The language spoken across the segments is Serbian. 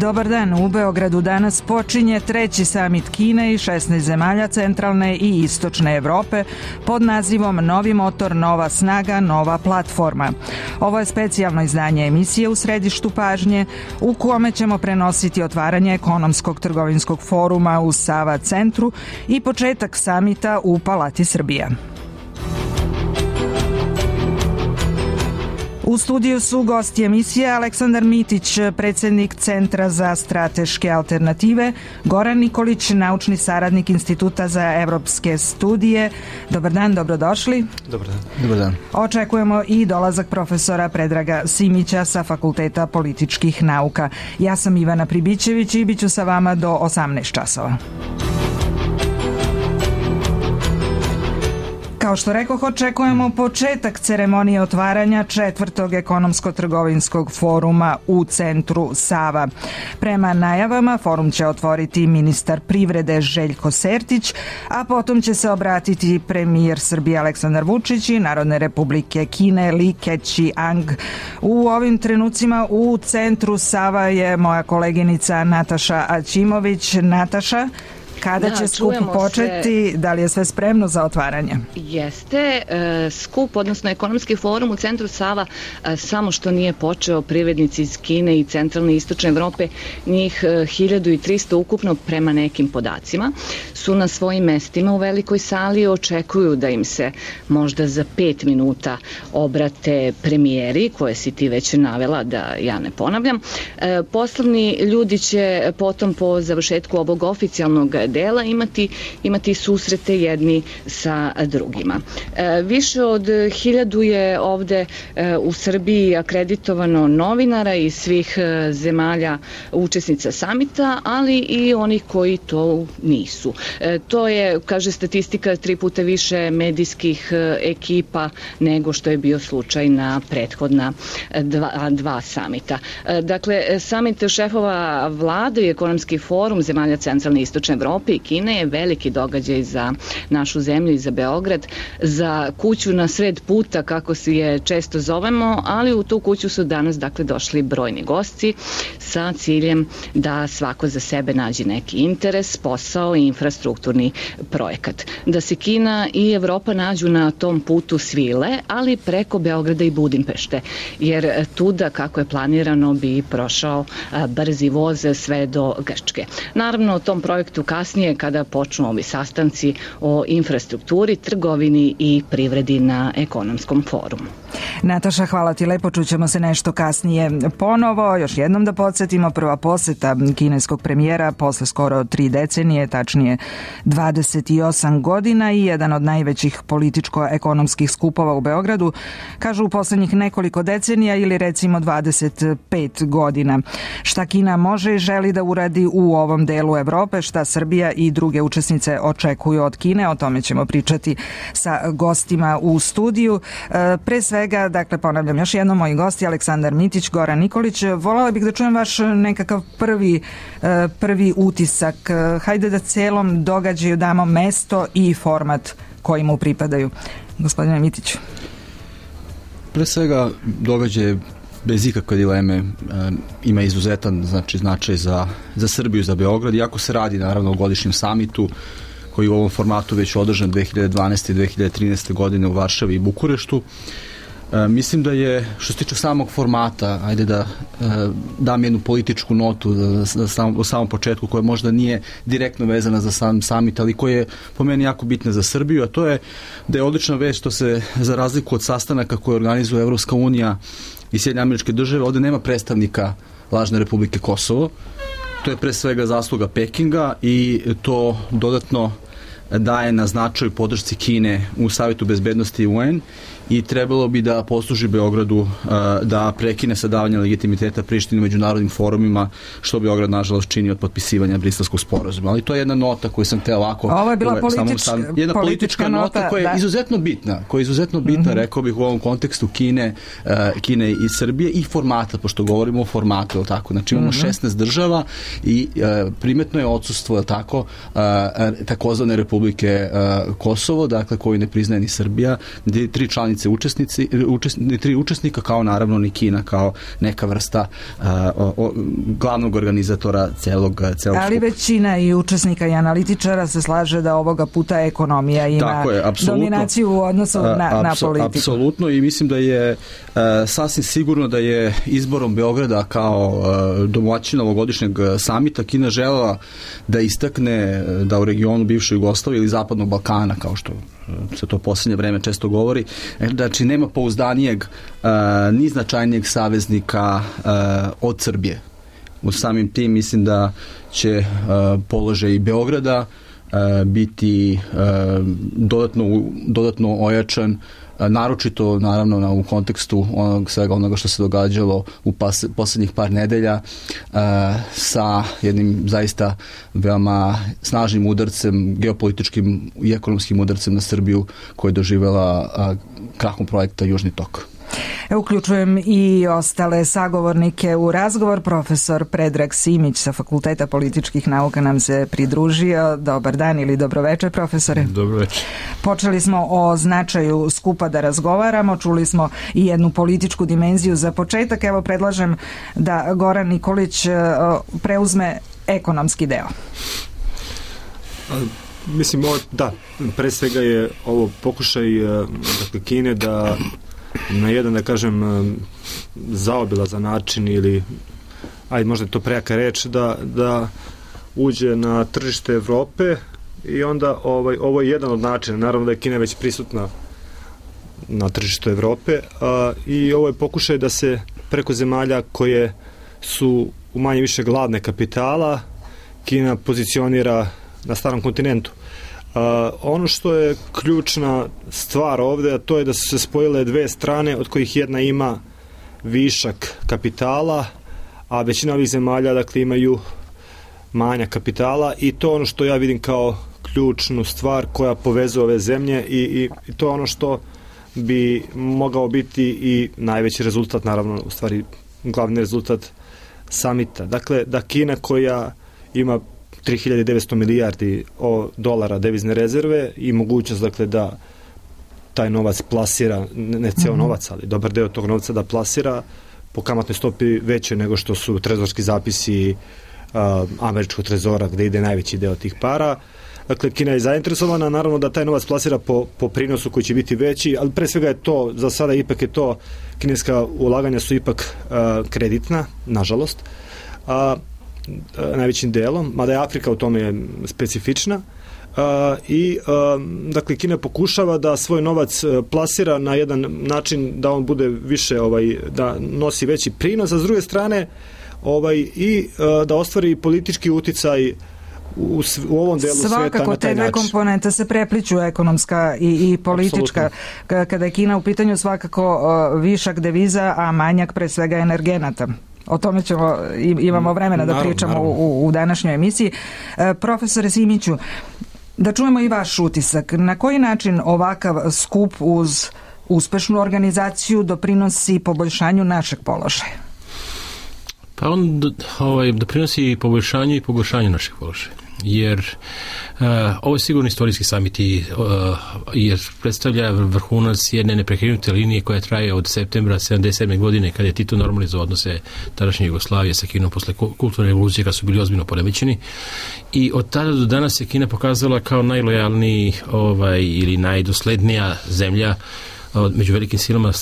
Dobar dan, u Beogradu danas počinje treći samit Kine i 16 zemalja centralne i istočne Evrope pod nazivom Novi motor, nova snaga, nova platforma. Ovo je specijalno izdanje emisije U središtu pažnje u kome ćemo prenositi otvaranje ekonomskog trgovinskog foruma u Sava centru i početak samita u Palati Srbija. U studiju su gosti emisije Aleksandar Mitić, predsjednik Centra za strateške alternative, Goran Nikolić, naučni saradnik Instituta za evropske studije. Dobar dan, dobrodošli. Dobar dan. Dobar dan. Očekujemo i dolazak profesora Predraga Simića sa Fakulteta političkih nauka. Ja sam Ivana Pribićević i bit ću sa vama do 18 časova. Kao što rekoh, očekujemo početak ceremonije otvaranja četvrtog ekonomsko-trgovinskog foruma u centru Sava. Prema najavama, forum će otvoriti ministar privrede Željko Sertić, a potom će se obratiti premijer Srbije Aleksandar Vučić i Narodne republike Kine Li Keqiang. U ovim trenucima u centru Sava je moja koleginica Nataša Aćimović. Nataša, kada će skup početi? Da li je sve spremno za otvaranje? Jeste. Skup, odnosno ekonomski forum u centru Sava samo što nije počeo. Privrednici iz Kine i centralne i istočne Evrope, njih 1300 ukupno prema nekim podacima, su na svojim mestima u velikoj sali. Očekuju da im se možda za 5 minuta obrate premijeri, koje si ti već navela, da ja ne ponavljam. Poslovni ljudi će potom po završetku ovog oficijalnog dela imati susrete jedni sa drugima. Više od 1000 je ovde u Srbiji akreditovano novinara iz svih zemalja učesnica samita, ali i oni koji to nisu. To je, kaže statistika, 3 puta više medijskih ekipa nego što je bio slučaj na prethodna dva samita. Dakle, samit šefova vlade i ekonomski forum zemalja centralne i istočne Evrope i Kine je veliki događaj za našu zemlju i za Beograd, za kuću na sred puta, kako si je često zovemo, ali u tu kuću su danas došli brojni gosti sa ciljem da svako za sebe nađe neki interes, posao i infrastrukturni projekat. Da se Kina i Evropa nađu na tom putu svile, ali preko Beograda i Budimpešte, jer tuda, kako je planirano, bi prošao brzi voz sve do Grčke. Naravno, o tom projektu kasnije, kada počnu ovi sastanci o infrastrukturi, trgovini i privredi na ekonomskom forumu. Nataša, hvala ti lepo, čućemo se nešto kasnije ponovo. Još jednom da podsjetimo, prva poseta kineskog premijera posle skoro 3 decenije, tačnije 28 godina i jedan od najvećih političko-ekonomskih skupova u Beogradu, kažu u poslednjih nekoliko decenija ili recimo 25 godina. Šta Kina može i želi da uradi u ovom delu Evrope, šta Srbija i druge učesnice očekuju od Kine, o tome ćemo pričati sa gostima u studiju. Pre svega, dakle, ponavljam još jednom, moji gosti Aleksandar Mitić, Goran Nikolić. Volela bih da čujem vaš nekakav prvi utisak. Hajde da celom događaju damo mesto i format koji mu pripadaju. Gospodine Mitić. Pre svega, događaj bez ikakve dileme ima izuzetan značaj za Srbiju, za Beograd, iako se radi naravno o godišnjem samitu koji u ovom formatu već održan 2012. i 2013. godine u Varšavi i Bukureštu. Mislim da je, što se tiče samog formata, ajde da dam jednu političku notu u samom početku, koja možda nije direktno vezana za sam samit, ali koja je po meni jako bitna za Srbiju, a to je da je odlična vest što se, za razliku od sastanaka koje organizuje Evropska unija i Sjedinjene Američke Države, ovde nema predstavnika lažne Republike Kosovo. To je pre svega zasluga Pekinga i to dodatno daje na značaju podršci Kine u Savetu bezbednosti UN i trebalo bi da posluži Beogradu da prekine sa davanjem legitimiteta Prištini u međunarodnim forumima, što Beograd nažalost čini od potpisivanja Briselskog sporazuma. Ali to je jedna nota koju sam te ovako... Ovo je bila jedna politička nota koja je izuzetno bitna, rekao bih, u ovom kontekstu Kine i Srbije i formata, pošto govorimo o formatu, tako? Znači imamo 16 država i primetno je odsustvo, tako, takozvane Republike Kosovo, dakle, koju ne priznaje ni Srbija, 3 članice zajednice tri učesnika, kao naravno ni Kina kao neka vrsta glavnog organizatora celog ali skupa. Većina i učesnika i analitičara se slaže da ovoga puta ekonomija ima dominaciju u odnosu na politiku. Apsolutno, i mislim da je sasvim sigurno da je izborom Beograda kao domaćina ovogodišnjeg samita Kina želela da istakne da u regionu bivše Jugoslavije ili Zapadnog Balkana, kao što se to posljednje vreme često govori, znači nema pouzdanijeg ni značajnijeg saveznika od Srbije. U samim tim mislim da će položaj i Beograda biti dodatno ojačan, naročito naravno u kontekstu svega onoga što se događalo u posljednjih par nedelja sa jednim zaista veoma snažnim udarcem, geopolitičkim i ekonomskim udarcem na Srbiju koja je doživjela krahom projekta Južni tok. Uključujem i ostale sagovornike u razgovor. Profesor Predrag Simić sa Fakulteta političkih nauka nam se pridružio. Dobar dan ili dobroveče, profesore. Dobroveče. Počeli smo o značaju skupa da razgovaramo, čuli smo i jednu političku dimenziju za početak. Evo predlažem da Goran Nikolić preuzme ekonomski deo. Mislim, da, pre svega je ovo pokušaj Kine da na jedan, da kažem, zaobilazan način ili, možda je to prejaka reč, da uđe na tržište Evrope i onda ovo je jedan od načina. Naravno da je Kina već prisutna na tržištu Evrope i ovo je pokušaj da se preko zemalja koje su u manje više gladne kapitala Kina pozicionira na starom kontinentu. Ono što je ključna stvar ovde, a to je da su se spojile dve strane od kojih jedna ima višak kapitala, a većina ovih zemalja imaju manjak kapitala i to ono što ja vidim kao ključnu stvar koja povezuje ove zemlje i to je ono što bi mogao biti i najveći rezultat, naravno u stvari glavni rezultat samita. Dakle, da Kina koja ima 3900 milijardi dolara devizne rezerve i mogućnost da taj novac plasira, ne ceo novac, ali dobar deo tog novca da plasira po kamatnoj stopi veće nego što su trezorski zapisi američkog trezora gde ide najveći deo tih para. Dakle, Kina je zainteresovana, naravno da taj novac plasira po prinosu koji će biti veći, ali pre svega je to, za sada ipak je to, kineska ulaganja su ipak kreditna, nažalost, najvećim delom, mada je Afrika u tome specifična i dakle Kina pokušava da svoj novac plasira na jedan način da on bude više, da nosi veći prinos, a s druge strane i da ostvari politički uticaj u ovom delu sveta na taj način. Svakako te dve komponente se prepliću, ekonomska i politička. Absolutno. Kada je Kina u pitanju svakako višak deviza, a manjak pre svega energenata. O tome imamo vremena da pričamo u današnjoj emisiji. Profesore Simiću, da čujemo i vaš utisak. Na koji način ovakav skup uz uspešnu organizaciju doprinosi poboljšanju našeg položaja? Pa on doprinosi poboljšanju i pogoršanju našeg položaja. Jer ovo je sigurno istorijski samit jer predstavlja vrhunac jedne neprekrenute linije koja traje od septembra 1977. godine kada je Tito normalizovao odnose tadašnje Jugoslavije sa Kinom posle kulturne revolucije kada su bili ozbiljno poremećeni i od tada do danas se Kina pokazala kao najlojalniji ili najdoslednija zemlja među velikim silama.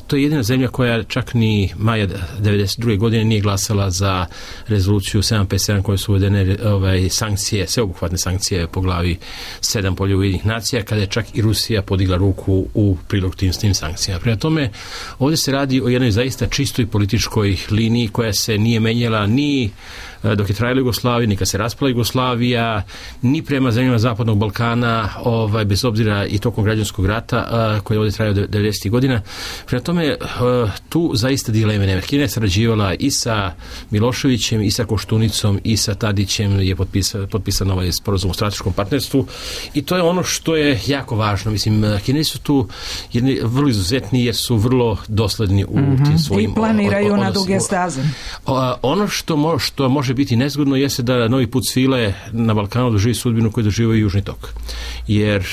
To je jedina zemlja koja čak ni maja 1992. godine nije glasala za rezoluciju 757 koje su uvedene sankcije, sveobuhvatne sankcije po glavi 7 Polja Ujedinjenih nacija, kada je čak i Rusija podigla ruku u prilog tim sankcijama. Prema tome, ovdje se radi o jednoj zaista čistoj političkoj liniji koja se nije menjala ni dok je trajala Jugoslavija, ni kad se raspala Jugoslavija, ni prema zemljama Zapadnog Balkana, bez obzira i tokom građanskog rata koji je ovdje trajao 90. godina. Prema tome, tu zaista dileme nema. Kina je sarađivala i sa Miloševićem, i sa Koštunicom, i sa Tadićem je potpisan ovaj sporazum o strateškom partnerstvu i to je ono što je jako važno. Mislim, Kinezi su tu vrlo izuzetni jer su vrlo dosledni u tim svojim i planiraju na duge staze. Ono što može biti nezgodno jeste da novi put svile na Balkanu doživi sudbinu koju doživio i Južni tok. Jer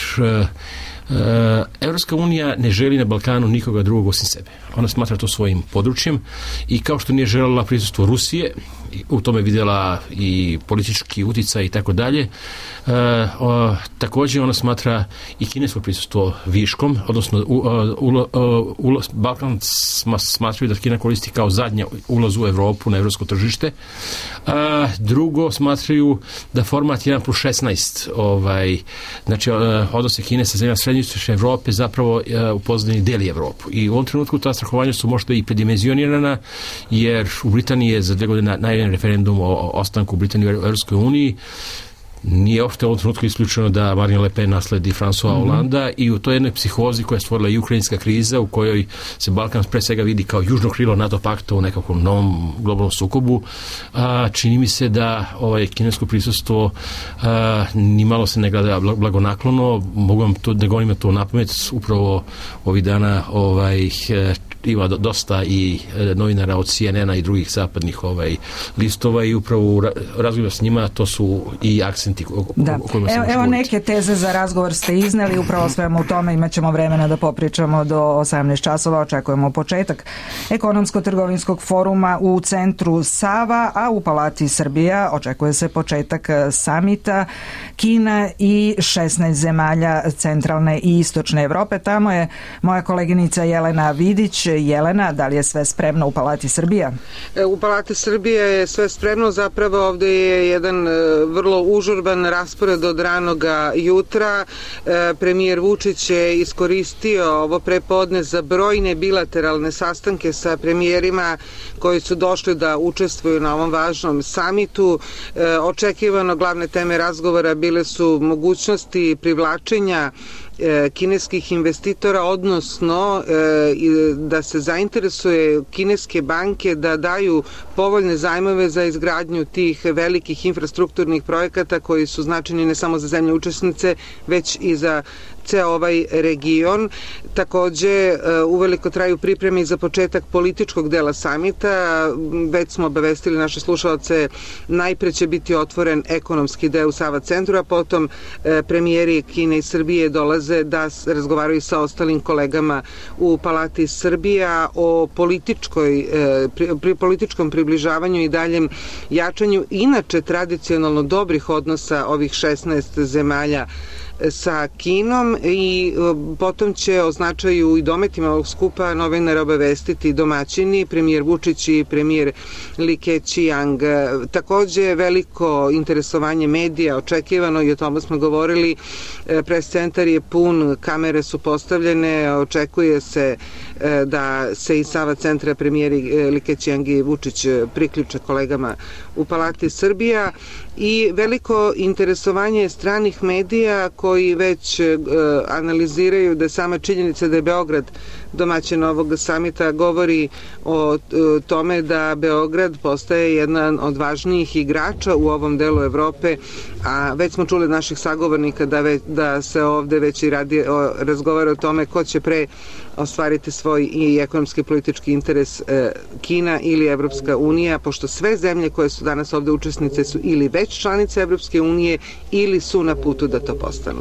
Evropska unija ne želi na Balkanu nikoga drugog osim sebe. Ona smatra to svojim područjem i kao što nije željela prisustvo Rusije, u tome vidjela i politički uticaj i tako dalje, također ona smatra i kinesko prisustvo viškom, odnosno Balkan smatraju da Kina koristi kao zadnja ulaz u Evropu na evropsko tržište. Drugo, smatraju da format 1+16, znači odnose Kine sa zemljama srednje istočne Evrope zapravo u pozadini deli Evropu. I u ovom trenutku ta strahovanja su možda i predimenzionirana, jer u Britaniji je za 2 godine najavljen referendum o ostanku Britanije u Evropskoj uniji. Nije uopšte u ovom trenutku isključeno da Marine Le Pen nasledi François Hollanda i u toj jednoj psihozi koja je stvorila i ukrajinska kriza, u kojoj se Balkan pre svega vidi kao južno krilo NATO pakta u nekakvom novom globalnom sukobu. Čini mi se da kinesko prisustvo nimalo se ne gleda blagonaklono. Mogu vam to da govorim to napamet, upravo ovih dana ima dosta i novinara od CNN-a i drugih zapadnih listova i upravo u razgovoru s njima to su i akcenti o kojima se može Evo neke teze za razgovor ste izneli, upravo svemu u tome imat ćemo vremena da popričamo do 18 časova, očekujemo početak ekonomsko-trgovinskog foruma u centru Sava, a u Palati Srbija očekuje se početak samita Kina i 16 zemalja centralne i istočne Evrope. Tamo je moja koleginica Jelena Vidić. Jelena, da li je sve spremno u Palati Srbija? U Palati Srbije je sve spremno, zapravo ovde je jedan vrlo užurban raspored od ranoga jutra. Premijer Vučić je iskoristio ovo prepodne za brojne bilateralne sastanke sa premijerima koji su došli da učestvuju na ovom važnom samitu. Očekivano glavne teme razgovora bile su mogućnosti privlačenja kineskih investitora, odnosno da se zainteresuje kineske banke da daju povoljne zajmove za izgradnju tih velikih infrastrukturnih projekata koji su značajni ne samo za zemlje učesnice, već i za ceo ovaj region. Takođe, uveliko traju pripreme za početak političkog dela samita. Već smo obavestili naše slušalce, najpre će biti otvoren ekonomski deo u Sava centru, a potom premijeri Kine i Srbije dolaze da razgovaraju sa ostalim kolegama u Palati Srbija o političkom približavanju i daljem jačanju inače tradicionalno dobrih odnosa ovih 16 zemalja sa Kinom i potom će o značaju i dometima ovog skupa novinare obavestiti domaćini, premijer Vučić i premijer Li Keqiang. Takođe veliko interesovanje medija očekivano i o tome smo govorili. Pres centar je pun, kamere su postavljene, očekuje se da se iz Sava centra premijeri Li Keqiang i Vučić priključe kolegama u Palati Srbija i veliko interesovanje stranih medija koji već analiziraju da sama činjenica da je Beograd domaćin ovog samita govori o tome da Beograd postaje jedan od važnijih igrača u ovom delu Evrope, a već smo čuli od naših sagovornika da se ovde već i razgovara o tome ko će pre ostvariti svoj i ekonomski politički interes, Kina ili Evropska unija, pošto sve zemlje koje su danas ovde učesnice su ili već članice Evropske unije ili su na putu da to postanu.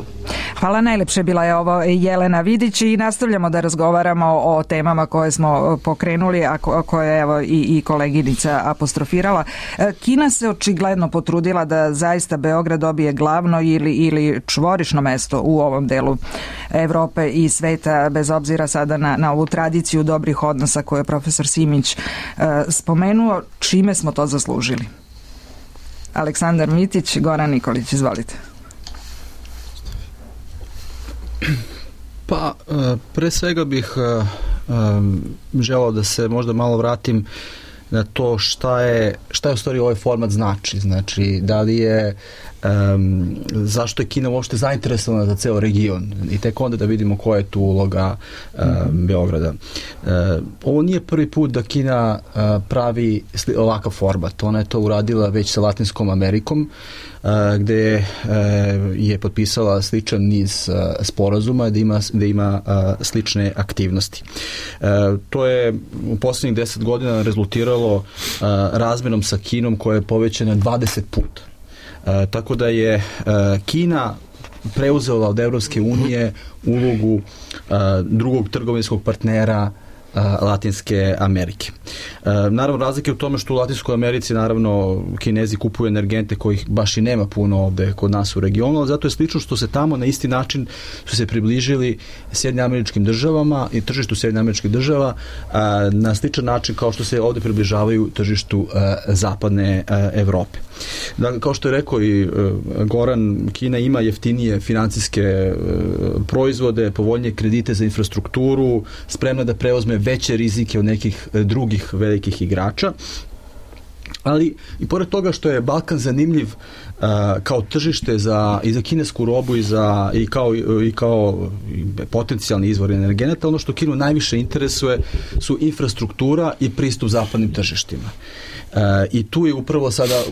Hvala najlepše, bila je ovo Jelena Vidić i nastavljamo da razgovaramo o temama koje smo pokrenuli, a koje je evo i koleginica apostrofirala. Kina se očigledno potrudila da zaista Beograd dobije glavno ili čvorišno mesto u ovom delu Evrope i sveta, bez obzira sada na ovu tradiciju dobrih odnosa koju je profesor Simić spomenuo. Čime smo to zaslužili? Aleksandar Mitić, Goran Nikolić, izvolite. Pa, pre svega bih želao da se možda malo vratim na to šta je u stvari ovaj format znači da li je zašto je Kina uopšte zainteresovana za ceo region i tek onda da vidimo koja je tu uloga Beograda. Ovo nije prvi put da Kina pravi ovakav format. Ona je to uradila već sa Latinskom Amerikom, gde je potpisala sličan niz sporazuma, gde ima slične aktivnosti. To je u poslednjih 10 godina rezultiralo razmenom sa Kinom koja je povećana 20 puta. Tako da je Kina preuzela od Evropske unije ulogu drugog trgovinskog partnera Latinske Amerike. Naravno, razlike u tome što u Latinskoj Americi naravno Kinezi kupuju energente kojih baš i nema puno ovde kod nas u regionu, ali zato je slično što se tamo na isti način su se približili Sjedinjenim Američkim Državama i tržištu Sjedinjenih Američkih Država na sličan način kao što se ovde približavaju tržištu zapadne Evrope. Dakle, kao što je rekao i Goran, Kina ima jeftinije financijske proizvode, povoljnije kredite za infrastrukturu, spremna da preuzme veće rizike od nekih drugih velikih igrača. Ali i pored toga što je Balkan zanimljiv kao tržište i za kinesku robu i kao potencijalni izvor energenata, ono što Kinu najviše interesuje su infrastruktura i pristup zapadnim tržištima. I tu je upravo sada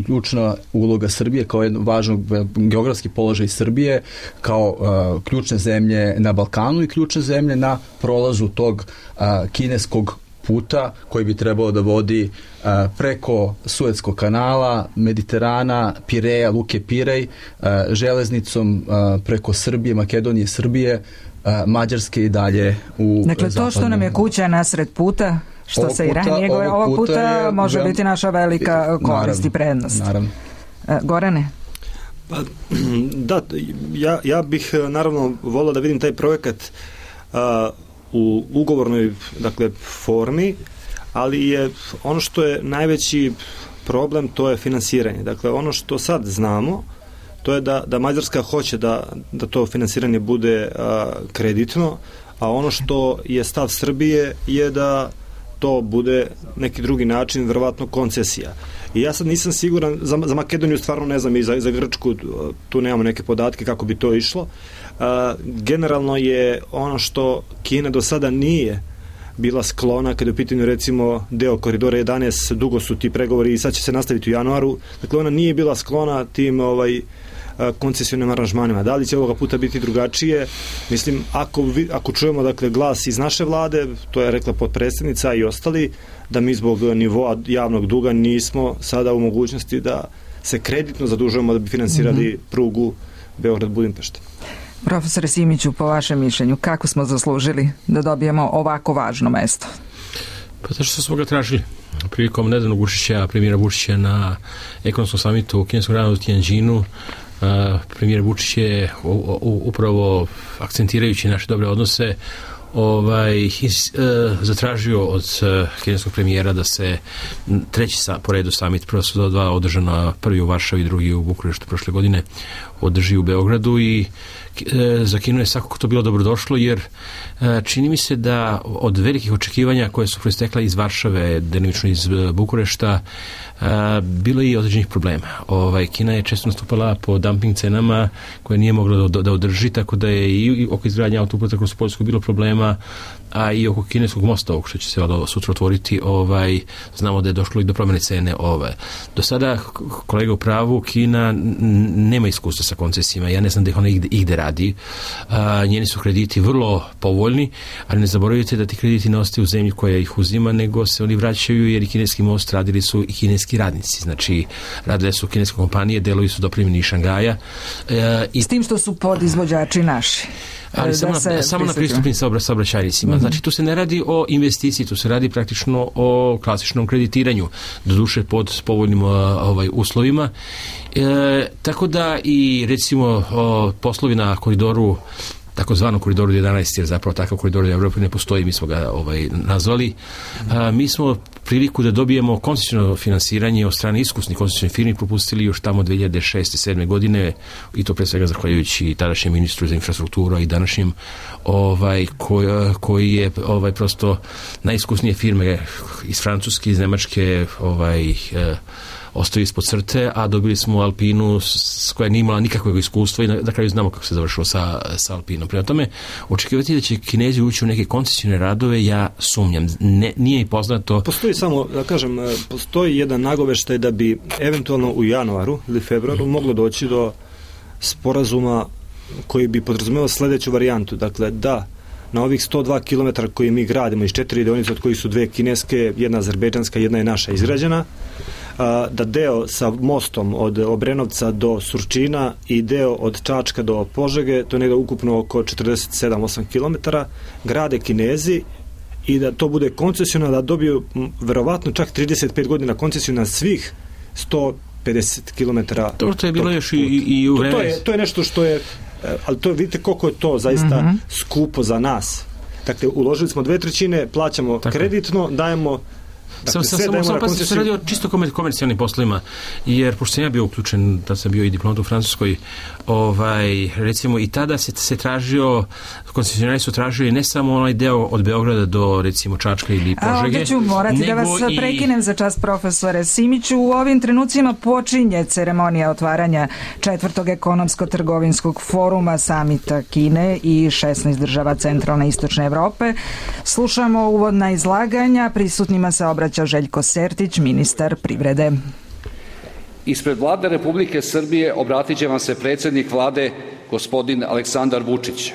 ključna uloga Srbije kao jedno važnog geografski položaj Srbije kao ključne zemlje na Balkanu i ključne zemlje na prolazu tog kineskog puta koji bi trebalo da vodi preko Suetskog kanala, Mediterana, Pireja, Luke Pirej, železnicom preko Srbije, Makedonije, Srbije, Mađarske i dalje u Dakle, to što nam je kuća nasred puta, što se i ranije govori, ovog puta može biti naša velika korist i prednost. Naravno. Gorane? Pa, da, ja bih naravno volio da vidim taj projekat u ugovornoj, dakle, formi, ali je ono što je najveći problem, to je finansiranje. Dakle, ono što sad znamo, to je da Mađarska hoće da to finansiranje bude kreditno, a ono što je stav Srbije je da to bude neki drugi način, verovatno koncesija. I ja sad nisam siguran, za Makedoniju stvarno ne znam, i za Grčku tu nemamo neke podatke kako bi to išlo. Generalno je ono što Kina do sada nije bila sklona, kada je u pitanju recimo deo koridora 11, dugo su ti pregovori i sad će se nastaviti u januaru, dakle ona nije bila sklona tim koncesionim aranžmanima. Da li će ovoga puta biti drugačije? Mislim, ako čujemo, dakle, glas iz naše vlade, to je rekla potpredsjednica i ostali, da mi zbog nivoa javnog duga nismo sada u mogućnosti da se kreditno zadužujemo da bi finansirali prugu Beograd-Budimpešta. Profesore Simiću, po vašem mišljenju, kako smo zaslužili da dobijemo ovako važno mesto? Pa to što smo ga tražili. Prilikom nedavnog premijera Vučića na ekonomskom samitu u kineskom gradu u Tianjinu, premijer Vučić je upravo akcentirajući naše dobre odnose zatražio od kineskog premijera da se treći po redu summit, prvo su dva održana, prvi u Varšavi, drugi u Bukureštu prošle godine, održi u Beogradu i za Kinu je svakako to bilo dobrodošlo, jer čini mi se da od velikih očekivanja koje su proistekla iz Varšave, delimično iz Bukurešta, bilo je i određenih problema. Kina je često nastupala po dumping cenama koje nije mogla da održi, tako da je i oko izgradnja autoputa kroz Poljsku bilo problema, a i oko kineskog mosta, ovog što će se sutra otvoriti, znamo da je došlo i do promjene cene. Do sada, kolega u pravu, Kina nema iskustva sa koncesijama, ja ne znam da ih ona igde radi. Njeni su krediti vrlo povoljni, ali ne zaboravite da ti krediti ne ostaju u zemlji koja ih uzima, nego se oni vraćaju, jer i kineski most radili su i kineski radnici. Znači, radile su kineske kompanije, delovi su dopremljeni iz Šangaja. S tim što su podizvođači naši. Ali samo na pristupnim saobraćajnicima. Znači, tu se ne radi o investiciji, tu se radi praktično o klasičnom kreditiranju, doduše pod povoljnim uslovima. Tako da i recimo poslovi na koridoru, takozvanom koridoru 11, jer zapravo takav koridor u Evropi ne postoji, mi smo ga nazvali. Mi smo priliku da dobijemo koncesiono finansiranje od strane iskusnih koncesionih firmi propustili još tamo 2006-2007 godine, i to pre svega zahvaljujući tadašnjem ministru za infrastrukturu i današnjem koji je prosto najiskusnije firme iz Francuske, iz Nemačke ostaju ispod crte, a dobili smo Alpinu koja nije imala nikakvog iskustva i na kraju znamo kako se završilo sa Alpinom. Prema tome, očekivati da će Kinezi ući u neke koncesione radove, ja sumnjam. Nije i poznato. Postoji samo, da kažem, postoji jedan nagoveštaj da bi eventualno u januaru ili februaru moglo doći do sporazuma koji bi podrazumevao sledeću varijantu. Dakle, da na ovih 102 km koji mi gradimo iz 4 deonice, od kojih su 2 kineske, jedna azerbejdžanska, jedna je naša izgrađena, da deo sa mostom od Obrenovca do Surčina i deo od Čačka do Požege, to je negdje ukupno oko 47-8 km, grade Kinezi i da to bude koncesionalno, da dobiju verovatno čak 35 godina koncesionalno svih 150 km. To je bilo još i u vreme. To je nešto što je, ali to vidite koliko je to zaista skupo za nas. Dakle, uložili smo 2/3, plaćamo kreditno, dajemo. Samo se radi o čisto komercijalnim poslovima, jer pošto sam ja bio uključen, da sam bio i diplomat u Francuskoj, recimo i tada se tražio, koncesionari su tražili ne samo onaj deo od Beograda do recimo Čačka ili Požege. A ovdje ću morati da vas prekinem za čas, profesore Simiću. U ovim trenucima počinje ceremonija otvaranja 4. ekonomsko-trgovinskog foruma samita Kine i 16 država centralne i istočne Evrope. Slušamo uvodna izlaganja, prisutnima se obraća Željko Sertić, ministar privrede. Ispred Vlade Republike Srbije obratit će vam se predsjednik Vlade gospodin Aleksandar Vučić.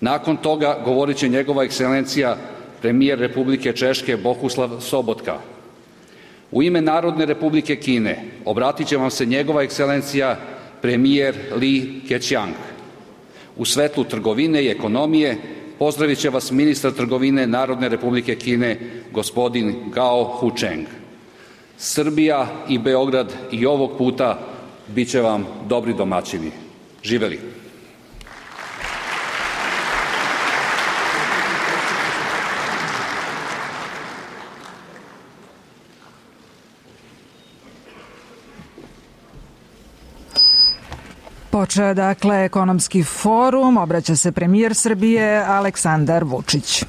Nakon toga govorit će njegova ekscelencija premijer Republike Češke Bohuslav Sobotka. U ime Narodne Republike Kine obratit će vam se njegova ekscelencija premijer Li Keqiang. U svetlu trgovine i ekonomije pozdravit će vas ministar trgovine Narodne Republike Kine, gospodin Gao Hucheng. Srbija i Beograd i ovog puta bit će vam dobri domaćini. Živeli! Počeo dakle ekonomski forum, obraća se premijer Srbije Aleksandar Vučić.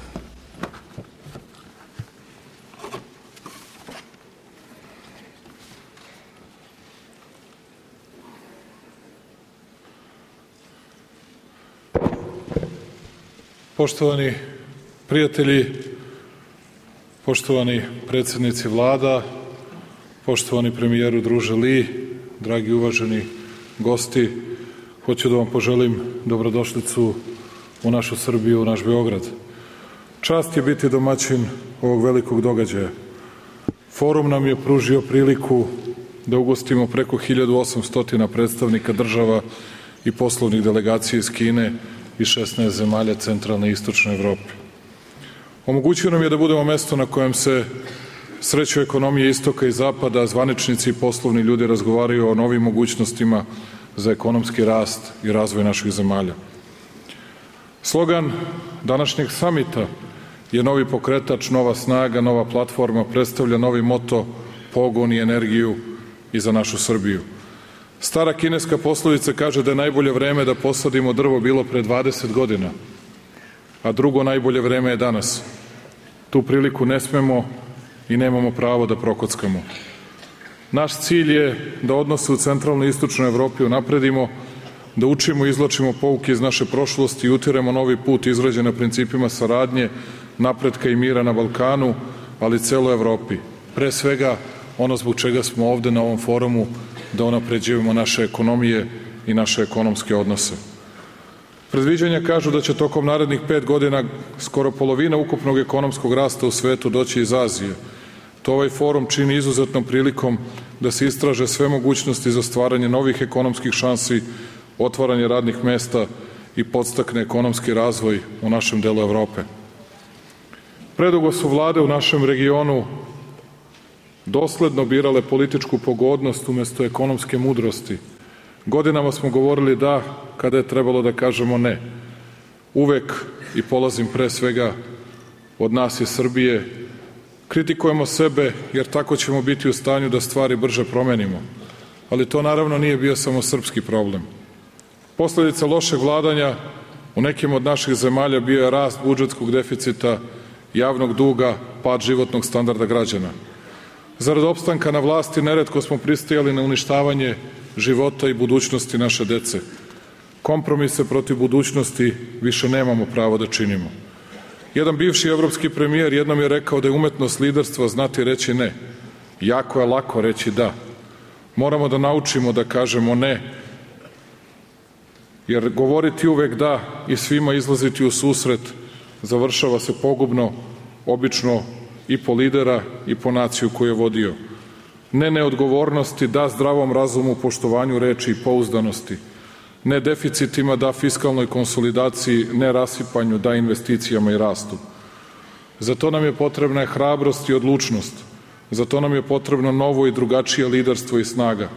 Poštovani prijatelji, poštovani predsjednici vlada, poštovani premijeru druže Li, dragi uvaženi gosti, hoću da vam poželim dobrodošlicu u našu Srbiju, u naš Beograd. Čast je biti domaćin ovog velikog događaja. Forum nam je pružio priliku da ugostimo preko 1800 predstavnika država i poslovnih delegacija iz Kine i 16 zemalja centralne i istočne Evrope. Omogućio nam je da budemo mesto na kojem se sreću ekonomije istoka i zapada, a zvaničnici i poslovni ljudi razgovaraju o novim mogućnostima za ekonomski rast i razvoj naših zemalja. Slogan današnjeg samita je novi pokretač, nova snaga, nova platforma, predstavlja novi moto, pogon i energiju i za našu Srbiju. Stara kineska poslovica kaže da je najbolje vreme da posadimo drvo bilo pre 20 godina, a drugo najbolje vreme je danas. Tu priliku ne smemo i nemamo pravo da prokockamo. Naš cilj je da odnose u centralnoj i istočnoj Evropi unapredimo, da učimo i izvlačimo pouke iz naše prošlosti i utiremo novi put izgrađen na principima saradnje, napretka i mira na Balkanu, ali i celoj Evropi. Pre svega, ono zbog čega smo ovde na ovom forumu, da unapređujemo naše ekonomije i naše ekonomske odnose. Predviđanja kažu da će tokom narednih 5 godina skoro polovina ukupnog ekonomskog rasta u svetu doći iz Azije. To ovaj forum čini izuzetnom prilikom da se istraže sve mogućnosti za stvaranje novih ekonomskih šansi, otvaranje radnih mesta i podstakne ekonomski razvoj u našem delu Evrope. Predugo su vlade u našem regionu dosledno birale političku pogodnost umesto ekonomske mudrosti. Godinama smo govorili da kada je trebalo da kažemo ne. Uvek, i polazim pre svega od nas iz Srbije, kritikujemo sebe jer tako ćemo biti u stanju da stvari brže promenimo. Ali to naravno nije bio samo srpski problem. Posledica lošeg vladanja u nekim od naših zemalja bio je rast budžetskog deficita, javnog duga, pad životnog standarda građana. Zarad opstanka na vlasti neretko smo pristajali na uništavanje života i budućnosti naše dece. Kompromise protiv budućnosti više nemamo pravo da činimo. Jedan bivši evropski premijer jednom je rekao da je umetnost liderstva znati reći ne. Jako je lako reći da. Moramo da naučimo da kažemo ne, jer govoriti uvek da i svima izlaziti u susret završava se pogubno, obično i po lidera i po naciju koju je vodio. ne neodgovornosti, da zdravom razumu, poštovanju reči i pouzdanosti, ne deficitima, da fiskalnoj konsolidaciji, ne rasipanju, da investicijama i rastu. Za to nam je potrebna hrabrost i odlučnost, za to nam je potrebno novo i drugačije liderstvo i snaga.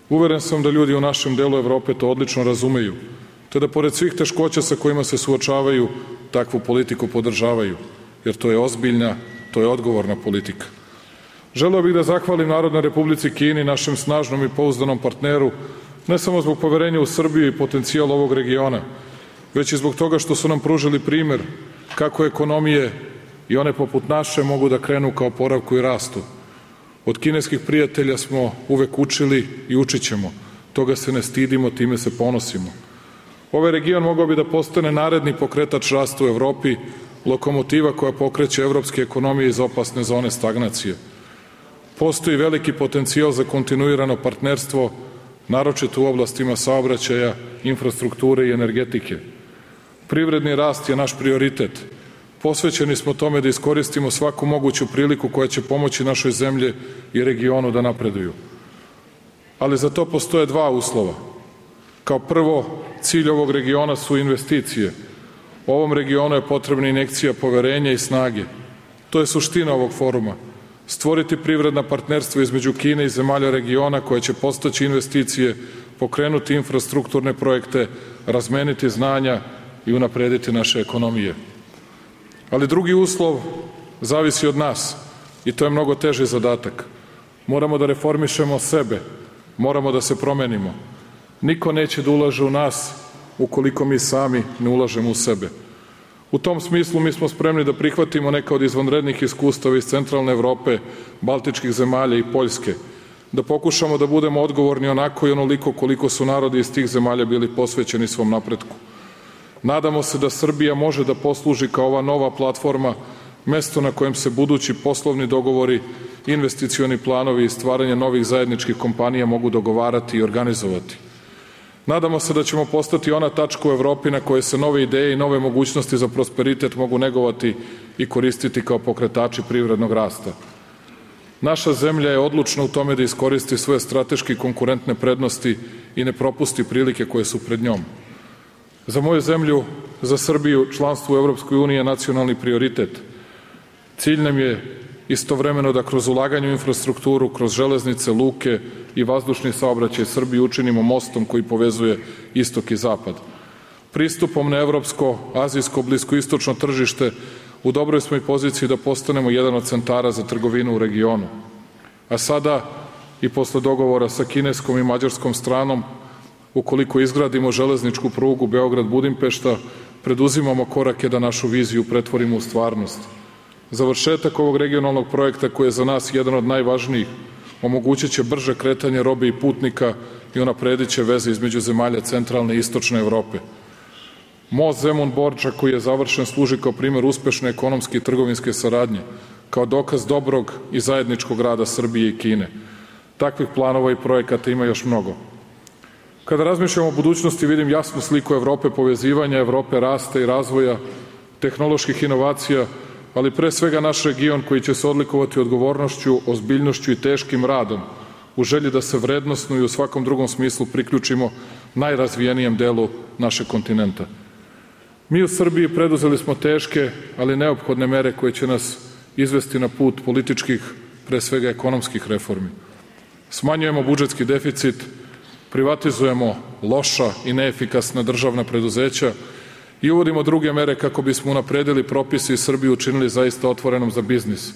Uveren sam da ljudi u našem delu Evrope to odlično razumeju, te da pored svih teškoća sa kojima se suočavaju, takvu politiku podržavaju, jer to je ozbiljna, to je odgovorna politika. Želeo bih da zahvalim Narodnoj Republici Kini, našem snažnom i pouzdanom partneru, ne samo zbog poverenja u Srbiju i potencijal ovog regiona, već i zbog toga što su nam pružili primer kako ekonomije i one poput naše mogu da krenu ka oporavku i rastu. Od kineskih prijatelja smo uvek učili i učit ćemo. Toga se ne stidimo, time se ponosimo. Ovaj region mogao bi da postane naredni pokretač rasta u Evropi, lokomotiva koja pokreće evropske ekonomije iz opasne zone stagnacije. Postoji veliki potencijal za kontinuirano partnerstvo, naročito u oblastima saobraćaja, infrastrukture i energetike. Privredni rast je naš prioritet. Posvećeni smo tome da iskoristimo svaku moguću priliku koja će pomoći našoj zemlji i regionu da napreduju. Ali za to postoje dva uslova. Kao prvo, cilj ovog regiona su investicije. Ovom regionu je potrebna injekcija poverenja i snage. To je suština ovog foruma. Stvoriti privredna partnerstva između Kine i zemalja regiona koja će postaći investicije, pokrenuti infrastrukturne projekte, razmeniti znanja i unaprediti naše ekonomije. Ali drugi uslov zavisi od nas i to je mnogo teži zadatak. Moramo da reformišemo sebe, moramo da se promenimo. Niko neće da ulaže u nas ukoliko mi sami ne ulažemo u sebe. U tom smislu mi smo spremni da prihvatimo neka od izvanrednih iskustava iz centralne Evrope, baltičkih zemalja i Poljske, da pokušamo da budemo odgovorni onako i onoliko koliko su narodi iz tih zemalja bili posvećeni svom napretku. Nadamo se da Srbija može da posluži kao ova nova platforma, mesto na kojem se budući poslovni dogovori, investicioni planovi i stvaranje novih zajedničkih kompanija mogu dogovarati i organizovati. Nadamo se da ćemo postati ona tačka u Evropi na kojoj se nove ideje i nove mogućnosti za prosperitet mogu negovati i koristiti kao pokretači privrednog rasta. Naša zemlja je odlučna u tome da iskoristi svoje strateški konkurentne prednosti i ne propusti prilike koje su pred njom. Za moju zemlju, za Srbiju, članstvo u Evropskoj uniji je nacionalni prioritet. Cilj nam je istovremeno da kroz ulaganje u infrastrukturu, kroz železnice, luke i vazdušni saobraćaj Srbiju učinimo mostom koji povezuje istok i zapad. Pristupom na evropsko, azijsko, bliskoistočno tržište u dobroj smo i poziciji da postanemo jedan od centara za trgovinu u regionu. A sada i posle dogovora sa kineskom i mađarskom stranom, ukoliko izgradimo železničku prugu Beograd-Budimpešta, preduzimamo korake da našu viziju pretvorimo u stvarnost. Završetak ovog regionalnog projekta koji je za nas jedan od najvažnijih omogućit će brže kretanje robe i putnika i unapredit će veze između zemalja centralne i istočne Evrope. Most Zemun-Borča koji je završen služi kao primer uspešne ekonomske i trgovinske saradnje, kao dokaz dobrog i zajedničkog rada Srbije i Kine. Takvih planova i projekata ima još mnogo. Kada razmišljamo o budućnosti vidim jasnu sliku Evrope povezivanja, Evrope rasta i razvoja, tehnoloških inovacija, ali pre svega naš region koji će se odlikovati odgovornošću, ozbiljnošću i teškim radom u želji da se vrednosno i u svakom drugom smislu priključimo najrazvijenijem delu našeg kontinenta. Mi u Srbiji preduzeli smo teške, ali neophodne mere koje će nas izvesti na put političkih, pre svega ekonomskih reformi. Smanjujemo budžetski deficit, privatizujemo loša i neefikasna državna preduzeća i uvodimo druge mere kako bismo unapredili propise i Srbiju učinili zaista otvorenom za biznis,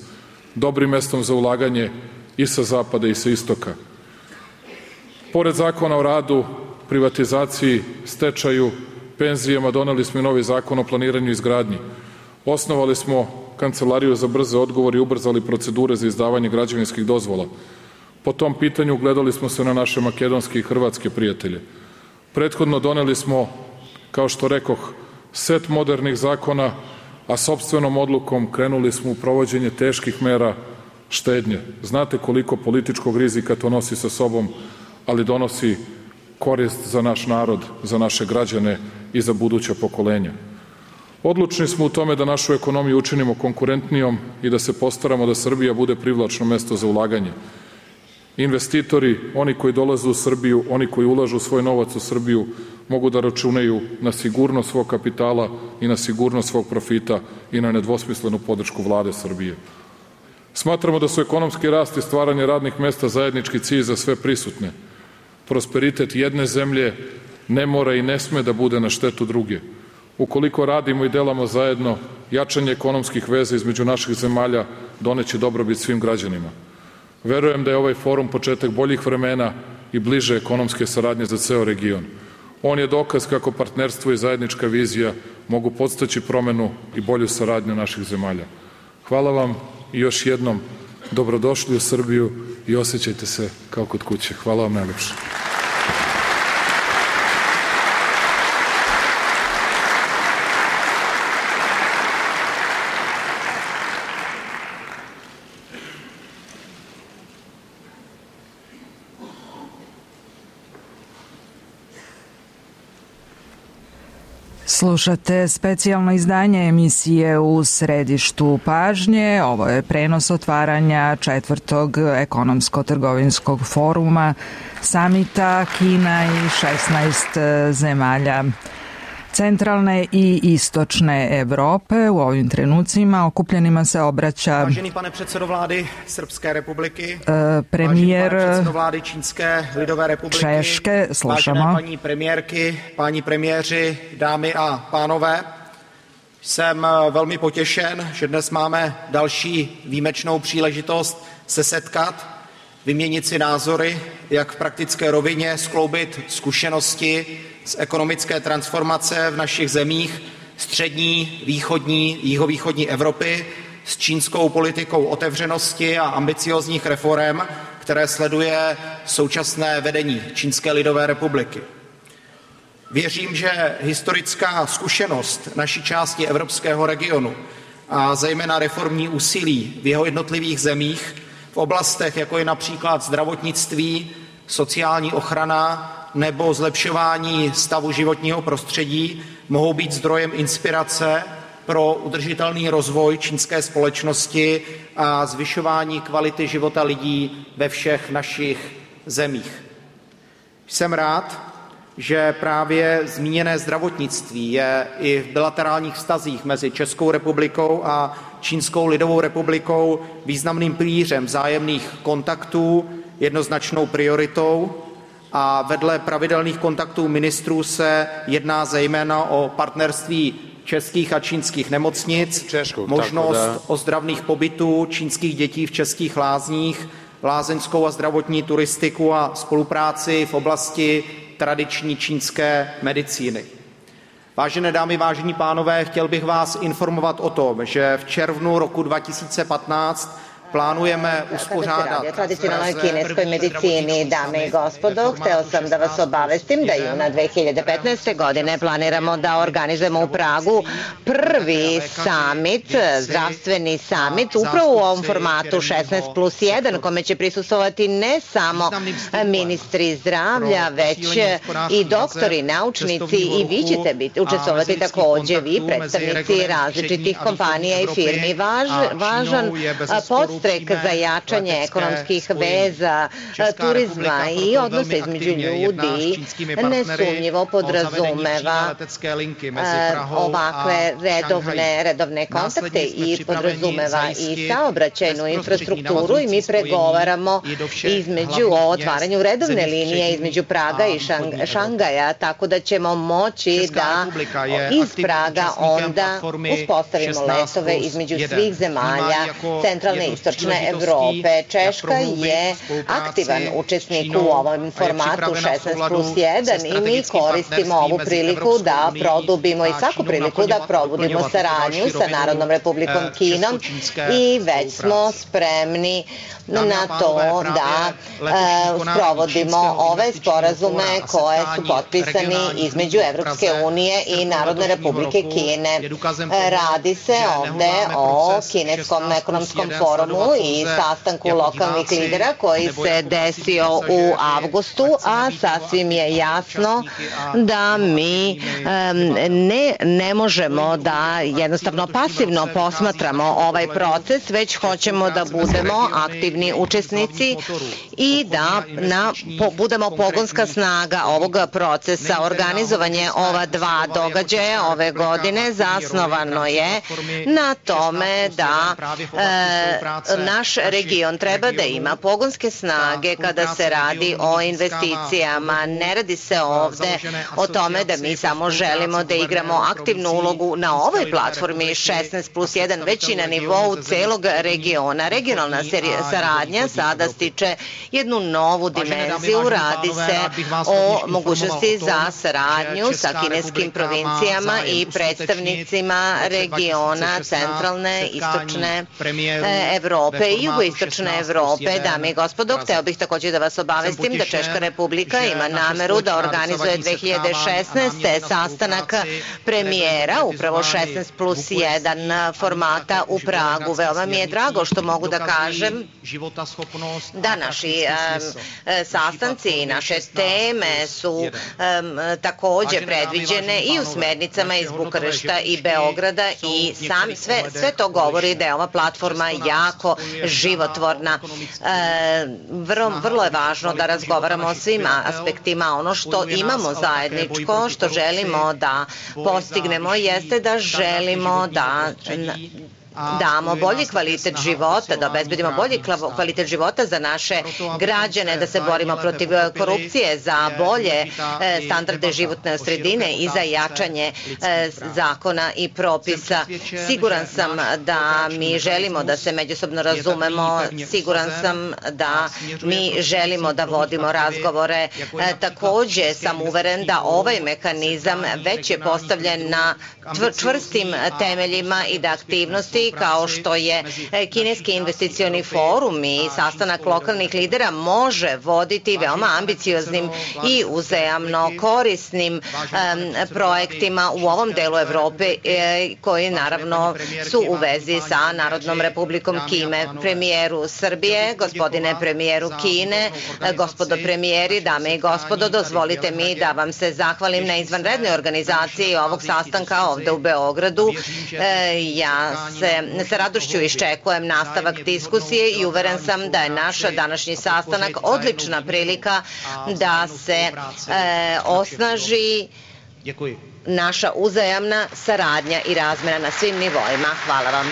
dobrim mestom za ulaganje i sa zapada i sa istoka. Pored zakona o radu, privatizaciji, stečaju, penzijama, doneli smo i novi zakon o planiranju i izgradnji. Osnovali smo Kancelariju za brze odgovore i ubrzali procedure za izdavanje građevinskih dozvola. Po tom pitanju gledali smo se na naše makedonske i hrvatske prijatelje. Prethodno doneli smo, kao što rekoh, set modernih zakona, a sopstvenom odlukom krenuli smo u provođenje teških mera štednje. Znate koliko političkog rizika to nosi sa sobom, ali donosi korist za naš narod, za naše građane i za buduća pokolenja. Odlučni smo u tome da našu ekonomiju učinimo konkurentnijom i da se postaramo da Srbija bude privlačno mesto za ulaganje. Investitori, oni koji dolaze u Srbiju, oni koji ulažu svoj novac u Srbiju, mogu da računaju na sigurnost svog kapitala i na sigurnost svog profita i na nedvosmislenu podršku Vlade Srbije. Smatramo da su ekonomski rast i stvaranje radnih mesta zajednički cilj za sve prisutne. Prosperitet jedne zemlje ne mora i ne sme da bude na štetu druge. Ukoliko radimo i delamo zajedno, jačanje ekonomskih veza između naših zemalja doneće dobrobit svim građanima. Verujem da je ovaj forum početak boljih vremena i bliže ekonomske saradnje za ceo region. On je dokaz kako partnerstvo i zajednička vizija mogu podstaći promenu i bolju saradnju naših zemalja. Hvala vam i još jednom dobrodošli u Srbiju i osjećajte se kao kod kuće. Hvala vam najlepše. Slušate specijalno izdanje emisije U središtu pažnje. Ovo je prenos otvaranja 4. ekonomsko-trgovinskog foruma samita Kina i 16 zemalja centralne i istočne Evrope. U ovim trenucima okupljenima se obraća Vážený pane předsedo vlády Srpske republiky, premiér vážený pane předsedo vlády Čínské lidové republiky, Češke, slušamo. vážené paní premiérky, páni premiéři, dámy a pánové, jsem velmi potěšen, že dnes máme další výjimečnou příležitost se setkat, vyměnit si názory, jak v praktické rovině skloubit zkušenosti z ekonomické transformace v našich zemích střední, východní, jihovýchodní Evropy s čínskou politikou otevřenosti a ambiciózních reforem, které sleduje současné vedení Čínské lidové republiky. Věřím, že historická zkušenost naší části evropského regionu a zejména reformní úsilí v jeho jednotlivých zemích v oblastech, jako je například zdravotnictví, sociální ochrana nebo zlepšování stavu životního prostředí, mohou být zdrojem inspirace pro udržitelný rozvoj čínské společnosti a zvyšování kvality života lidí ve všech našich zemích. Jsem rád, že právě zmíněné zdravotnictví je i v bilaterálních vztazích mezi Českou republikou a Čínskou lidovou republikou významným pilířem vzájemných kontaktů, jednoznačnou prioritou a vedle pravidelných kontaktů ministrů se jedná zejména o partnerství českých a čínských nemocnic, možnost ozdravných pobytů čínských dětí v českých lázních, lázeňskou a zdravotní turistiku a spolupráci v oblasti tradiční čínské medicíny. Vážené dámy, vážení pánové, chtěl bych vás informovat o tom, že v červnu roku 2015 plánujeme uspořádat tradicionalnoj kineskoj medicini. Dame i gospodo, hteo sam da vas obavestim da juna 2015. godine planiramo da organizujemo u Pragu prvi summit, zdravstveni summit, upravo u ovom formatu 16+1, kome će prisustvovati ne samo ministri zdravlja, već i doktori, naučnici i vi ćete učestvovati takođe, vi predstavnici različitih kompanija i firmi. Važan podstrek za jačanje ekonomskih veza, turizma i odnosa između ljudi nesumnjivo podrazumeva ovakve redovne kontakte i podrazumeva i saobraćajnu infrastrukturu i mi pregovaramo između o otvaranju redovne linije između Praga i Šangaja, tako da ćemo moći da iz Praga onda uspostavimo letove između svih zemalja centralne i istočne Evrope. Češka je aktivan učesnik u ovom formatu 16+1 i mi koristimo ovu priliku da produbimo i svaku priliku da probudimo saradnju sa Narodnom republikom Kinom i već smo spremni na to da sprovodimo ove sporazume koje su potpisani između Evropske unije i Narodne republike Kine. Radi se ovde o Kineskom ekonomskom forumu i sastanku lokalnih lidera koji se desio u avgustu, a sasvim je jasno da mi ne možemo da jednostavno pasivno posmatramo ovaj proces, već hoćemo da budemo aktivni učesnici i da budemo pogonska snaga ovog procesa. Organizovanje ova dva događaja ove godine zasnovano je na tome da naš region treba da ima pogonske snage kada se radi o investicijama. Ne radi se ovde o tome da mi samo želimo da igramo aktivnu ulogu na ovoj platformi 16+1, već i na nivou celog regiona. Regionalna saradnja sada stiče jednu novu dimenziju. Radi se o mogućnosti za saradnju sa kineskim provincijama i predstavnicima regiona centralne, istočne Evrope i jugoistočne Evrope. Dame i gospodo, hteo bih takođe da vas obavestim da Češka Republika ima nameru da organizuje 2016. sastanak premijera, upravo 16+1 formata u Pragu. Veoma mi je drago što mogu da kažem da naši sastanci i naše teme su takođe predviđene i u smernicama iz Bukarešta i Beograda i sve to govori da je ova platforma jako životvorna. Vrlo je važno da razgovaramo o svim aspektima. Ono što imamo zajedničko, što želimo da postignemo, jeste da želimo da damo bolji kvalitet života, da obezbedimo bolji kvalitet života za naše građane, da se borimo protiv korupcije, za bolje standarde životne sredine i za jačanje zakona i propisa. Siguran sam da mi želimo da se međusobno razumemo, siguran sam da mi želimo da vodimo razgovore. Takođe sam uveren da ovaj mehanizam već je postavljen na čvrstim temeljima i da aktivnosti kao što je Kineski investicioni forum i sastanak lokalnih lidera može voditi veoma ambicioznim i uzajamno korisnim projektima u ovom delu Evrope koji naravno su u vezi sa Narodnom republikom Kine. Premijeru Srbije, gospodine premijeru Kine, gospodo premijeri, dame i gospodo, dozvolite mi da vam se zahvalim na izvanrednoj organizaciji ovog sastanka ovde u Beogradu. Ja sa radošću iščekujem nastavak diskusije i uveren sam da je naš današnji sastanak odlična prilika da se osnaži naša uzajamna saradnja i razmena na svim nivoima. Hvala vam.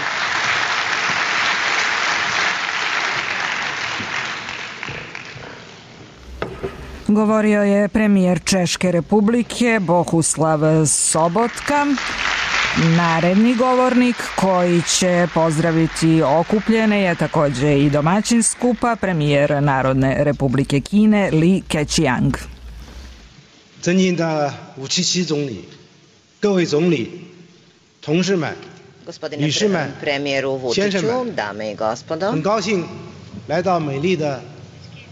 Govorio je premijer Češke Republike Bohuslav Sobotka. Naredni govornik koji će pozdraviti okupljene je takođe i domaćin skupa, premijer Narodne Republike Kine Li Keqiang. 尊敬的吴奇奇总理，各位总理，同志们、女士们、先生们， dame i gospodo， 很高兴来到美丽的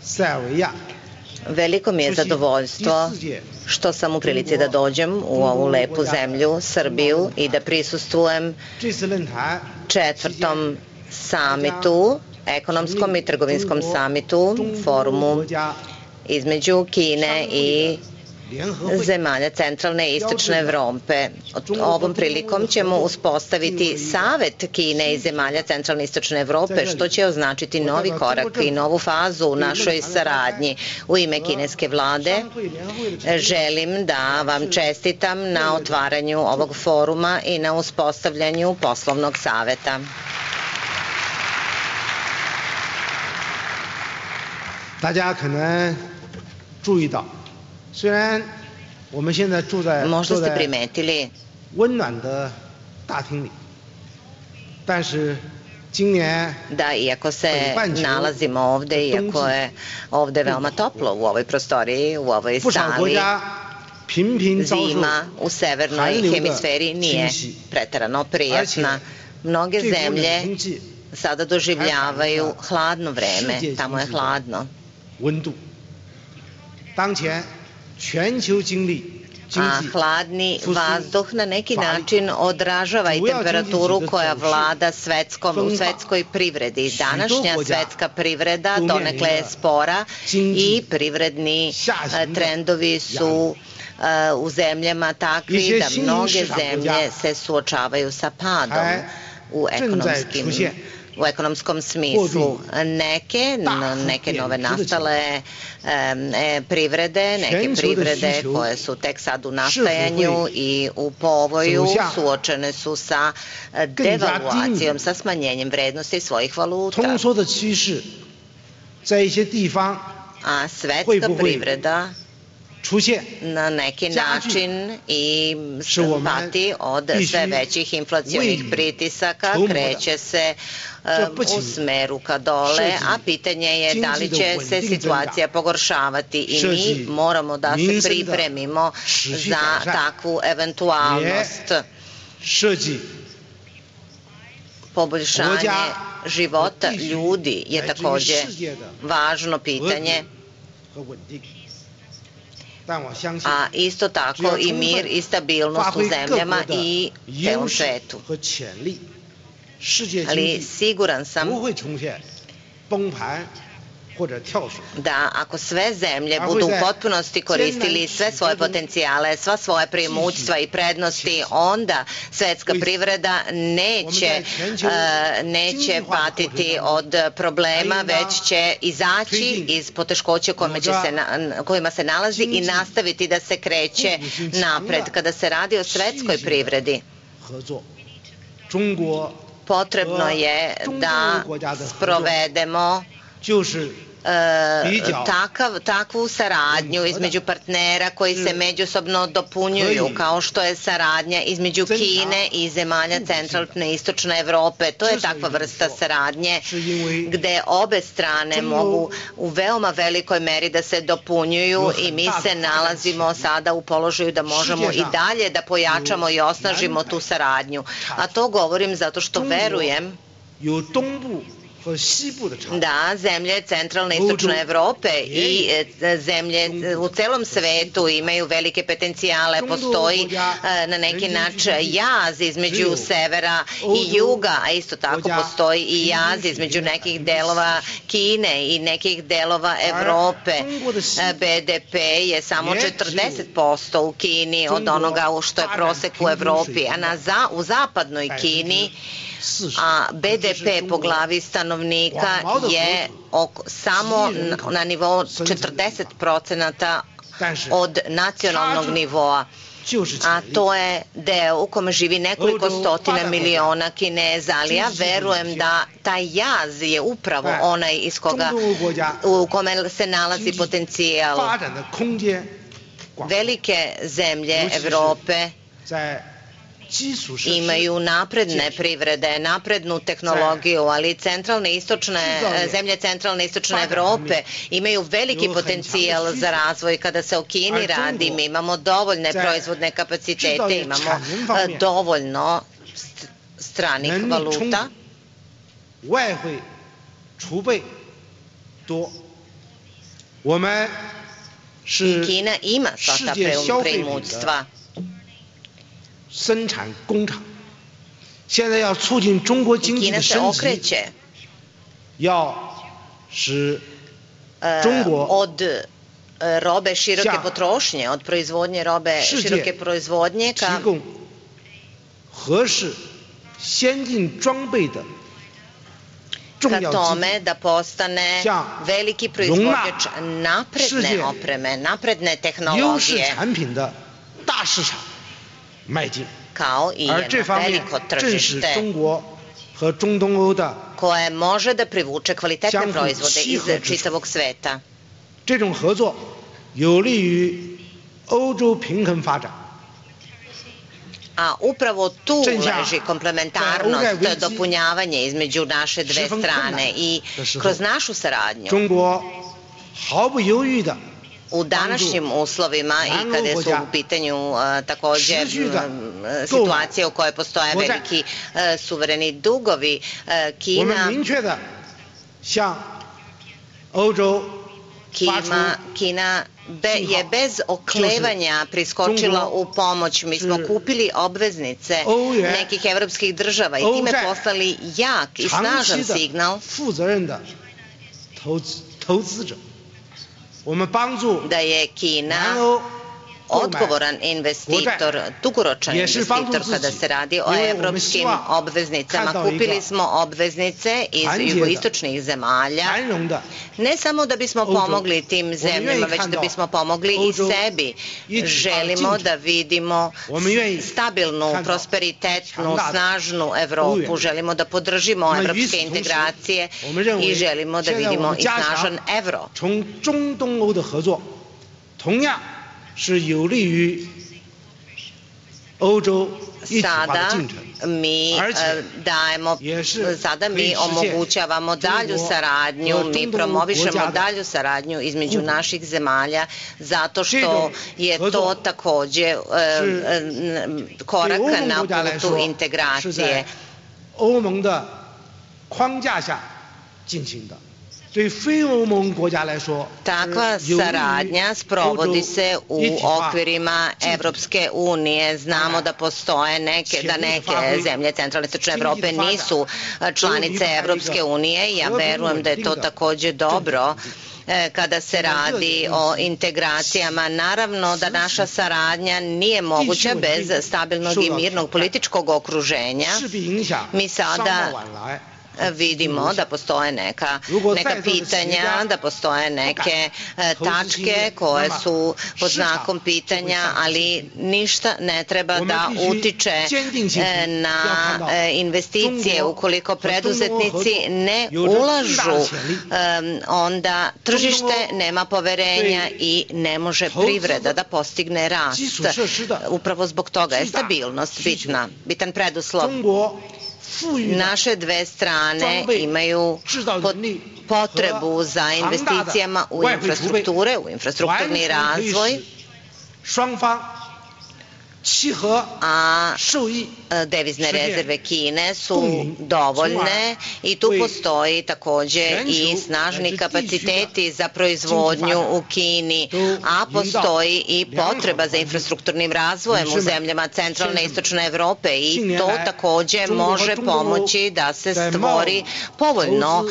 塞尔维亚。 Veliko mi je zadovoljstvo što sam u prilici da dođem u ovu lepu zemlju, Srbiju, i da prisustvujem četvrtom samitu, ekonomskom i trgovinskom samitu, forumu između Kine i zemalja centralne i istočne Evrope. Ovom prilikom ćemo uspostaviti Savet Kine i zemalja centralne i istočne Evrope, što će označiti novi korak i novu fazu u našoj saradnji. U ime kineske vlade želim da vam čestitam na otvaranju ovog foruma i na uspostavljanju poslovnog saveta. 大家可能注意到，虽然我们现在住在 Možda ste primetili 温暖的大厅里，但是今年 da iako se nalazimo ovde, iako je ovde veoma toplo u ovoj prostoriji, u ovoj sali, zima u severnoj hemisferi nije preterano prijatna. Mnoge zemlje sada doživljavaju hladno vreme, tamo je hladno. 温度，当前全球经历 a hladni vazduh na neki način odražava i temperaturu koja vlada u svetskoj privredi. Današnja svetska privreda donekle je spora i privredni trendovi su u zemljama takvi da mnoge zemlje se suočavaju sa padom u ekonomskom smislu. Neke nove nastale privrede, neke privrede koje su tek sad u nastajanju i u povoju suočene su sa devaluacijom, sa smanjenjem vrednosti svojih valuta. A svetska privreda na neki način i pati od sve većih inflacionih pritisaka, kreće se u smeru ka dole, a pitanje je da li će se situacija pogoršavati i mi moramo da se pripremimo za takvu eventualnost. Poboljšanje života ljudi je takođe važno pitanje, a isto tako i mir i stabilnost u zemljama i celom svetu. Ali siguran sam da ako sve zemlje budu u potpunosti koristili sve svoje potencijale, sva svoje preimoćstva i prednosti, onda svetska privreda neće patiti od problema, već će izaći iz poteškoća kojima se nalazi i nastaviti da se kreće napred. Kada se radi o svetskoj privredi, potrebno je da sprovedemo takvu saradnju između partnera koji se međusobno dopunjuju, kao što je saradnja između Kine i zemalja centralne i istočne Evrope. To je takva vrsta saradnje gde obe strane mogu u veoma velikoj meri da se dopunjuju i mi se nalazimo sada u položaju da možemo i dalje da pojačamo i osnažimo tu saradnju. A to govorim zato što verujem da zemlje centralne i istočne Evrope i zemlje u celom svetu imaju velike potencijale. Postoji na neki način jaz između severa i juga, a isto tako postoji i jaz između nekih delova Kine i nekih delova Evrope. BDP je samo 40% u Kini od onoga što je prosek u Evropi, a u zapadnoj Kini a BDP po glavi stanovnika je samo na nivou 40% od nacionalnog nivoa. A to je deo u kome živi nekoliko stotina miliona Kineza, ali ja verujem da taj jaz je upravo onaj u kome se nalazi potencijal. Velike zemlje Evrope imaju napredne privrede, naprednu tehnologiju, ali zemlje centralne i istočne Evrope imaju veliki potencijal za razvoj. Kada se o Kini radi, mi imamo dovoljne proizvodne kapacitete, imamo dovoljno stranih valuta. I Kina ima sva ta preimoćstva. 生产工厂，现在要促进中国经济的升级，要使中国 od robe široke potrošnje, od proizvodnje robe široke proizvodnje ka tome da postane veliki proizvođač napredne opreme, napredne tehnologije, kao i jedno veliko tržište koje može da privuče kvalitetne proizvode iz čitavog sveta. A upravo tu leži komplementarnost, dopunjavanje između naše dve strane i kroz našu saradnju u današnjim uslovima i kada su u pitanju također situacije u kojoj postoje veliki suvereni dugovi, Kina je bez oklevanja priskočila u pomoć. Mi smo kupili obveznice nekih evropskih država i time poslali jak i snažan signal da je Kina odgovoran investitor, dugoročan investitor kada se radi o evropskim obveznicama. Kupili smo obveznice iz jugoistočnih zemalja, ne samo da bismo pomogli tim zemljama, već da bismo pomogli i sebi. Želimo da vidimo stabilnu, prosperitetnu, snažnu Evropu, želimo da podržimo evropske integracije i želimo da vidimo i snažan evro. Sada mi omogućavamo dalju saradnju, mi promovišemo dalju saradnju između naših zemalja zato što je to takođe korak na putu integracije. Takva saradnja sprovodi se u okvirima Evropske unije. Znamo da postoje neke zemlje centralne i istočne Evrope nisu članice Evropske unije. Ja verujem da je to takođe dobro kada se radi o integracijama. Naravno da naša saradnja nije moguća bez stabilnog i mirnog političkog okruženja. Mi sada vidimo da postoje neka pitanja, da postoje neke tačke koje su pod znakom pitanja, ali ništa ne treba da utiče na investicije. Ukoliko preduzetnici ne ulažu, onda tržište nema poverenja i ne može privreda da postigne rast. Upravo zbog toga je stabilnost bitan preduslov. Naše dve strane imaju potrebu za investicijama u infrastrukture, u infrastrukturni razvoj, a devizne rezerve Kine su dovoljne i tu postoji takođe i snažni kapaciteti za proizvodnju u Kini, a postoji i potreba za infrastrukturnim razvojem u zemljama centralne i istočne Evrope i to takođe može pomoći da se stvori povoljno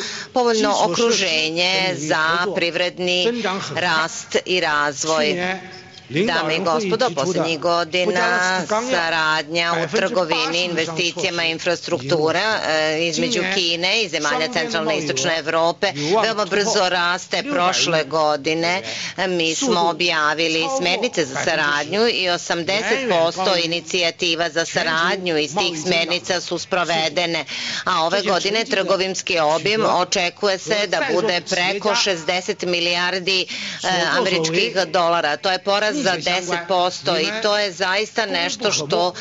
okruženje za privredni rast i razvoj. Dame i gospodo, poslednjih godina saradnja u trgovini, investicijama i infrastruktura između Kine i zemalja centralne i istočne Evrope veoma brzo raste. Prošle godine mi smo objavili smernice za saradnju i 80% inicijativa za saradnju iz tih smernica su sprovedene, a ove godine trgovinski obim očekuje se da bude preko 60 milijardi američkih dolara. To je porast za 10% i to je zaista nešto što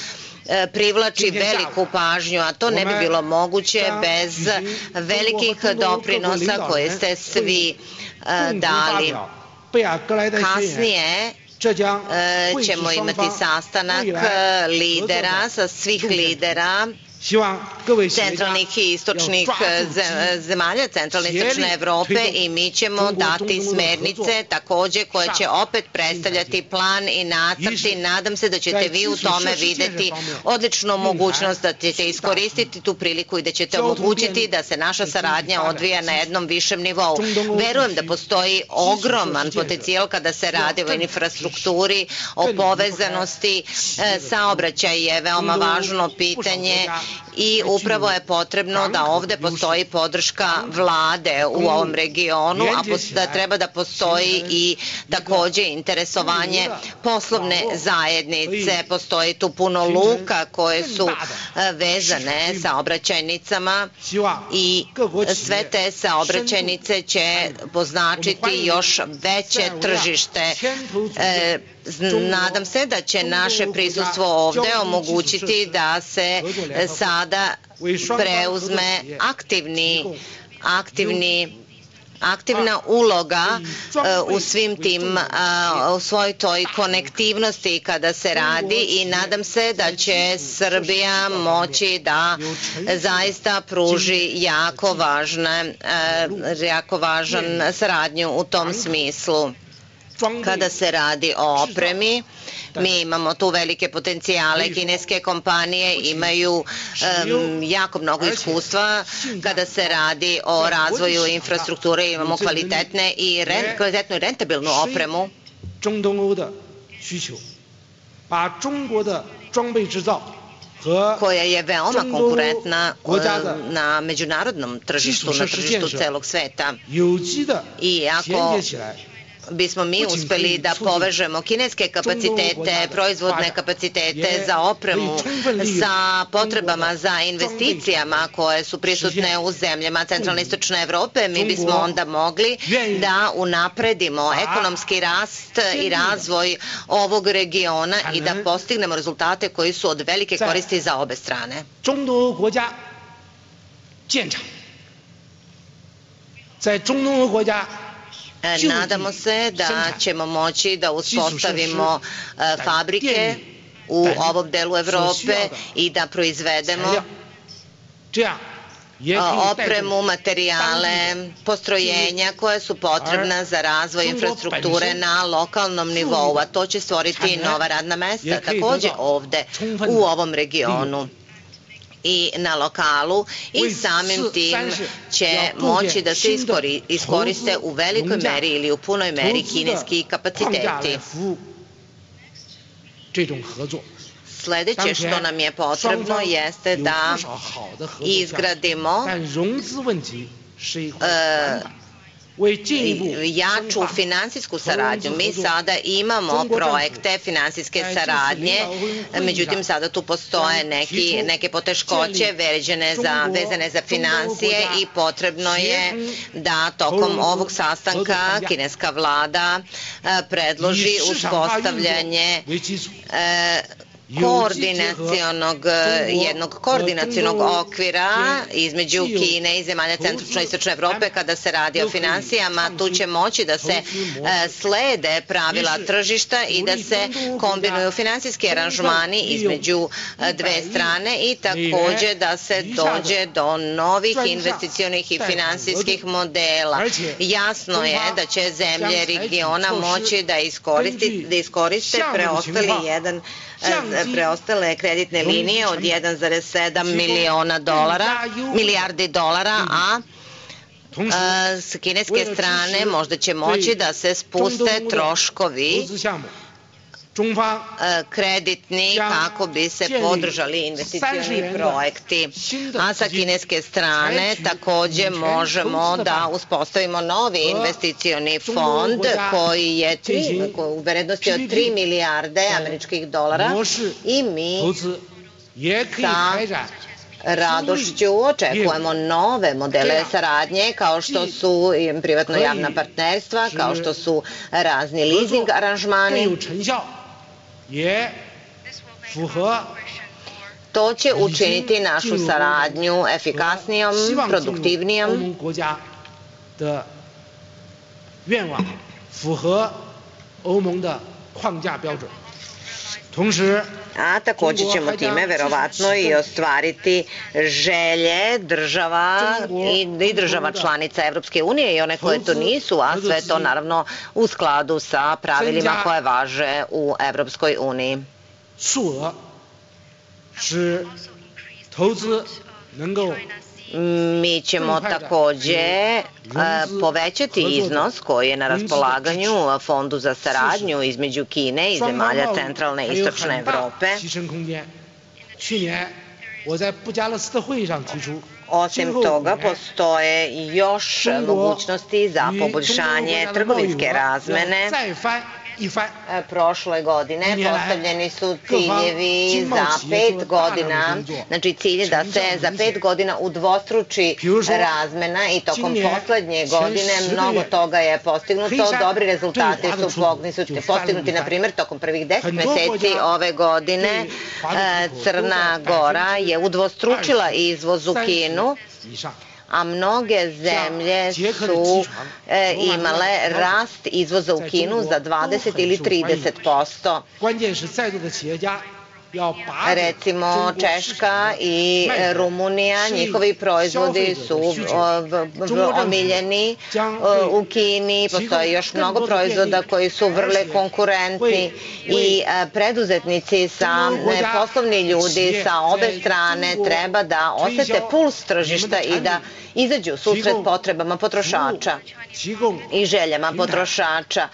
privlači veliku pažnju, a to ne bi bilo moguće bez velikih doprinosa koje ste svi dali. Kasnije ćemo imati sastanak lidera, sa svih lidera centralnih i istočnih zemalja, centralne i istočne Evrope i mi ćemo dati smernice takođe koje će opet predstavljati plan i nacrti. Nadam se da ćete vi u tome videti odličnu mogućnost, da ćete iskoristiti tu priliku i da ćete omogućiti da se naša saradnja odvija na jednom višem nivou. Verujem da postoji ogroman potencijal kada se radi o infrastrukturi, o povezanosti. Saobraćaj je veoma važno pitanje i upravo je potrebno da ovde postoji podrška vlade u ovom regionu, a da treba da postoji i takođe interesovanje poslovne zajednice. Postoji tu puno luka koje su vezane saobraćajnicama i sve te saobraćajnice će poznačiti još veće tržište. Nadam se da će naše prisustvo ovde omogućiti da se sada preuzme aktivna uloga u svim tim, u svoj toj konektivnosti kada se radi i nadam se da će Srbija moći da zaista pruži jako važan saradnju u tom smislu. Kada se radi o opremi, mi imamo tu velike potencijale. Kineske kompanije imaju jako mnogo iskustva kada se radi o razvoju infrastrukture. Imamo kvalitetnu i rentabilnu opremu. Koja je veoma konkurentna na međunarodnom tržištu, na tržištu celog sveta. I ako bismo mi uspeli da povežemo kineske kapacitete, proizvodne kapacitete za opremu sa potrebama za investicijama koje su prisutne u zemljama centralne i istočne Evrope, mi bismo onda mogli da unapredimo ekonomski rast i razvoj ovog regiona i da postignemo rezultate koji su od velike koristi za obe strane. Nadamo se da ćemo moći da uspostavimo fabrike u ovom delu Evrope i da proizvedemo opremu, materijale, postrojenja koje su potrebna za razvoj infrastrukture na lokalnom nivou, a to će stvoriti nova radna mesta takođe ovde u ovom regionu i na lokalu i samim tim će moći da se iskoriste u velikoj meri ili u punoj meri kineski kapaciteti. Sledeće što nam je potrebno jeste da izgradimo jaču finansijsku saradnju. Mi sada imamo projekte finansijske saradnje, međutim sada tu postoje neke poteškoće vezane za finansije i potrebno je da tokom ovog sastanka kineska vlada predloži uspostavljanje jednog koordinacionog okvira između Kine i zemalja centralne i istočne Evrope kada se radi o finansijama. Tu će moći da se slede pravila tržišta i da se kombinuju finansijski aranžmani između dve strane i takođe da se dođe do novih investicionih i finansijskih modela. Jasno je da će zemlje regiona moći da iskoriste preostale kreditne linije od 1,7 milijardi dolara, a s kineske strane možda će moći da se spuste troškovi kreditni kako bi se podržali investicioni projekti. A sa kineske strane takođe možemo da uspostavimo novi investicioni fond koji je u vrednosti od 3 milijarde američkih dolara i mi sa radošću očekujemo nove modele saradnje kao što su privatno-javna partnerstva, kao što su razni leasing aranžmani. To će učiniti našu saradnju efikasnijom, produktivnijom. A takođe ćemo time verovatno i ostvariti želje država i država članica Evropske unije i one koje to nisu, a sve to naravno u skladu sa pravilima koje važe u Evropskoj uniji. Mi ćemo takođe povećati iznos koji je na raspolaganju Fondu za saradnju između Kine i zemalja centralne i istočne Evrope. Osim toga, postoje još mogućnosti za poboljšanje trgovinske razmene. Prošle godine postavljeni su ciljevi za 5 godina, znači cilj je da se za 5 godina udvostruči razmena i tokom poslednje godine mnogo toga je postignuto. Dobri rezultati su postignuti, na primjer, tokom prvih 10 meseci ove godine Crna Gora je udvostručila izvoz u Kinu, a mnoge zemlje su imale rast izvoza u Kinu za 20 ili 30%. Recimo Češka i Rumunija, njihovi proizvodi su omiljeni u Kini, postoji još mnogo proizvoda koji su vrlo konkurentni i preduzetnici, poslovni ljudi sa obe strane treba da osete puls tržišta i da izađu susret potrebama potrošača i željama potrošača,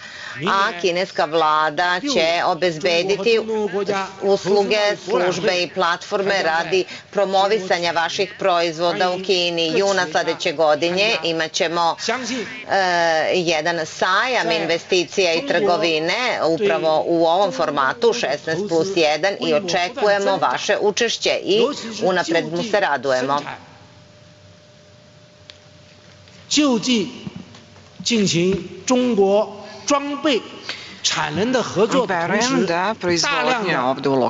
a kineska vlada će obezbediti usluge, službe i platforme radi promovisanja vaših proizvoda u Kini. Juna sledeće godine imaćemo jedan sajam investicija i trgovine upravo u ovom formatu 16+1 i očekujemo vaše učešće i unapred mu se radujemo. 就地进行中国装备产能的合作的同时，大量的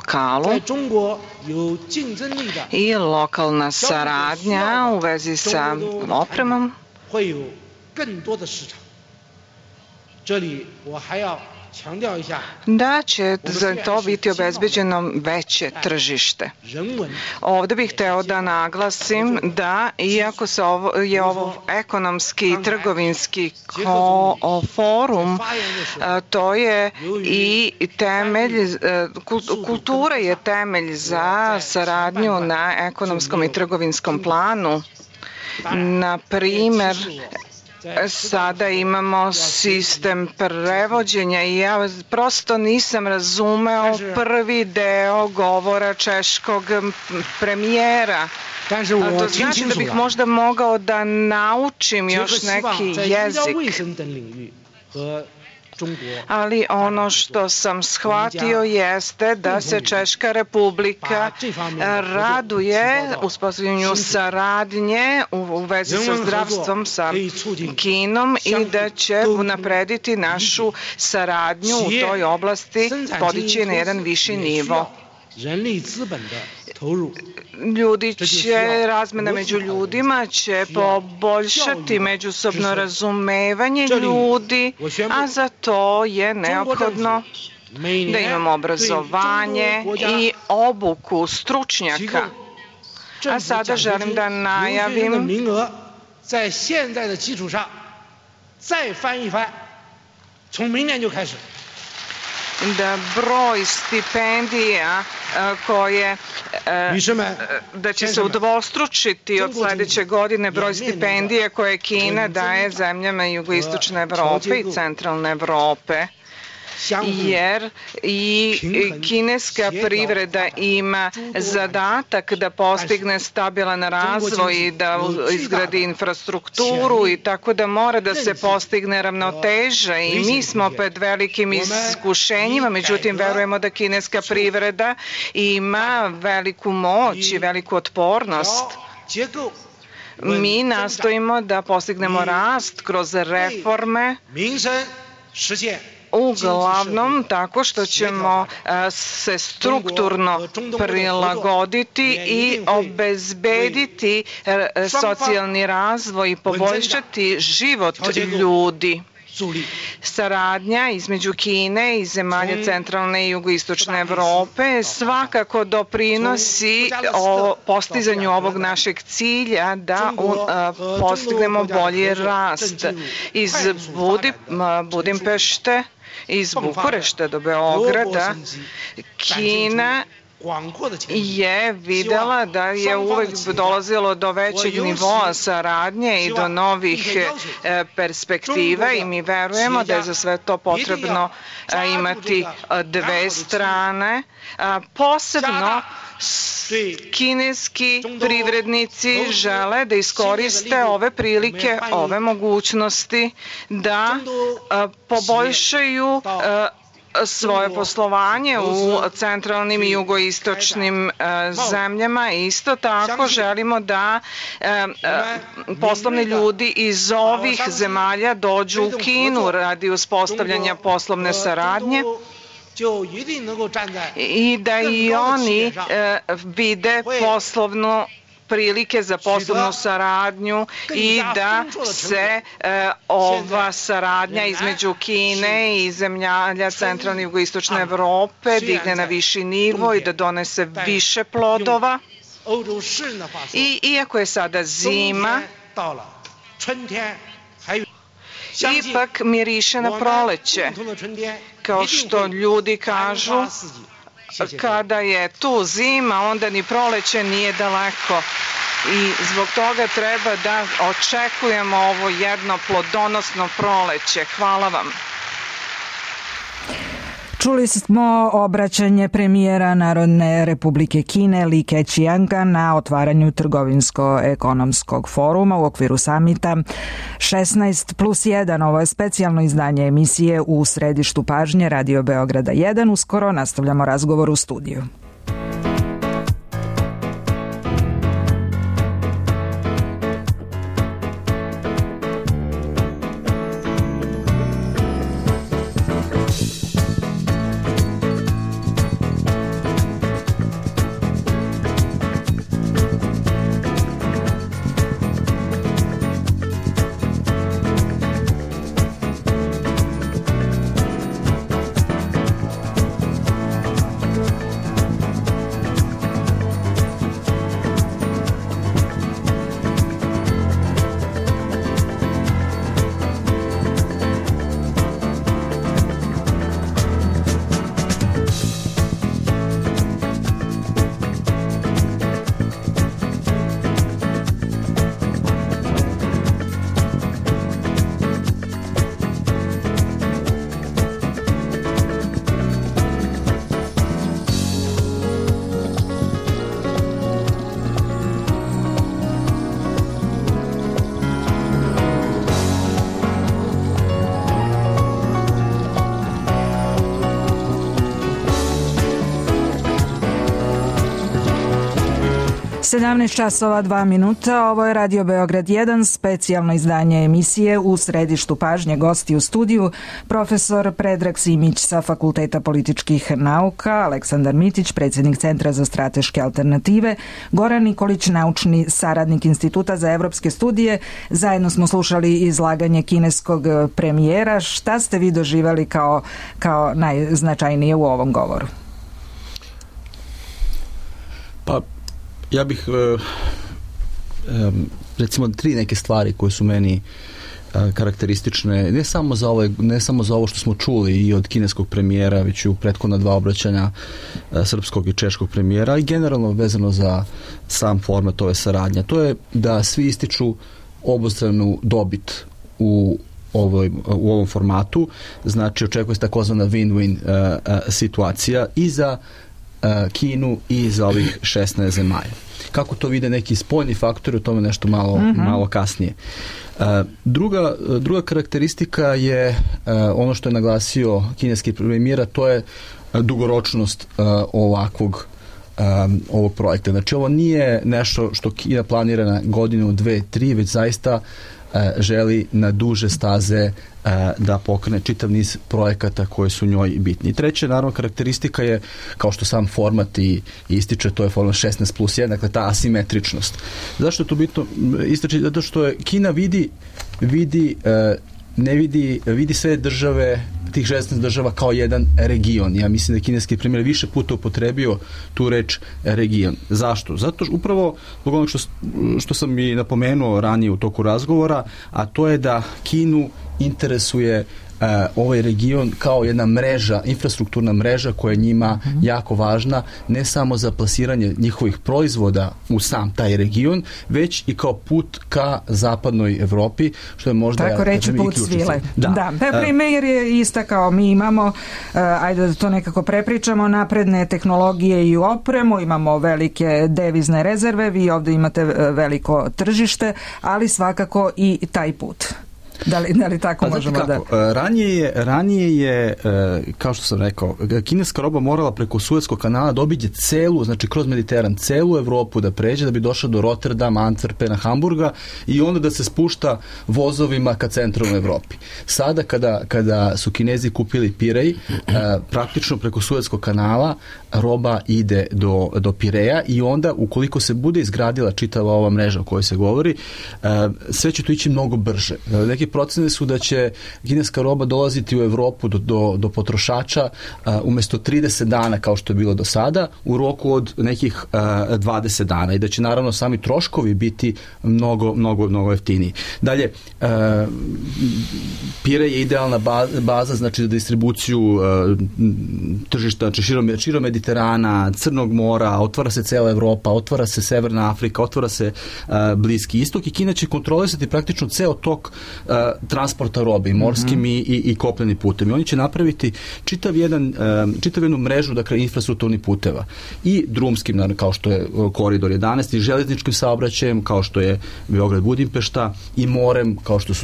在中国有竞争力的 i lokalna saradnja u vezi sa opremom 会有更多的市场。这里我还要 da će za to biti obezbeđeno veće tržište. Ovde bih hteo da naglasim da, iako je ovo ekonomski i trgovinski forum, to je i temelj, kultura je temelj za saradnju na ekonomskom i trgovinskom planu. Na primer, sada imamo sistem prevođenja i ja prosto nisam razumeo prvi deo govora češkog premijera. To znači da bih možda mogao da naučim još neki jezik. Ali ono što sam shvatio jeste da se Češka Republika raduje uspostavljanju saradnje u vezi sa zdravstvom sa Kinom i da će unaprediti našu saradnju u toj oblasti, podići na jedan viši nivo. Ljudi će, razmena među ljudima će poboljšati međusobno razumevanje ljudi, a za to je neophodno da imamo obrazovanje i obuku stručnjaka. A sada želim da najavim da broj stipendija koje da će se udvostručiti od sledeće godine broj stipendija koje Kina daje zemljama jugoistočne Evrope i centralne Evrope, jer i kineska privreda ima zadatak da postigne stabilan razvoj i da izgradi infrastrukturu i tako da mora da se postigne ravnoteža i mi smo pred velikim iskušenjima, međutim verujemo da kineska privreda ima veliku moć i veliku otpornost. Mi nastojimo da postignemo rast kroz reforme, uglavnom tako što ćemo se strukturno prilagoditi i obezbediti socijalni razvoj i poboljšati život ljudi. Saradnja između Kine i zemalja centralne i jugoistočne Evrope svakako doprinosi postizanju ovog našeg cilja da postignemo bolji rast. Iz Budimpešte, iz Bukurešta do Beograda, Kina je videla da je uvek dolazilo do većeg nivoa saradnje i do novih perspektiva i mi verujemo da je za sve to potrebno imati dve strane. Posebno kineski privrednici žele da iskoriste ove prilike, ove mogućnosti da poboljšaju svoje poslovanje u centralnim i jugoistočnim zemljama. Isto tako želimo da poslovni ljudi iz ovih zemalja dođu u Kinu radi uspostavljanja poslovne saradnje i da i oni vide poslovnu prilike za poslovnu saradnju i da se ova saradnja između Kine i zemalja centralne i jugoistočne Evrope digne na viši nivo i da donese više plodova. I iako je sada zima, ipak miriše na proleće. Kao što ljudi kažu, kada je tu zima, onda ni proleće nije daleko. I zbog toga treba da očekujemo ovo jedno plodonosno proleće. Hvala vam. Čuli smo obraćanje premijera Narodne Republike Kine Li Keqianga na otvaranju trgovinsko-ekonomskog foruma u okviru samita 16+1. Ovo je specijalno izdanje emisije U središtu pažnje Radio Beograda 1. Uskoro nastavljamo razgovor u studiju. časova 2 minuta, ovo je Radio Beograd 1, specijalno izdanje emisije U središtu pažnje. Gosti u studiju profesor Predrag Simić sa Fakulteta političkih nauka, Aleksandar Mitić, predsjednik Centra za strateške alternative, Goran Nikolić, naučni saradnik Instituta za evropske studije. Zajedno smo slušali izlaganje kineskog premijera. Šta ste vi doživjeli kao najznačajnije u ovom govoru? Pa ja bih recimo 3 neke stvari koje su meni karakteristične, ne samo za ovo što smo čuli i od kineskog premijera, već i u prethodna 2 obraćanja srpskog i češkog premijera i generalno vezano za sam format ove saradnje. To je da svi ističu obostranu dobit u ovom formatu, znači očekuje se takozvana win-win situacija i za Kinu i za ovih 16 zemalja. Kako to vide neki spoljni faktori, o tome nešto malo kasnije. Druga karakteristika je ono što je naglasio kineski premijer, to je dugoročnost ovog projekta. Znači ovo nije nešto što Kina planira na godinu, 2, 3, već zaista želi na duže staze da pokrene čitav niz projekata koji su njoj bitni. Treća, naravno, karakteristika je, kao što sam format i ističe, to je format 16+1, dakle ta asimetričnost. Zašto je to bitno ističe? Zato što je Kina vidi sve države, tih 16 država kao jedan region. Ja mislim da je kineski premijer više puta upotrebio tu reč region. Zašto? Zato što upravo zbog onog što sam i napomenuo ranije u toku razgovora, a to je da Kinu interesuje ovaj region kao jedna mreža, infrastrukturna mreža koja je njima jako važna, ne samo za plasiranje njihovih proizvoda u sam taj region, već i kao put ka zapadnoj Evropi, što je možda... Tako reći put svile. Da. Premijer je istakao, mi imamo, ajde da to nekako prepričamo, napredne tehnologije i opremu, imamo velike devizne rezerve, vi ovdje imate veliko tržište, ali svakako i taj put. Da li tako možemo da... Ranije je, kao što sam rekao, kineska roba morala preko Suetskog kanala da obiđe celu, znači kroz Mediteran, celu Evropu da pređe, da bi došla do Rotterdama, Antwerpena, Hamburga i onda da se spušta vozovima ka centralnoj Evropi. Sada kada su Kinezi kupili Pirej, praktično preko Suetskog kanala roba ide do Pireja i onda ukoliko se bude izgradila čitava ova mreža o kojoj se govori, sve će to ići mnogo brže. Neki procene su da će kineska roba dolaziti u Evropu do potrošača umjesto 30 dana kao što je bilo do sada, u roku od nekih 20 dana i da će naravno sami troškovi biti mnogo jeftiniji. Dalje, Pirej je idealna baza znači za distribuciju tržišta, znači širom Mediterana, Crnog mora, otvara se cela Evropa, otvara se Severna Afrika, otvara se Bliski istok i Kina će kontrolisati praktično ceo tok transporta robe i morskim i kopnenim putem. I oni će napraviti čitav jednu mrežu, dakle, infrastrukturnih puteva i drumskim, naravno, kao što je koridor 11 i železničkim saobraćajem, kao što je Beograd-Budimpešta i morem,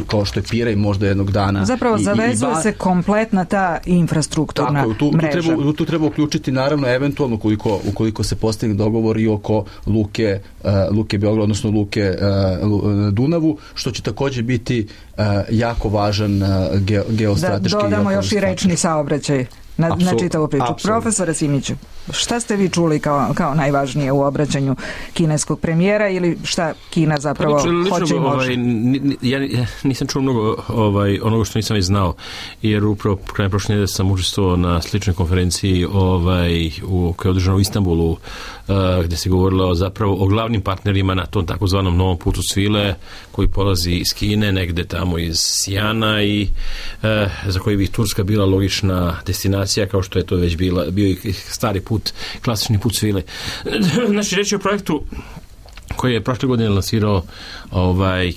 kao što je Pirej možda jednog dana. Zapravo zavezuje se kompletna ta infrastrukturna mreža. Tu treba uključiti naravno eventualno ukoliko se postigne dogovor i oko luke Beograd, odnosno luke Dunavu, što će također biti jako važan geostrateški. Da dodamo još i rečni saobraćaj na čitavu priču. Profesore Simiću, šta ste vi čuli kao najvažnije u obraćanju kineskog premijera ili šta Kina zapravo hoće i može? Ja nisam čuo mnogo onoga što nisam i znao, jer upravo krajem prošle nedelje sam učestvovao na sličnoj konferenciji koja je održana u Istanbulu, gdje se govorilo zapravo o glavnim partnerima na tom takozvanom novom putu svile koji polazi iz Kine, negde tamo iz Sijana i za koji bi Turska bila logična destinacija, kao što je to već bio i stari put, klasični put svile. Znači, reći o projektu koji je prošle godine lansirao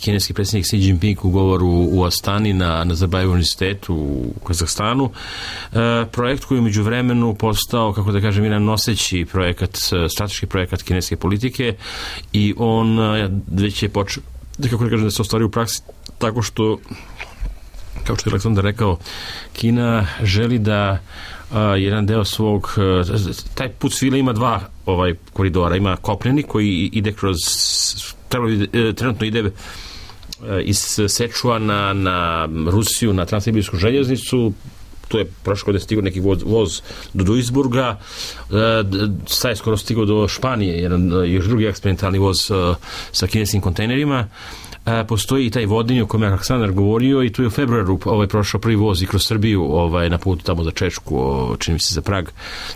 kineski predsjednik Xi Jinping u govoru u Astani na Nazarbajevu univerzitetu u Kazahstanu. Projekt koji je među vremenu postao, kako da kažem, jedan noseći projekat, strateški projekat kineske politike i on već je počeo, kako da kažem, da se ostvari u praksi tako što, kao što je Aleksandar rekao, Kina želi da jedan deo svog, taj put svile ima dva koridora, ima kopneni koji ide kroz, trenutno ide iz Sečuana na Rusiju, na Transsibirsku željeznicu, to je prošle godine stigao neki voz do Duisburga, sad je skoro stigao do Španije, jedan još drugi eksperimentalni voz sa kineskim kontejnerima. Postoji i taj vodinj o kojem je Aleksandar govorio i tu je u februaru prošao prvi voz i kroz Srbiju na putu tamo za Čečku, čini mi se za Prag,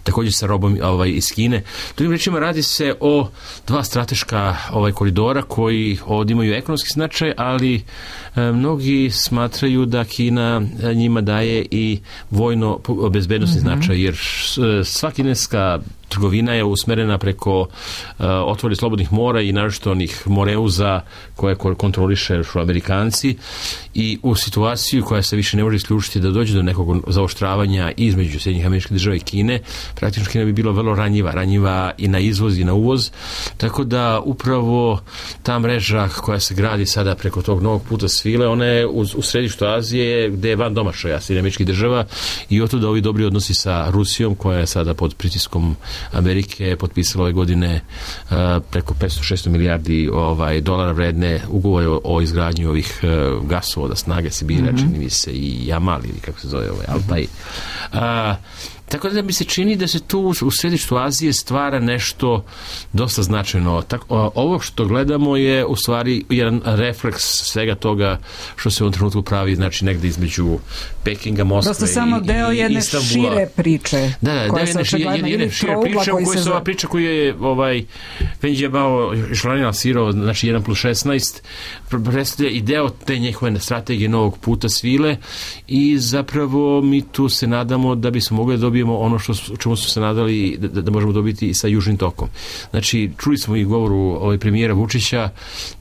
također sa robom iz Kine. Drugim rečima, radi se o dva strateška koridora koji ovdje imaju ekonomski značaj, ali mnogi smatraju da Kina njima daje i vojno bezbednosni značaj, jer sva kineska trgovina je usmerena preko otvori slobodnih mora i naročito onih moreuza koje kontroliše Amerikanci i u situaciju koja se više ne može isključiti da dođe do nekog zaoštravanja između Sjedinjenih Američkih Država i Kine, praktično Kina bi bila vrlo ranjiva i na izvoz i na uvoz, tako da upravo ta mreža koja se gradi sada preko tog novog puta svile, ona je u središtu Azije gde je van domašaja Sjedinjenih Američkih Država i oto da ovi dobri odnosi sa Rusijom koja je sada pod pritiskom Amerike potpisala ove godine preko 500-600 milijardi dolara vredne ugovore o izgradnji ovih gasovoda snage Sibira, čini mi se i Jamal ili kako se zove Altaj. Tako da mi se čini da se tu u središtu Azije stvara nešto dosta značajno. Ovo što gledamo je u stvari jedan refleks svega toga što se u ovom trenutku pravi, znači negde između Pekinga, Moskve i Istanbula. Dosta samo deo jedne šire priče. Da, jedne šire priče u kojoj se ova priča koju je Venđija Bao Šlanina lansirao, znači 1+16, predstavlja i deo te njihove strategije novog puta svile i zapravo mi tu se nadamo da bismo mogli da dobijemo ono čemu smo se nadali da možemo dobiti i sa Južnim tokom. Znači, čuli smo i govoru premijera Vučića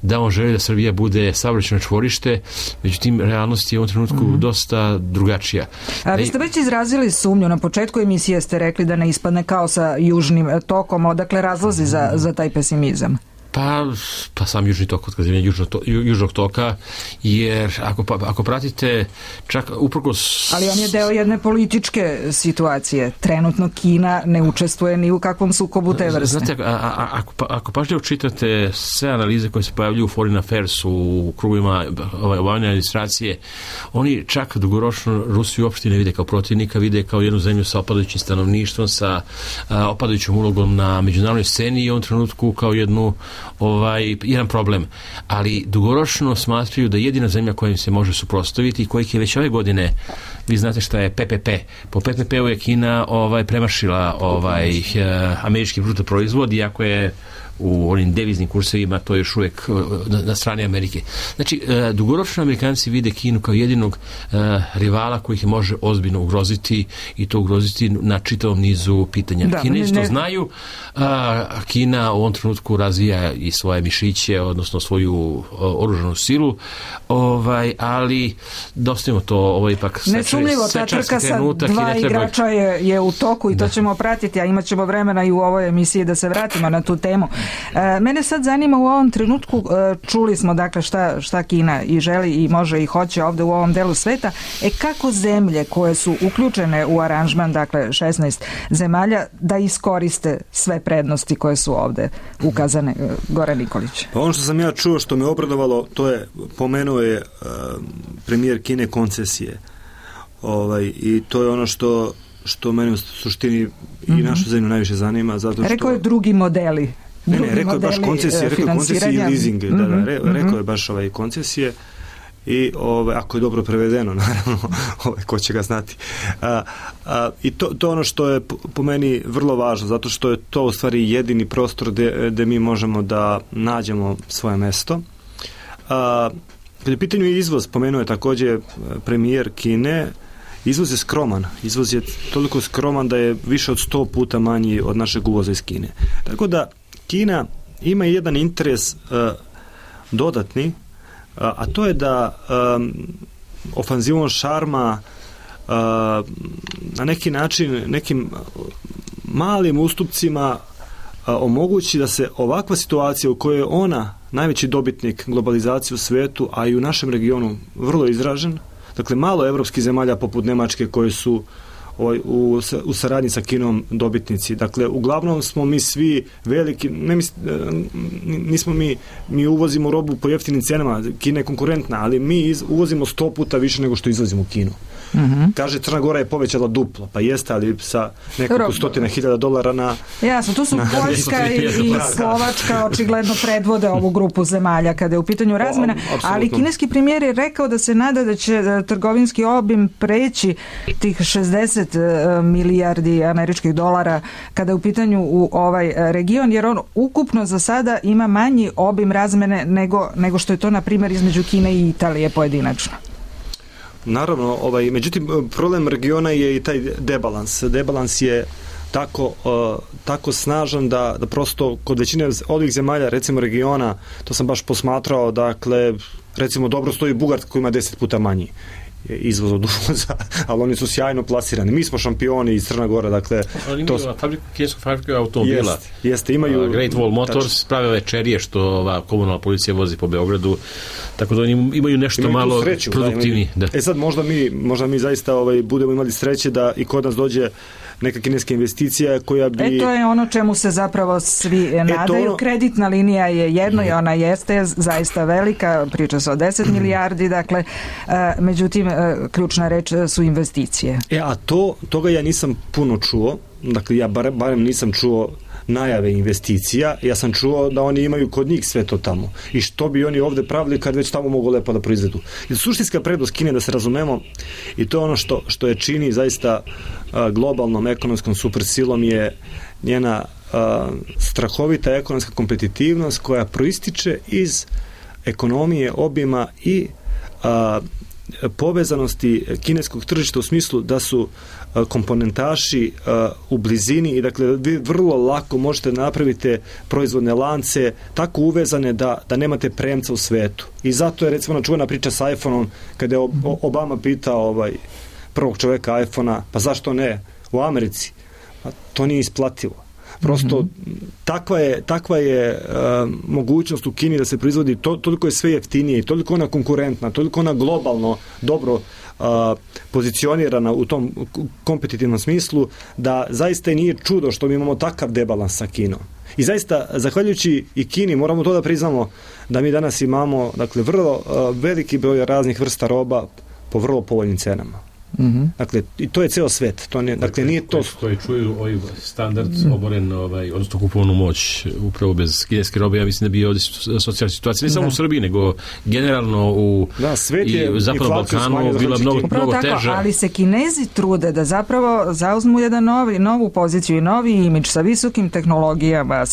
da on želi da Srbija bude saobraćajno čvorište, međutim, realnost je u ovom trenutku dosta drugačija. A vi ste već izrazili sumnju, na početku emisije ste rekli da ne ispadne kao sa Južnim tokom, odakle razlozi za taj pesimizam? Pa sam Južni tok, otkazivanje Južnog toka, jer ako pratite čak uprkos... Ali on je deo jedne političke situacije. Trenutno Kina ne učestvuje ni u kakvom sukobu te vrste. Znate, ako pažljivo čitate sve analize koje se pojavljuju u Foreign Affairs, u krugovima obavljanja administracije, oni čak dugoročno Rusiju uopšte ne vide kao protivnika, vide kao jednu zemlju sa opadajućim stanovništvom, sa opadajućom ulogom na međunarodnoj sceni i u ovom trenutku kao jedan problem. Ali dugoročno smatraju da jedina zemlja koja im se može suprotstaviti i kojih je već ove godine, vi znate šta je PPP. Po PPP-u je Kina premašila američki bruto proizvod, iako je u onim deviznim kursevima to je još uvijek na strani Amerike. Znači, dugoročno Amerikanci vide Kinu kao jedinog rivala koji ih može ozbiljno ugroziti i to ugroziti na čitavom nizu pitanja. Kinezi to znaju. Kina u ovom trenutku razvija i svoje mišiće, odnosno svoju oružanu silu, ali dostavimo to, ovo je ipak nesumljivo, ta trka sa dva igrača je u toku i to ćemo pratiti, a imat ćemo vremena i u ovoj emisiji da se vratimo na tu temu. Mene sad zanima u ovom trenutku, čuli smo dakle šta Kina i želi i može i hoće ovde u ovom delu sveta, kako zemlje koje su uključene u aranžman, dakle 16 zemalja, da iskoriste sve prednosti koje su ovde ukazane? Goran Nikolić. Pa ono što sam ja čuo, što me obradovalo, to je, pomenuo je premijer Kine koncesije. I to je ono što mene u suštini i našu zemlju najviše zanima, zato što... Rekao je drugi modeli. Rekao je baš koncesije, i leasing, rekao je baš koncesije i ako je dobro prevedeno, naravno, ko će ga znati. I to ono što je po meni vrlo važno, zato što je to u stvari jedini prostor gde mi možemo da nađemo svoje mesto. Kad je u pitanju izvoz, pomenuo je također premijer Kine, izvoz je skroman. Izvoz je toliko skroman da je više od 100 puta manji od našeg uvoza iz Kine. Tako da Kina ima jedan interes dodatni, a to je da ofanzivom šarma na neki način, nekim malim ustupcima omogući da se ovakva situacija u kojoj je ona najveći dobitnik globalizacije u svetu, a i u našem regionu vrlo izražen, dakle malo evropskih zemalja poput Nemačke koje su u saradnji sa Kinom dobitnici. Dakle, uglavnom smo mi svi veliki, nismo mi uvozimo robu po jeftinim cenama, Kina je konkurentna, ali mi uvozimo 100 puta više nego što izvozimo u Kinu. Kaže, Crna Gora je povećala duplo, pa jeste, ali sa nekoliko $100,000 na... Jasno, tu su Poljska i Slovačka očigledno predvode ovu grupu zemalja kada je u pitanju razmena, ali kineski premijer je rekao da se nada da će trgovinski obim preći tih 60 milijardi američkih dolara kada je u pitanju u ovaj region, jer on ukupno za sada ima manji obim razmene nego što je to, na primjer, između Kine i Italije pojedinačno. Naravno, međutim, problem regiona je i taj debalans. Debalans je tako snažan da prosto kod većine ovih zemalja, recimo regiona, to sam baš posmatrao, dakle, recimo dobro stoji Bugarska koja ima 10 puta manji izvoz od uvoza, ali oni su sjajno plasirani. Mi smo šampioni iz Crna Gora, dakle... Ali imaju kinesku fabriku automobila. Jeste, imaju... Great Wall Motors prave večerije što ova komunalna policija vozi po Beogradu, tako da oni imaju nešto malo produktivniji. Sad možda mi zaista budemo imali sreće da i kod nas dođe neka kineska investicija koja bi... to je ono čemu se zapravo svi nadaju. Kreditna linija je jedno i ona jeste zaista velika, priča se o 10 milijardi, dakle, međutim, ključna reč su investicije. A toga ja nisam puno čuo, dakle, ja barem nisam čuo najave investicija, ja sam čuo da oni imaju kod njih sve to tamo. I što bi oni ovde pravili kad već tamo mogu lepo da proizvedu. Jer suštinska prednost Kine, da se razumemo, i to je ono što je čini zaista globalnom ekonomskom supersilom, je njena strahovita ekonomska kompetitivnost koja proističe iz ekonomije, obima i povezanosti kineskog tržišta u smislu da su komponentaši u blizini i dakle vi vrlo lako možete napraviti proizvodne lance tako uvezane da nemate premca u svetu. I zato je recimo čuvena priča sa iPhone-om kada je Obama pitao prvog čoveka iPhone-a, pa zašto ne u Americi? Pa to nije isplativo. Prosto takva je mogućnost u Kini da se proizvodi, toliko je sve jeftinije i toliko ona konkurentna, toliko ona globalno dobro pozicionirana u tom kompetitivnom smislu, da zaista i nije čudo što mi imamo takav debalans sa Kinom. I zaista, zahvaljujući i Kini, moramo to da priznamo, da mi danas imamo, dakle, vrlo veliki broj raznih vrsta roba po vrlo povoljnim cenama. Dakle, i to je ceo svet. To ne, dakle, nije to... Koji čuju ovaj standard oboren, odnosno kupovnu moć upravo bez kineske robe, ja mislim da bi ovdje socijalna situacija, ne samo u Srbiji, nego generalno u Zapadnom Balkanu bila mnogo teža. Ali se Kinezi trude da zapravo zauzmu jedan novu poziciju i novi imidž sa visokim tehnologijama,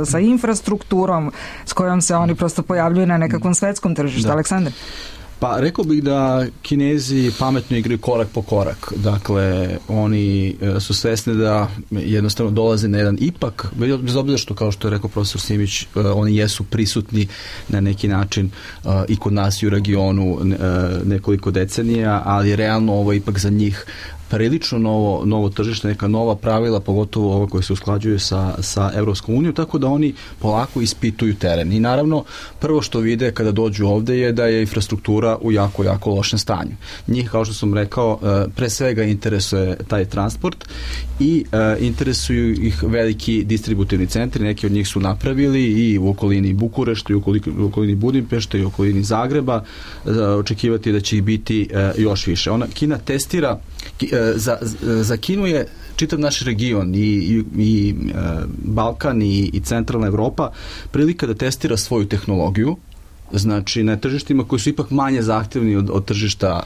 sa infrastrukturom s kojom se oni prosto pojavljuju na nekakvom svetskom tržištu. Aleksandar? Pa rekao bih da Kinezi pametno igraju korak po korak. Dakle, oni su svesni da jednostavno dolaze na jedan ipak, bez obzira što, kao što je rekao profesor Simić, oni jesu prisutni na neki način i kod nas i u regionu nekoliko decenija, ali realno ovo je ipak za njih prilično novo tržište, neka nova pravila, pogotovo ovo koje se usklađuju sa Evropskom unijom, tako da oni polako ispituju teren. I naravno, prvo što vide kada dođu ovde je da je infrastruktura u jako lošem stanju. Njih, kao što sam rekao, pre svega interesuje taj transport i interesuju ih veliki distributivni centri, neki od njih su napravili i u okolini Bukurešta, i u okolini Budimpešte, i u okolini Zagreba, očekivati da će ih biti još više. Kina testira, za Kinu je čitav naš region i Balkan i centralna Evropa prilika da testira svoju tehnologiju, znači na tržištima koji su ipak manje zahtevni od tržišta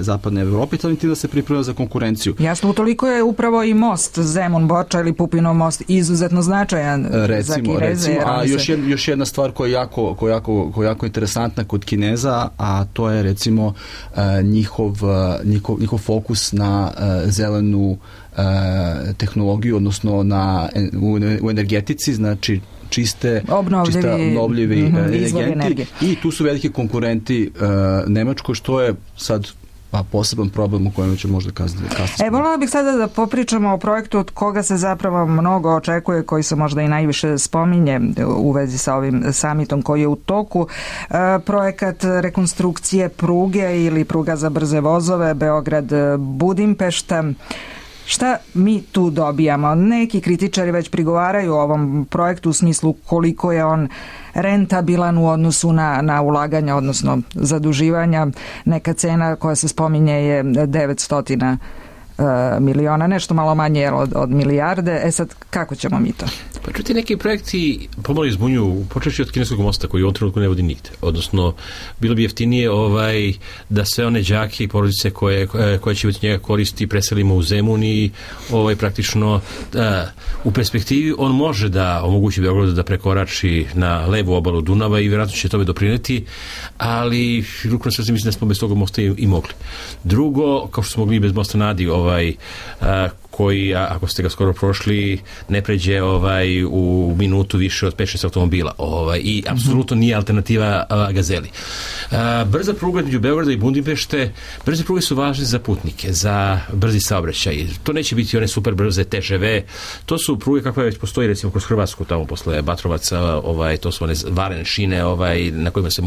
zapadne Evrope, i tim da se priprema za konkurenciju. Jasno, utoliko je upravo i most Zemun-Borča ili Pupinov most izuzetno značajan za Kineze. A još jedna stvar koja je jako interesantna kod Kineza, a to je recimo njihov fokus na zelenu tehnologiju, odnosno u energetici, znači obnovljivi energenti, i tu su veliki konkurenti Nemačkoj, što je sad poseban problem u kojem će možda kasnije. Voljela bih sada da popričamo o projektu od koga se zapravo mnogo očekuje, koji se možda i najviše spominje u vezi sa ovim samitom koji je u toku. Projekat rekonstrukcije pruge ili pruga za brze vozove Beograd-Budimpešta. Šta mi tu dobijamo? Neki kritičari već prigovaraju o ovom projektu u smislu koliko je on rentabilan u odnosu na ulaganja, odnosno zaduživanja. Neka cena koja se spominje je 900 miliona, nešto malo manje od milijarde. Sad, kako ćemo mi to? Pa čuti, neki projekti pomalo izbunjuju, počeši od kineskog mosta koji u ovom trenutku ne vodi nigde. Odnosno, bilo bi jeftinije da sve one đake i porodice koje će od njega koristi preselimo u Zemun i praktično u perspektivi on može da omogući Beogradu da prekorači na levu obalu Dunava i vjerojatno će tome doprineti, ali ruku na srce mislim da smo bez toga mosta i mogli. Drugo, kao što smo mogli bez mosta na Adi, koji, ako ste ga skoro prošli, ne pređe u minutu više od 5-6 automobila. I apsolutno nije alternativa Gazeli. Brza pruga između Beograda i Budimpešte, brze pruge su važne za putnike, za brzi saobraćaj. To neće biti one super brze TŽV, to su pruge kakve već postoji recimo kroz Hrvatsku, tamo posle Batrovaca, to su one varene šine na kojima se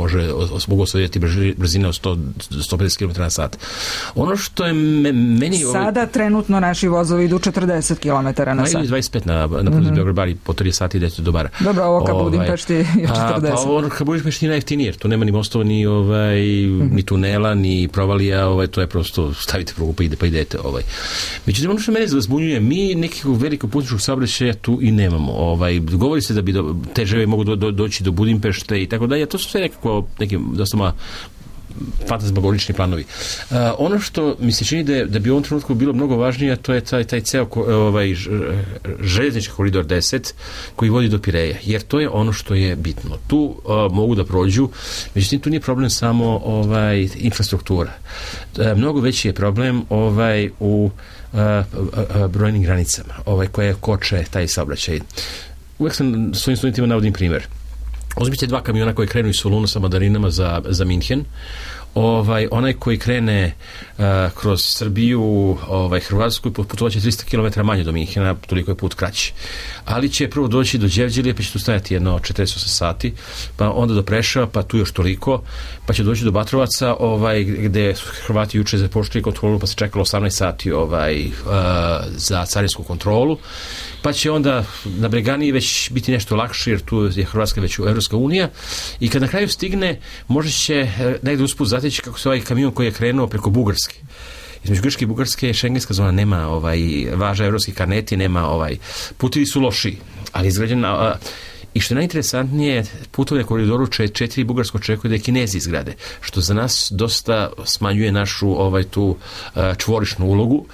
mogu osvojiti brzine od 150 km na sat. Ono što je meni... Sada trenutno naši vozovi idu 40 km na sat. 25 na prolazu Beograd-Bari po 30 sati idete do bara. Dobro, ovo ka Budimpešti je 40. Pa ovo ka Budimpešti je najjeftinije, jer tu nema ni mostova, ni tunela, ni provalija, to je prosto stavite prugu pa idete. Međutim, ono što mene zbunjuje, mi nekog velikog putničkog saobraćaja tu i nemamo. Govori se da bi TŽV mogu doći do Budimpešte i tako dalje, to su sve nekako neki dosta fantasmagorični planovi. Ono što mi se čini da bi u ovom trenutku bilo mnogo važnije, to je taj ceo željeznički koridor 10 koji vodi do Pireja, jer to je ono što je bitno. Tu mogu da prođu, međutim tu nije problem samo infrastruktura. Mnogo veći je problem u brojnim granicama koje koče taj saobraćaj. Uvijek sam svojim studentima navodim primjer. Uzmite 2 kamiona koji krenu iz Soluna sa mandarinama za Minhen. onaj koji krene kroz Srbiju, Hrvatsku, putovaće 300 km manje do Minhena, toliko je put kraći. Ali će prvo doći do Đevđelije, pa će tu stajati jedno 48 sati, pa onda do Preševa, pa tu još toliko, pa će doći do Batrovaca, gde Hrvati juče započeli kontrolu, pa se čekalo 18 sati za carinsku kontrolu, pa će onda na Breganiji već biti nešto lakše, jer tu je Hrvatska već u Evropska unija, i kad na kraju stigne, možda će negde usput zateći kako se kamion koji je krenuo preko Bugarske. Između Grčke i Bugarske šengenska zona nema važa evropskih karneti, nema putevi su loši, ali izgrađen i što je najinteresantnije, putovne koridoru 4 Bugarsko očekuje da je Kinezi izgrade, što za nas dosta smanjuje našu tu čvorišnu ulogu.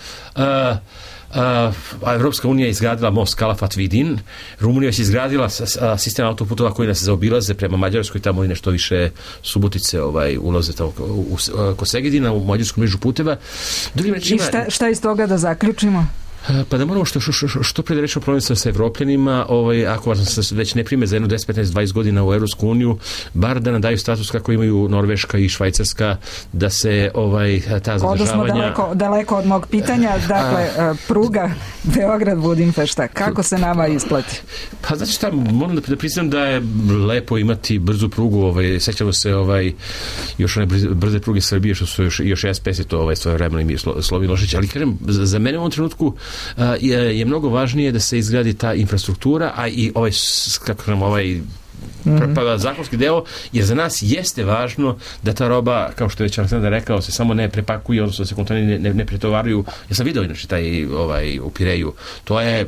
Evropska unija je izgradila most Kalafat Vidin, Rumunija je izgradila sistem autoputova koji nas zaobilaze prema Mađarskoj, tamo i nešto više Subotice ulaze kod Segedina u mađarsku mrežu puteva. I šta iz toga da zaključimo? Pa da moramo što pre da rešimo problem sa Evropljanima, ako vas već ne prime za jedno 10, 15, 20 godina u Evropsku uniju, bar da nam daju status kako imaju Norveška i Švajcarska, da se ta zadržavanja... Odnosno daleko od mog pitanja, dakle, pruga Beograd-Budimpešta, kako se nama isplati? Pa znači šta, moram da priznam da je lepo imati brzu prugu, sećamo se još one brze pruge Srbije, što su još SPS i to svoje vremena i Slovi Milošević, ali kažem, za mene u ovom trenutku je mnogo važnije da se izgradi ta infrastruktura, a i zakonski deo, jer za nas jeste važno da ta roba, kao što je već Aleksandar rekao, se samo ne prepakuje, odnosno da se konteneri ne pretovaruju. Ja sam video inače taj u Pireju, to je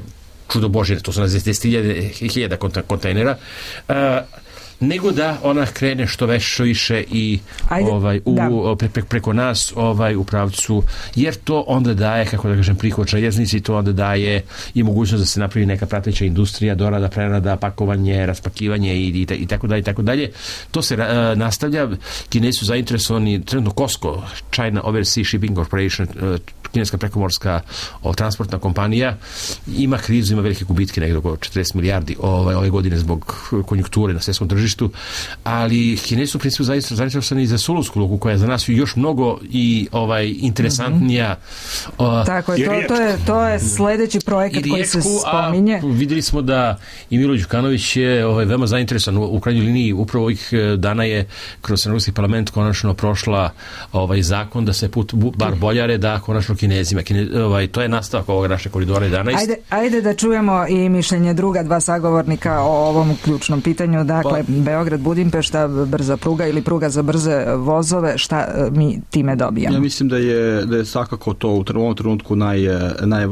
čudo Božje, to su na 10.000 kontejnera, nego da ona krene što više i preko nas u pravcu, jer to onda daje, kako da kažem, prihod željeznici, to onda daje i mogućnost da se napravi neka prateća industrija, dorada, prerada, pakovanje, raspakivanje i tako dalje. To se nastavlja. Kinezi su zainteresovani, trenutno COSCO, China Overseas Shipping Corporation, kineska prekomorska transportna kompanija, ima krizu, ima velike gubitke, negdje oko 40 milijardi ove godine zbog konjunkture na svjetskom tržištu, ali Kinezi su u principu zainteresovani za Solunsku luku, koja je za nas još mnogo i interesantnija. Tako je, to je sledeći projekat koji se spominje. Vidjeli smo da i Milo Đukanović je veoma zainteresovan, u krajnjoj liniji upravo ovih dana je kroz Evropski parlament konačno prošla zakon da se put bar Boljare da konačno Kinezima. To je nastavak ovog naše koridora 11. Ajde da čujemo i mišljenje druga dva sagovornika o ovom ključnom pitanju. Dakle, Beograd, Budimpešta, brza pruga ili pruga za brze vozove, šta mi time dobijamo? Ja mislim da je svakako to u ovom trenutku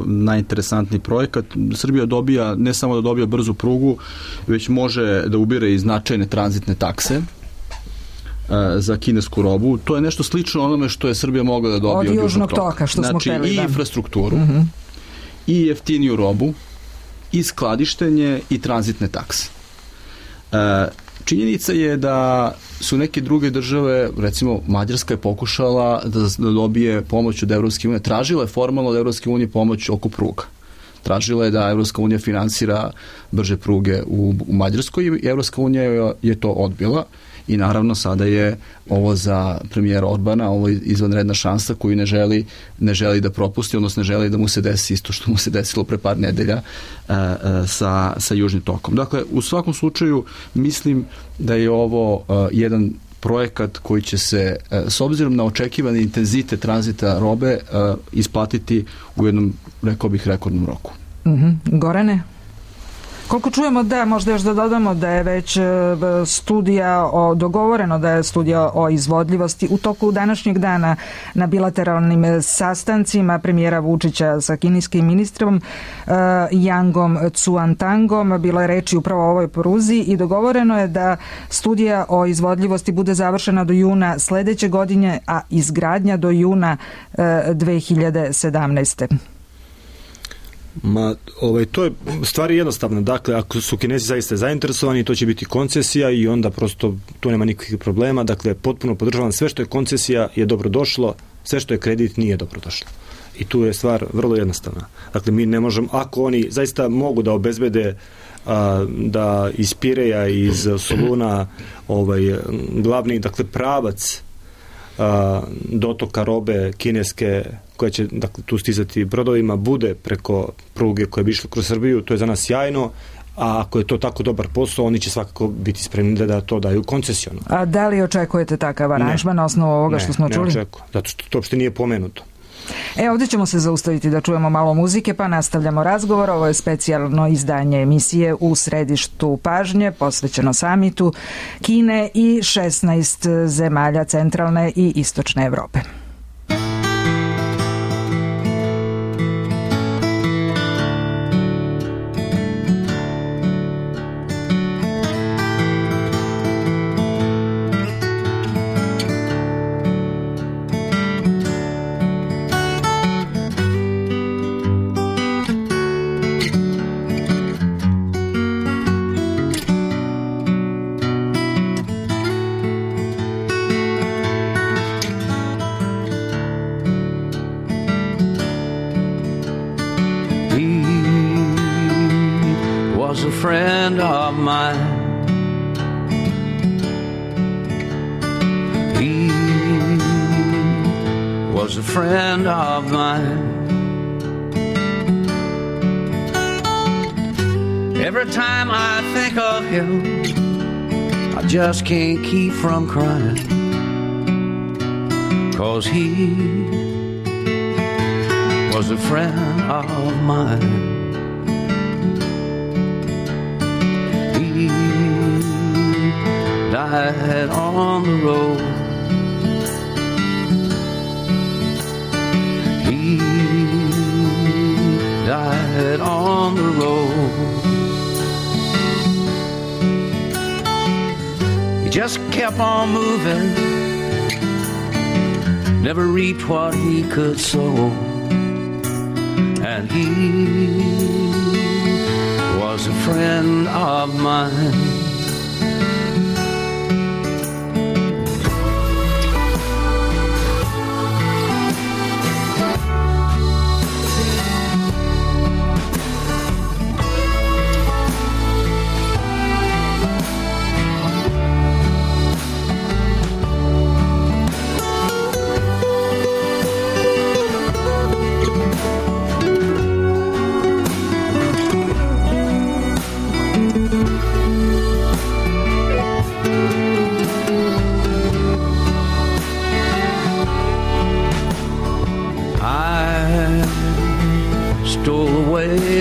najinteresantniji projekat. Srbija dobija, ne samo da dobija brzu prugu, već može da ubire i značajne tranzitne takse za kinesku robu. To je nešto slično onome što je Srbija mogla da dobije od Južnog toka. Što smo hteli, i infrastrukturu, i jeftiniju robu, i skladištenje, i tranzitne takse. Činjenica je da su neke druge države, recimo Mađarska je pokušala da dobije pomoć od Evropske unije, tražila je formalno od Evropske unije pomoć oko pruga. Tražila je da Evropska unija finansira brže pruge u Mađarskoj i Evropska unija je to odbila. I naravno sada je ovo za premijera Orbana, ovo je izvanredna šansa koju ne želi da propusti, odnosno ne želi da mu se desi isto što mu se desilo pre par nedelja sa Južnim tokom. Dakle, u svakom slučaju mislim da je ovo jedan projekat koji će se, s obzirom na očekivani intenzitet tranzita robe, isplatiti u jednom, rekao bih, rekordnom roku. Gorane? Koliko čujemo da, možda još da dodamo da je već dogovoreno da je studija o izvodljivosti u toku današnjeg dana na bilateralnim sastancima premijera Vučića sa kineskim ministrom Yangom Cuantangom. Bilo je reči upravo o ovoj pruzi i dogovoreno je da studija o izvodljivosti bude završena do juna sledeće godine, a izgradnja do juna 2017. To je stvari jednostavno. Dakle, ako su Kinezi zaista zainteresovani, to će biti koncesija i onda prosto tu nema nikakvih problema. Dakle, potpuno podržavam, sve što je koncesija je dobrodošlo, sve što je kredit nije dobrodošlo. I tu je stvar vrlo jednostavna. Dakle, mi ne možemo, ako oni zaista mogu da obezbede da iz Pireja, iz Soluna glavni, dakle, pravac dotoka robe kineske koja će dakle, tu stizati brodovima bude preko pruge koja bi išla kroz Srbiju, to je za nas sjajno, a ako je to tako dobar posao, oni će svakako biti spremni da to daju koncesijono. A da li očekujete takav aranžman na osnovu ovoga što smo čuli? Ne očekujem, zato što to uopšte nije pomenuto. Ovdje ćemo se zaustaviti da čujemo malo muzike, pa nastavljamo razgovor. Ovo je specijalno izdanje emisije U središtu pažnje, posvećeno samitu Kine i 16 zemalja centralne i istočne Evrope. Friend of mine, he was a friend of mine. Every time I think of him, I just can't keep from crying, 'cause he was a friend of mine. Died on the road. He died on the road. He just kept on moving, never reaped what he could sow, and he was a friend of mine.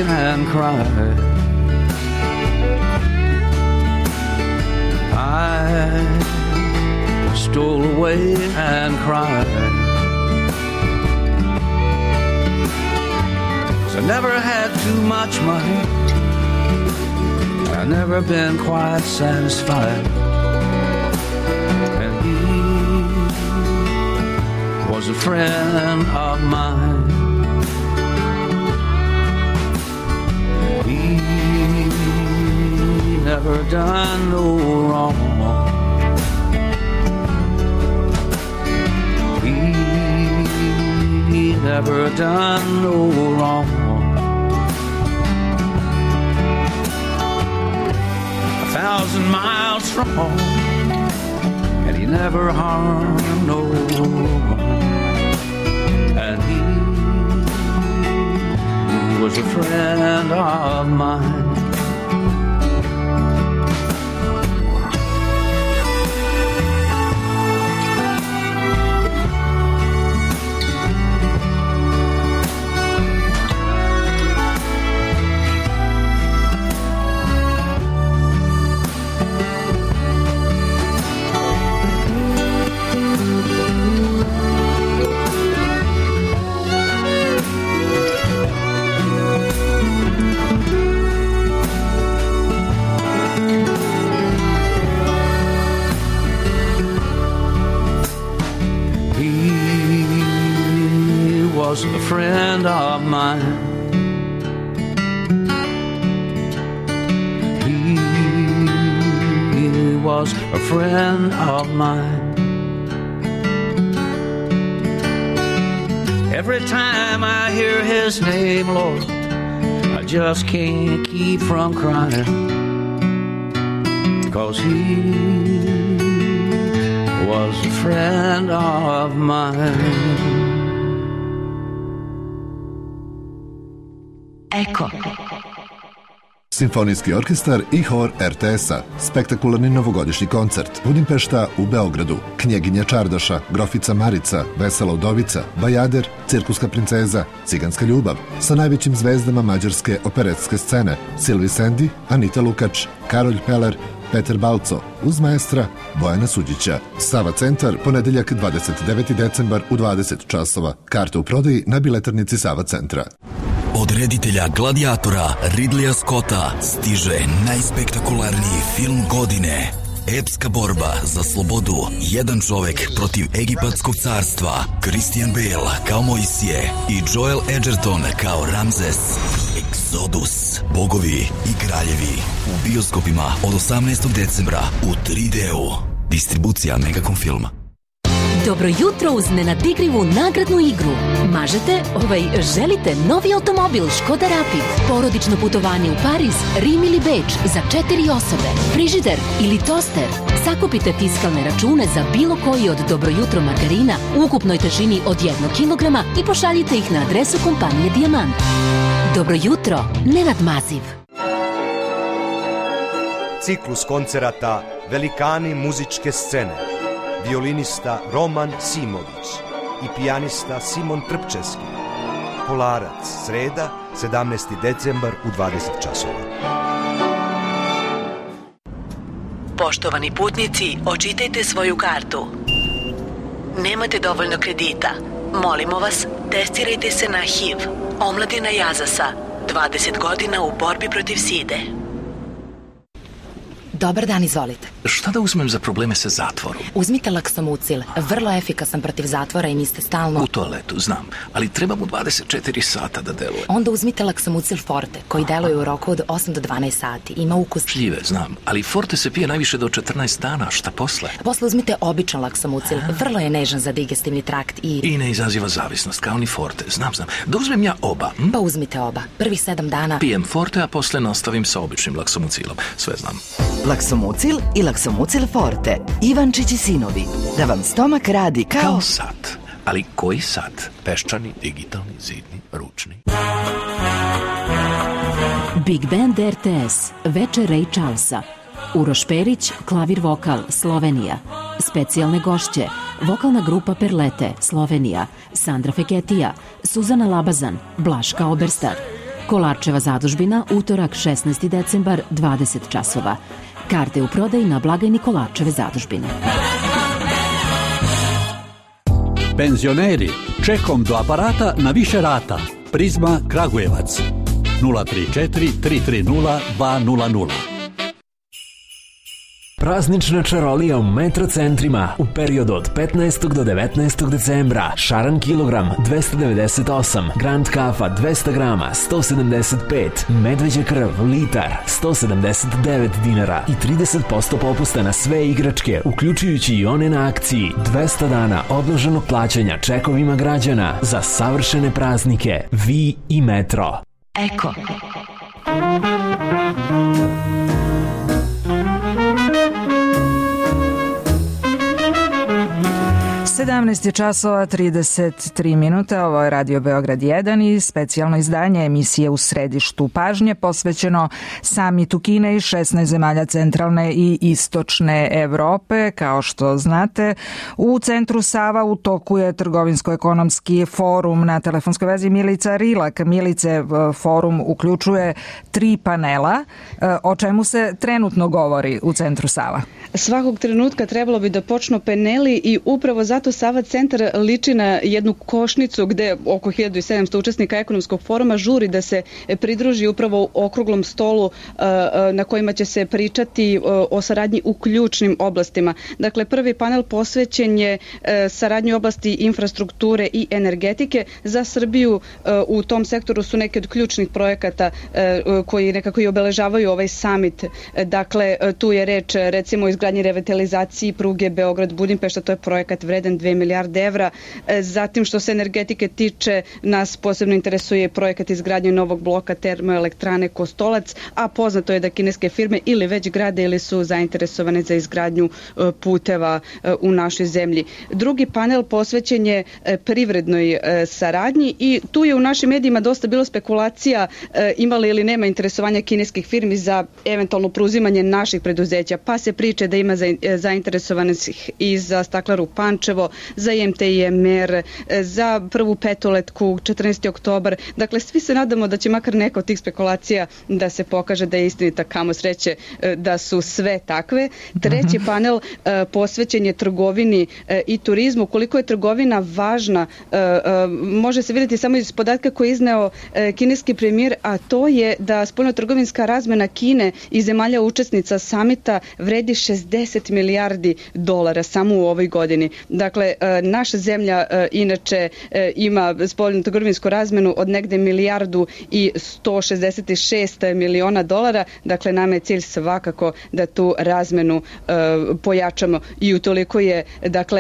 And cried. I stole away and cried. 'Cause I never had too much money, I never been quite satisfied, and he was a friend of mine. Never done no wrong. He never done no wrong. 1,000 miles from home, and he never harmed no one. And he was a friend of mine. A friend of mine. He was a friend of mine. Every time I hear his name, Lord, I just can't keep from crying, 'cause he was a friend of mine. Eko. Simfonijski orkestar i hor RTS-a, spektakularni novogodišnji koncert, Budimpešta u Beogradu, Knjeginja Čardaša, Grofica Marica, Vesela udovica, Bajader, Cirkuska princeza, Ciganska ljubav, sa najvećim zvezdama mađarske operetske scene, Silvi Sendi, Anita Lukač, Karolj Peler, Peter Balco, uz maestra Bojana Suđića. Sava centar, ponedeljak 29. decembar u 20 časova. Karte u prodaji na biletarnici Sava centra. Od reditelja Gladiatora Ridleya Scotta stiže najspektakularniji film godine. Epska borba za slobodu. Jedan čovek protiv Egipatskog carstva. Christian Bale kao Mojsije i Joel Edgerton kao Ramzes. Exodus. Bogovi i kraljevi. U bioskopima od 18. decembra u 3D-u. Distribucija Megacom filma. Dobro jutro uz nenadikrivu nagradnu igru. Želite novi automobil Škoda Rapid, porodično putovanje u Pariz, Rim ili Beč za 4 osobe, frižider ili toster. Sakupite fiskalne račune za bilo koji od Dobro jutro margarina u ukupnoj težini od 1 kilograma i pošaljite ih na adresu kompanije Dijamant. Dobro jutro, Nenad Maziv. Ciklus koncerata Velikani muzičke scene. Violinista Roman Simović i pijanista Simon Trpčevski. Kolarac, sreda, 17. decembar u 20 časova. Poštovani putnici, očitajte svoju kartu. Nemate dovoljno kredita. Molimo vas, testirajte se na HIV. Omladina Jazasa, 20 godina u borbi protiv side. Dobar dan, izvolite. Šta da uzmem za probleme sa zatvorom? Uzmite Laksomucil, vrlo efikasan protiv zatvora i niste stalno... U toaletu, znam, ali treba mu 24 sata da deluje. Onda uzmite Laksomucil Forte, koji deluje u roku od 8 do 12 sati. Ima ukus... Šljive, znam, ali Forte se pije najviše do 14 dana, šta posle? Posle uzmite običan Laksomucil, vrlo je nežan za digestivni trakt i... I ne izaziva zavisnost, kao ni Forte, znam. Da uzmem ja oba? Pa uzmite oba, prvih 7 dana... Pijem Forte, a posle nastavim sa običnim Laksomucilom, sve znam. Laksomucil i Laksomucil Forte. Ivančić i sinovi. Da vam stomak radi kao sat. Ali koji sat? Peščani, digitalni, zidni, ručni. Big Band RTS. Večer Ray Charlesa. Uroš Perić, klavir vokal, Slovenija. Specijalne gošće. Vokalna grupa Perlete, Slovenija. Sandra Feketija, Suzana Labazan, Blaška Oberstar. Kolarčeva zadužbina, utorak 16. decembar, 20 časova. Karte u prodaji na blagajni Kolarčeve zadužbine. Penzioneri, čekom do aparata na više rata. Prizma Kragujevac. 034 330 200. Praznična čarolija u metrocentrima u periodu od 15. do 19. decembra. Šaran kilogram 298, Grand kafa 200 grama 175, medveđa krv litar 179 dinara i 30% popusta na sve igračke, uključujući i one na akciji. 200 dana odloženog plaćanja čekovima građana za savršene praznike. Vi i Metro. Eko. 17 časova 33 minuta, ovo je Radio Beograd 1 i specijalno izdanje emisije U središtu pažnje posvećeno samitu Kine i 16 zemalja centralne i istočne Evrope. Kao što znate, u centru Sava u toku je trgovinsko-ekonomski forum. Na telefonskoj vezi Milica Rilak. Milice, forum uključuje 3 panela. O čemu se trenutno govori u centru Sava? Svakog trenutka trebalo bi da počnu paneli i upravo zato Sava centar liči na jednu košnicu gde oko 1700 učesnika ekonomskog foruma žuri da se pridruži upravo u okruglom stolu na kojima će se pričati o saradnji u ključnim oblastima. Dakle, prvi panel posvećen je saradnji u oblasti infrastrukture i energetike. Za Srbiju u tom sektoru su neki od ključnih projekata koji nekako i obeležavaju ovaj samit. Dakle, tu je reč recimo o izgradnji revitalizaciji pruge Beograd-Budimpešta, to je projekat vredan 2 milijarde evra. Zatim što se energetike tiče, nas posebno interesuje projekat izgradnje novog bloka termoelektrane Kostolac, a poznato je da kineske firme ili već grade ili su zainteresovane za izgradnju puteva u našoj zemlji. Drugi panel posvećen je privrednoj saradnji i tu je u našim medijima dosta bilo spekulacija ima li ili nema interesovanja kineskih firmi za eventualno preuzimanje naših preduzeća, pa se priče da ima zainteresovanih i za Staklaru Pančevo, za IMT-IMR, za prvu petoletku 14. oktobar. Dakle, svi se nadamo da će makar neka od tih spekulacija da se pokaže da je istinita, kamo sreće da su sve takve. Treći panel posvećen je trgovini i turizmu. Koliko je trgovina važna, može se vidjeti samo iz podatka koji je izneo kineski premijer, a to je da spoljnotrgovinska razmena Kine i zemalja učesnica samita vredi 60 milijardi dolara samo u ovoj godini. Dakle, naša zemlja inače ima spoljnotrgovinsku razmenu od negde milijardu i 166 miliona dolara. Dakle, nama je cilj svakako da tu razmenu pojačamo i utoliko je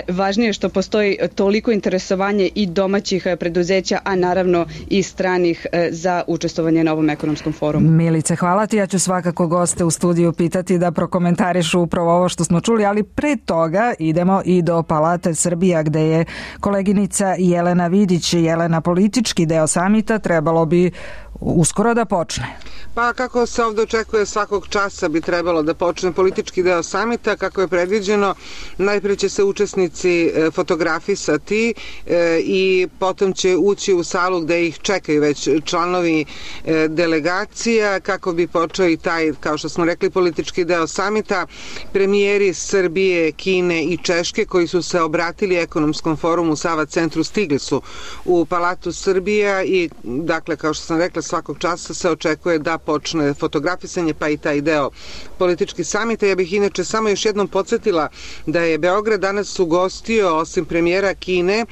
važnije što postoji toliko interesovanje i domaćih preduzeća, a naravno i stranih za učestvovanje na ovom ekonomskom forumu. Milice, hvala ti. Ja ću svakako goste u studiju pitati da prokomentarišu upravo ovo što smo čuli, ali pre toga idemo i do Palate Srbija gde je koleginica Jelena Vidić. Jelena, politički deo samita trebalo bi uskoro da počne. Pa kako se ovdje očekuje, svakog časa bi trebalo da počne politički deo samita, kako je predviđeno. Najprije će se učesnici fotografisati i potom će ući u salu gde ih čekaju već članovi delegacija kako bi počeo i taj, kao što smo rekli, politički deo samita. Premijeri Srbije, Kine i Češke koji su se obratili ekonomskom forumu Sava centru stigli su u Palatu Srbija i dakle, kao što sam rekla, svakog časa se očekuje da počne fotografisanje, pa i taj deo politički samita. Ja bih inače samo još jednom podsjetila da je Beograd danas ugostio, osim premijera Kine,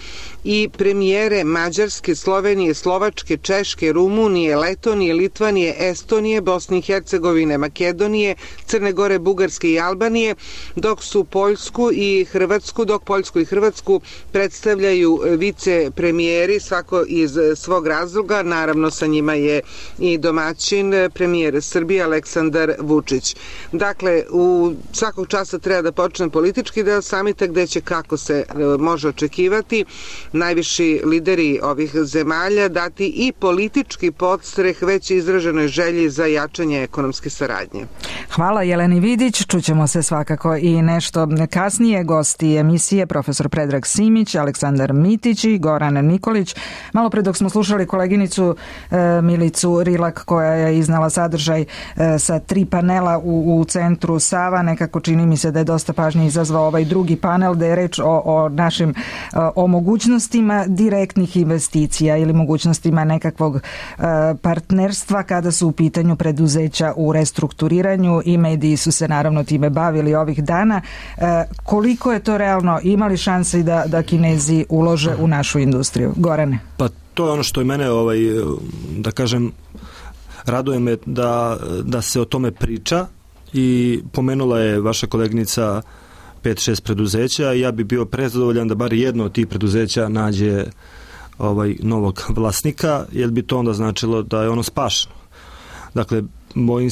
i premijere Mađarske, Slovenije, Slovačke, Češke, Rumunije, Letonije, Litvanije, Estonije, Bosne i Hercegovine, Makedonije, Crne Gore, Bugarske i Albanije, dok su Poljsku i Hrvatsku predstavljaju vice premijeri, svako iz svog razloga. Naravno, sa njima je i domaćin premijer Srbije Aleksandar Vučić. Dakle, u svakog časa treba da počne politički deo samita gde će, kako se može očekivati, najviši lideri ovih zemalja dati i politički podstreh već izraženoj želji za jačanje ekonomske saradnje. Hvala Jeleni Vidić, čućemo se svakako i nešto kasnije. Gosti emisije profesor Predrag Simić, Aleksandar Mitić i Goran Nikolić. Malo pre dok smo slušali koleginicu Milicu Rilak koja je iznala sadržaj sa 3 panela u centru Sava, nekako čini mi se da je dosta pažnje izazvao ovaj drugi panel gde je reč o našim mogućnostima direktnih investicija ili mogućnostima nekakvog partnerstva kada su u pitanju preduzeća u restrukturiranju i mediji su se naravno time bavili ovih dana. Koliko je to realno? Ima li šanse da Kinezi ulože u našu industriju? Gorane? Pa to je ono što je mene, da kažem, raduje me da se o tome priča i pomenula je vaša kolegnica 5-6 preduzeća i ja bi bio prezadovoljan da bar jedno od tih preduzeća nađe novog vlasnika, jer bi to onda značilo da je ono spašeno. Dakle, bojim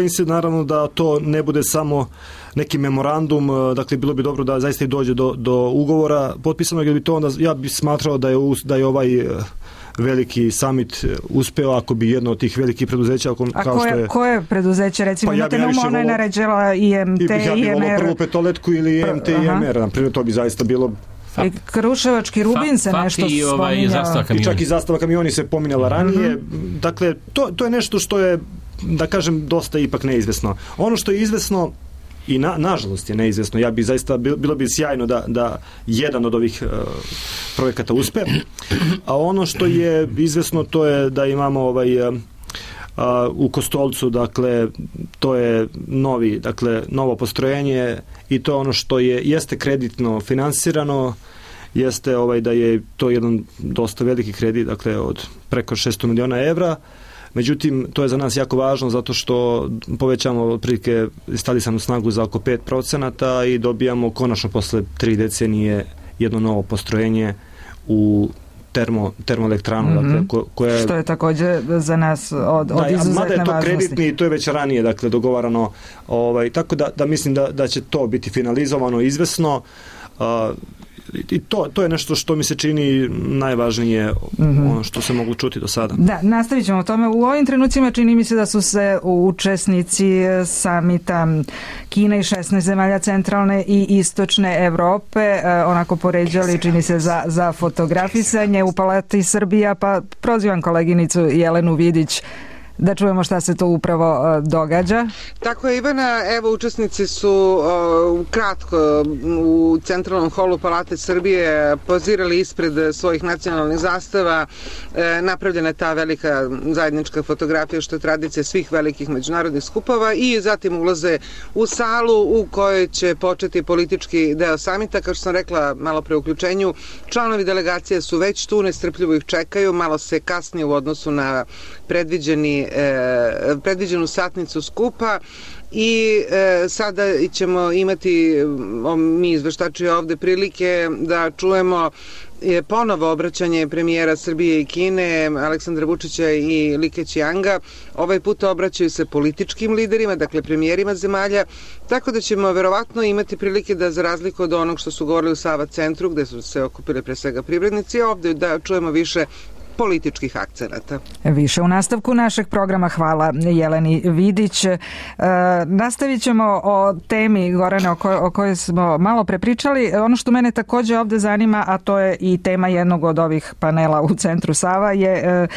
se naravno da to ne bude samo neki memorandum, dakle bilo bi dobro da zaista i dođe do ugovora potpisanog, jer bi to onda, ja bi smatrao da je ovaj veliki summit uspeo ako bi jedno od tih velikih preduzeća koje preduzeće, recimo, imate na umu, ona je naređela IMT, ja bih volao prvu petoletku ili IMT, IMR, naprimjer, to bi zaista bilo. I Kruševački Rubin se nešto spominjao. I čak i zastava kamioni se pominjala ranije. Dakle, to je nešto što je, da kažem, dosta ipak neizvesno. Ono što je izvesno i nažalost je neizvesno, ja bi zaista, bilo bi sjajno da jedan od ovih projekata uspe, a ono što je izvesno to je da imamo u Kostolcu, dakle, to je novo postrojenje i to je ono što jeste kreditno finansirano, jeste da je to jedan dosta veliki kredit, dakle, od preko 600 miliona evra, Međutim, to je za nas jako važno zato što povećamo otprilike instalisanu snagu za oko 5% i dobijamo konačno posle 3 decenije jedno novo postrojenje u termoelektranu, dakle, koja je... Što je također za nas od izuzetne važnosti. Mada je to kreditni i to je već ranije, dakle, dogovarano, tako da mislim da će to biti finalizovano izvesno, i to je nešto što mi se čini najvažnije, ono što se moglo čuti do sada. Da, nastavit ćemo o tome. U ovim trenucima čini mi se da su se učesnici samita Kine i 16 zemalja centralne i istočne Evrope onako poređali, čini se, za fotografisanje u Palati Srbija, pa prozivam koleginicu Jelenu Vidić da čujemo šta se to upravo događa. Tako je, Ivana, evo učesnici su kratko u centralnom holu Palate Srbije pozirali ispred svojih nacionalnih zastava, napravljena je ta velika zajednička fotografija što je tradicija svih velikih međunarodnih skupova i zatim ulaze u salu u kojoj će početi politički deo samita. Kao što sam rekla malo pre uključenju, članovi delegacije su već tu, nestrpljivo ih čekaju, malo se kasnije u odnosu na predviđenu satnicu skupa i sada ćemo imati mi izveštači ovde prilike da čujemo ponovo obraćanje premijera Srbije i Kine Aleksandra Vučića i Li Keqianga. Ovaj put obraćaju se političkim liderima, dakle premijerima zemalja, tako da ćemo verovatno imati prilike da, za razliku od onog što su govorili u Sava centru, gde su se okupili pre svega privrednici, ovde da čujemo više političkih akcenata. Više u nastavku našeg programa. Hvala Jeleni Vidić. Nastavit ćemo o temi, Gorane, o kojoj smo malo prepričali. Ono što mene također ovdje zanima, a to je i tema jednog od ovih panela u Centru Sava, je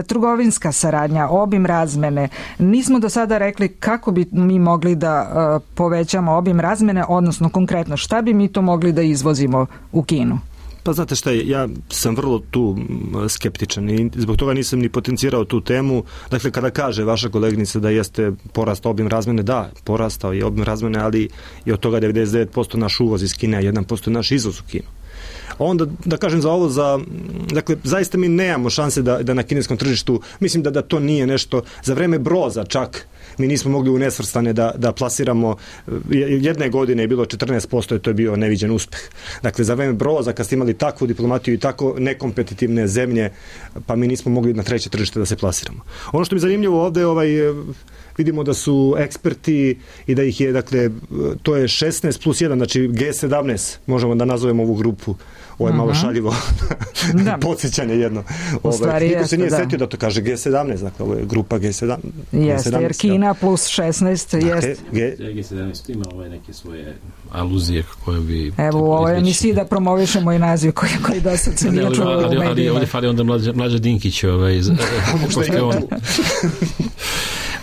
trgovinska saradnja, obim razmene. Nismo do sada rekli kako bi mi mogli da povećamo obim razmene, odnosno konkretno šta bi mi to mogli da izvozimo u Kinu. Pa znate šta je, ja sam vrlo tu skeptičan i zbog toga nisam ni potencirao tu temu. Dakle, kada kaže vaša kolegnica da jeste porast obim razmene, da, porastao je obim razmene, ali i od toga 99% naš uvoz iz Kine, a 1% naš izvoz u Kinu. Onda, da kažem za ovo, dakle, zaista mi nemamo šanse da na kineskom tržištu, mislim da to nije nešto, za vreme Broza čak, mi nismo mogli u nesvrstane da plasiramo, jedne godine je bilo 14%, to je bio neviđen uspeh. Dakle, za vreme Broza, kad ste imali takvu diplomatiju i tako nekompetitivne zemlje, pa mi nismo mogli na treće tržište da se plasiramo. Ono što mi je zanimljivo ovde, vidimo da su eksperti i da ih je, dakle, to je 16 plus 1, znači G17, možemo da nazovemo ovu grupu. Ovo je malo šaljivo podsjećanje jedno. Niko se nije setio da to kaže G17, dakle, ovo je grupa G17. Jeste, jer Kina plus 16 jest. G17 ima neke svoje aluzije koje bi... Evo, u ovoj emisiji da promovišemo i naziv koji do sad se nije čuo u medijima. Ali ovdje fali onda Mlađa Dinkić,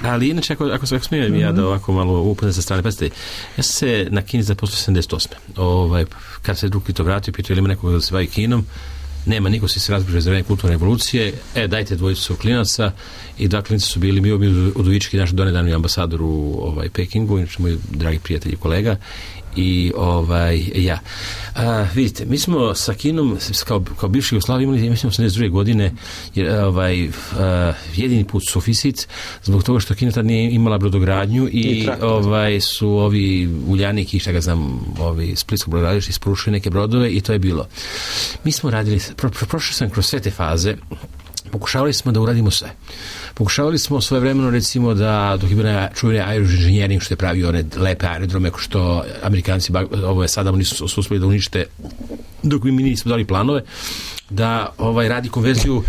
Ali inače, ako smijem ja da ovako malo upoznam sa strane, pazite, ja sam se na Kini zaposlio 78. Kad se drugi to vratio, pitao ili ima nekoga da se bavi Kinom, nema, niko se razbližio za vreme kulturne revolucije, dajte dvojicu klinaca, i dva klinica su bili Mio Udovički, naš donedavni ambasador u Pekingu, inače moj dragi prijatelj i kolega, i ja. Vidite, mi smo sa Kinom kao bivši Jugoslaviji imali, mislim, 82. godine jedini put suficit, zbog toga što Kina tad nije imala brodogradnju i su ovi Uljanik i šta ga znam, Splitsko brodogradilište isporučili neke brodove i to je bilo. Mi smo radili, prošli sam kroz sve te faze, pokušavali smo da uradimo sve. Pokušavali smo svojevremeno, recimo, da dok je bila čuveni aeroinženjering što je pravio one lepe aerodrome što Amerikanci sada nisu uspeli da unište dok mi nismo dali planove, da radi konverziju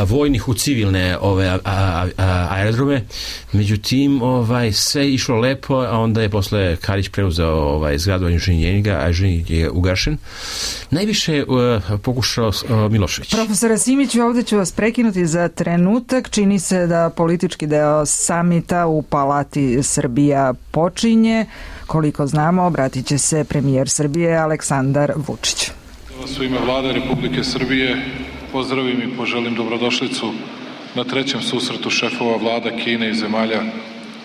vojnih u civilne aerodrome. Međutim, sve je išlo lepo, a onda je posle Karić preuzeo zgradu inženjeringa, a inženjering je ugašen. Najviše je pokušao Milošević. Profesore Simiću, ovdje ću vas prekinuti za trenutak. Čini se da politički deo samita u Palati Srbija počinje. Koliko znamo, obratit će se premijer Srbije Aleksandar Vučić. U ime Vlade Republike Srbije pozdravim i poželim dobrodošlicu na trećem susretu šefova vlada Kine i zemalja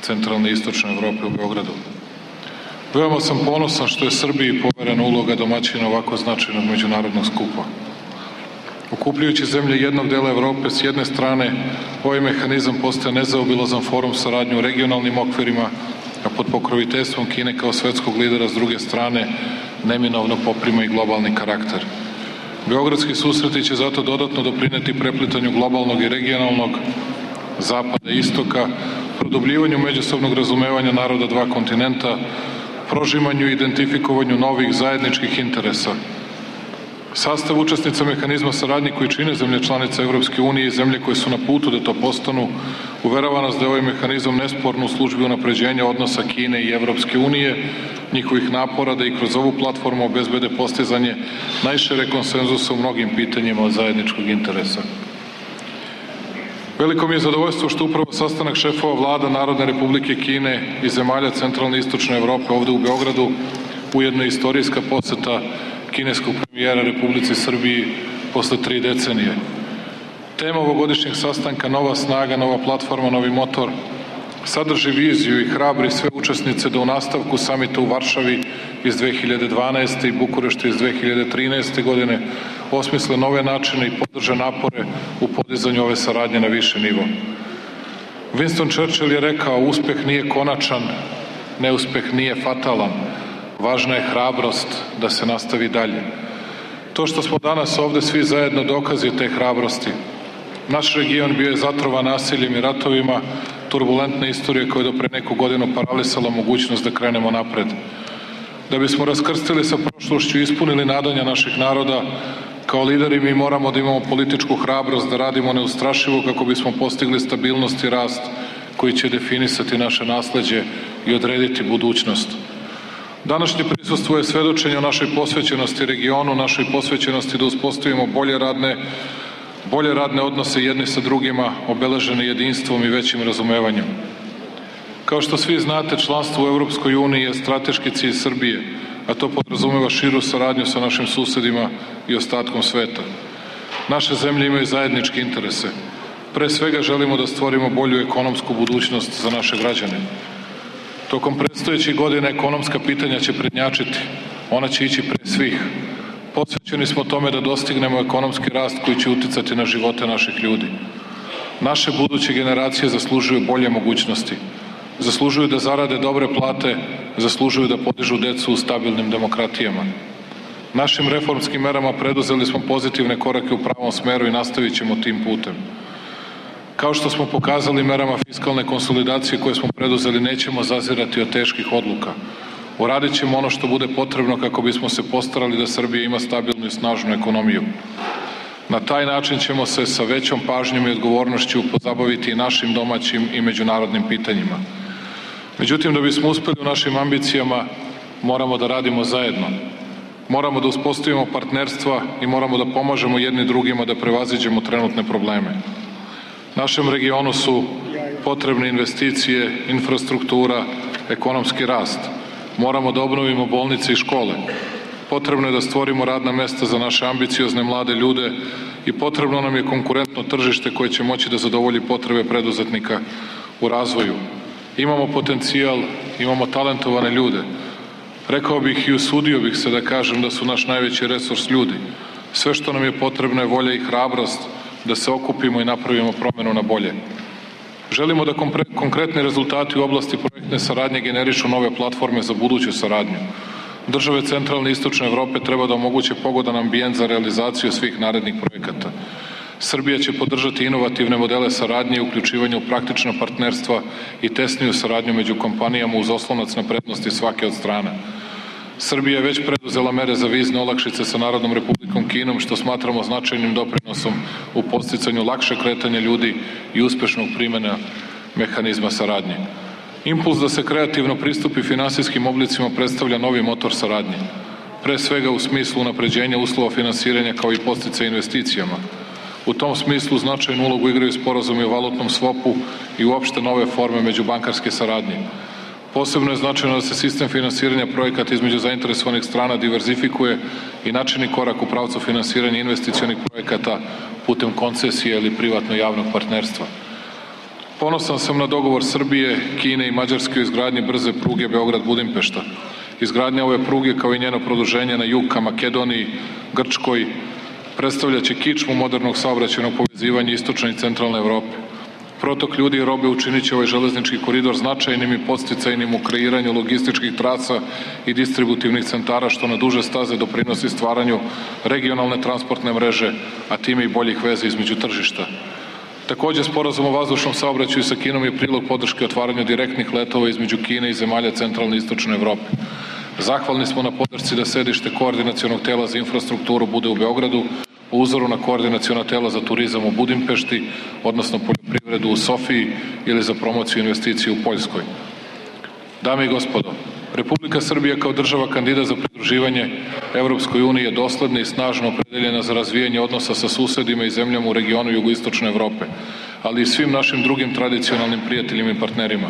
centralne i istočne Evrope u Beogradu. Veoma sam ponosan što je Srbiji poverena uloga domaćina ovako značajnog međunarodnog skupa. Okupljujući zemlje jednog dela Evrope s jedne strane, ovaj mehanizam postaje nezaobilazan forum saradnje u regionalnim okvirima, a pod pokroviteljstvom Kine kao svetskog lidera s druge strane neminovno poprima i globalni karakter. Beogradski susreti će zato dodatno doprineti preplitanju globalnog i regionalnog zapada i istoka, produbljivanju međusobnog razumevanja naroda dva kontinenta, prožimanju i identifikovanju novih zajedničkih interesa. Sastav učesnica mehanizma saradnje koji čine zemlje članice Evropske unije i zemlje koje su na putu da to postanu, uverava nas da je ovaj mehanizam nesporno u službi unapređenja odnosa Kine i Evropske unije, njihovih napora da i kroz ovu platformu obezbede postizanje najšire konsenzusa u mnogim pitanjima od zajedničkog interesa. Veliko mi je zadovoljstvo što upravo sastanak šefova vlada Narodne Republike Kine i zemalja centralne i istočne Evrope ovde u Beogradu, ujedno je istorijska poseta kineskog premijera Republici Srbiji posle 3 decenije. Tema ovogodišnjeg sastanka Nova snaga, nova platforma, novi motor sadrži viziju i hrabri sve učesnice da u nastavku samita u Varšavi iz 2012. i Bukurešta iz 2013. godine osmisle nove načine i podrže napore u podizanju ove saradnje na više nivo. Winston Churchill je rekao: uspeh nije konačan, neuspeh nije fatalan, važna je hrabrost da se nastavi dalje. To što smo danas ovde svi zajedno dokazi te hrabrosti. Naš region bio je zatrovan nasiljem i ratovima, turbulentna istorija koja je do pre neku godinu paralisala mogućnost da krenemo napred. Da bismo raskrstili sa prošlošću i ispunili nadanja naših naroda, kao lideri mi moramo da imamo političku hrabrost da radimo neustrašivo kako bismo postigli stabilnost i rast koji će definisati naše nasleđe i odrediti budućnost. Današnje prisustvo je svedočenje o našoj posvećenosti regionu, našoj posvećenosti da uspostavimo bolje radne odnose jedni sa drugima, obeležene jedinstvom i većim razumevanjem. Kao što svi znate, članstvo u Evropskoj uniji je strateški cilj Srbije, a to podrazumeva širu saradnju sa našim susedima i ostatkom sveta. Naše zemlje imaju zajedničke interese. Pre svega želimo da stvorimo bolju ekonomsku budućnost za naše građane. Tokom predstojećih godina ekonomska pitanja će prednjačiti. Ona će ići pre svih. Posvećeni smo tome da dostignemo ekonomski rast koji će uticati na živote naših ljudi. Naše buduće generacije zaslužuju bolje mogućnosti. Zaslužuju da zarade dobre plate, zaslužuju da podižu decu u stabilnim demokratijama. Našim reformskim merama preduzeli smo pozitivne korake u pravom smeru i nastavit ćemo tim putem. Kao što smo pokazali merama fiskalne konsolidacije koje smo preduzeli, nećemo zazirati od teških odluka. Uradit ćemo ono što bude potrebno kako bismo se postarali da Srbija ima stabilnu i snažnu ekonomiju. Na taj način ćemo se sa većom pažnjom i odgovornošću pozabaviti i našim domaćim i međunarodnim pitanjima. Međutim, da bismo uspeli u našim ambicijama, moramo da radimo zajedno. Moramo da uspostavimo partnerstva i moramo da pomažemo jedni drugima da prevaziđemo trenutne probleme. Našem regionu su potrebne investicije, infrastruktura, ekonomski rast. Moramo da obnovimo bolnice i škole. Potrebno je da stvorimo radna mesta za naše ambiciozne mlade ljude i potrebno nam je konkurentno tržište koje će moći da zadovolji potrebe preduzetnika u razvoju. Imamo potencijal, imamo talentovane ljude. Rekao bih i usudio bih se da kažem da su naš najveći resurs ljudi. Sve što nam je potrebno je volja i hrabrost da se okupimo i napravimo promenu na bolje. Želimo da konkretni rezultati u oblasti projektne saradnje generišu nove platforme za buduću saradnju. Države centralne i istočne Evrope treba da omoguće pogodan ambijent za realizaciju svih narednih projekata. Srbija će podržati inovativne modele saradnje i uključivanje u praktična partnerstva i tesniju saradnju među kompanijama uz oslonac na prednosti svake od strana. Srbija je već preduzela mere za vizne olakšice sa Narodnom Republikom Kinom, što smatramo značajnim doprinosom u podsticanju lakše kretanja ljudi i uspešnog primjena mehanizma saradnje. Impuls da se kreativno pristupi finansijskim oblicima predstavlja novi motor saradnje, pre svega u smislu unapređenja uslova finansiranja kao i podsticaja investicijama. U tom smislu značajnu ulogu igraju sporazumi o valutnom svopu i uopšte nove forme međubankarske saradnje. Posebno je značajno da se sistem finansiranja projekata između zainteresovanih strana diverzifikuje i načini korak u pravcu finansiranja investicionih projekata putem koncesije ili privatno-javnog partnerstva. Ponosan sam na dogovor Srbije, Kine i Mađarske o izgradnji brze pruge Beograd-Budimpešta. Izgradnja ove pruge kao i njeno produženje na jug ka Makedoniji, Grčkoj, Predstavljaće kičmu modernog saobraćajnog povezivanja istočne i centralne Evrope. Protok ljudi i robe učinit će ovaj železnički koridor značajnim i podsticajnim u kreiranju logističkih trasa i distributivnih centara, što na duže staze doprinosi stvaranju regionalne transportne mreže, a time i boljih veza između tržišta. Takođe, sporazum o vazdušnom saobraćaju sa Kinom je prilog podrške otvaranju direktnih letova između Kine i zemalja centralne i istočne Evrope. Zahvalni smo na podršci da sedište koordinacionog tela za infrastrukturu bude u Beogradu, po uzoru na koordinaciono tela za turizam u Budimpešti, odnosno poljoprivredu u Sofiji ili za promociju investicije u Poljskoj. Dame i gospodo, Republika Srbija kao država kandidat za pridruživanje Evropskoj uniji je dosledna i snažno opredeljena za razvijanje odnosa sa susedima i zemljama u regionu jugoistočne Evrope, ali i svim našim drugim tradicionalnim prijateljima i partnerima.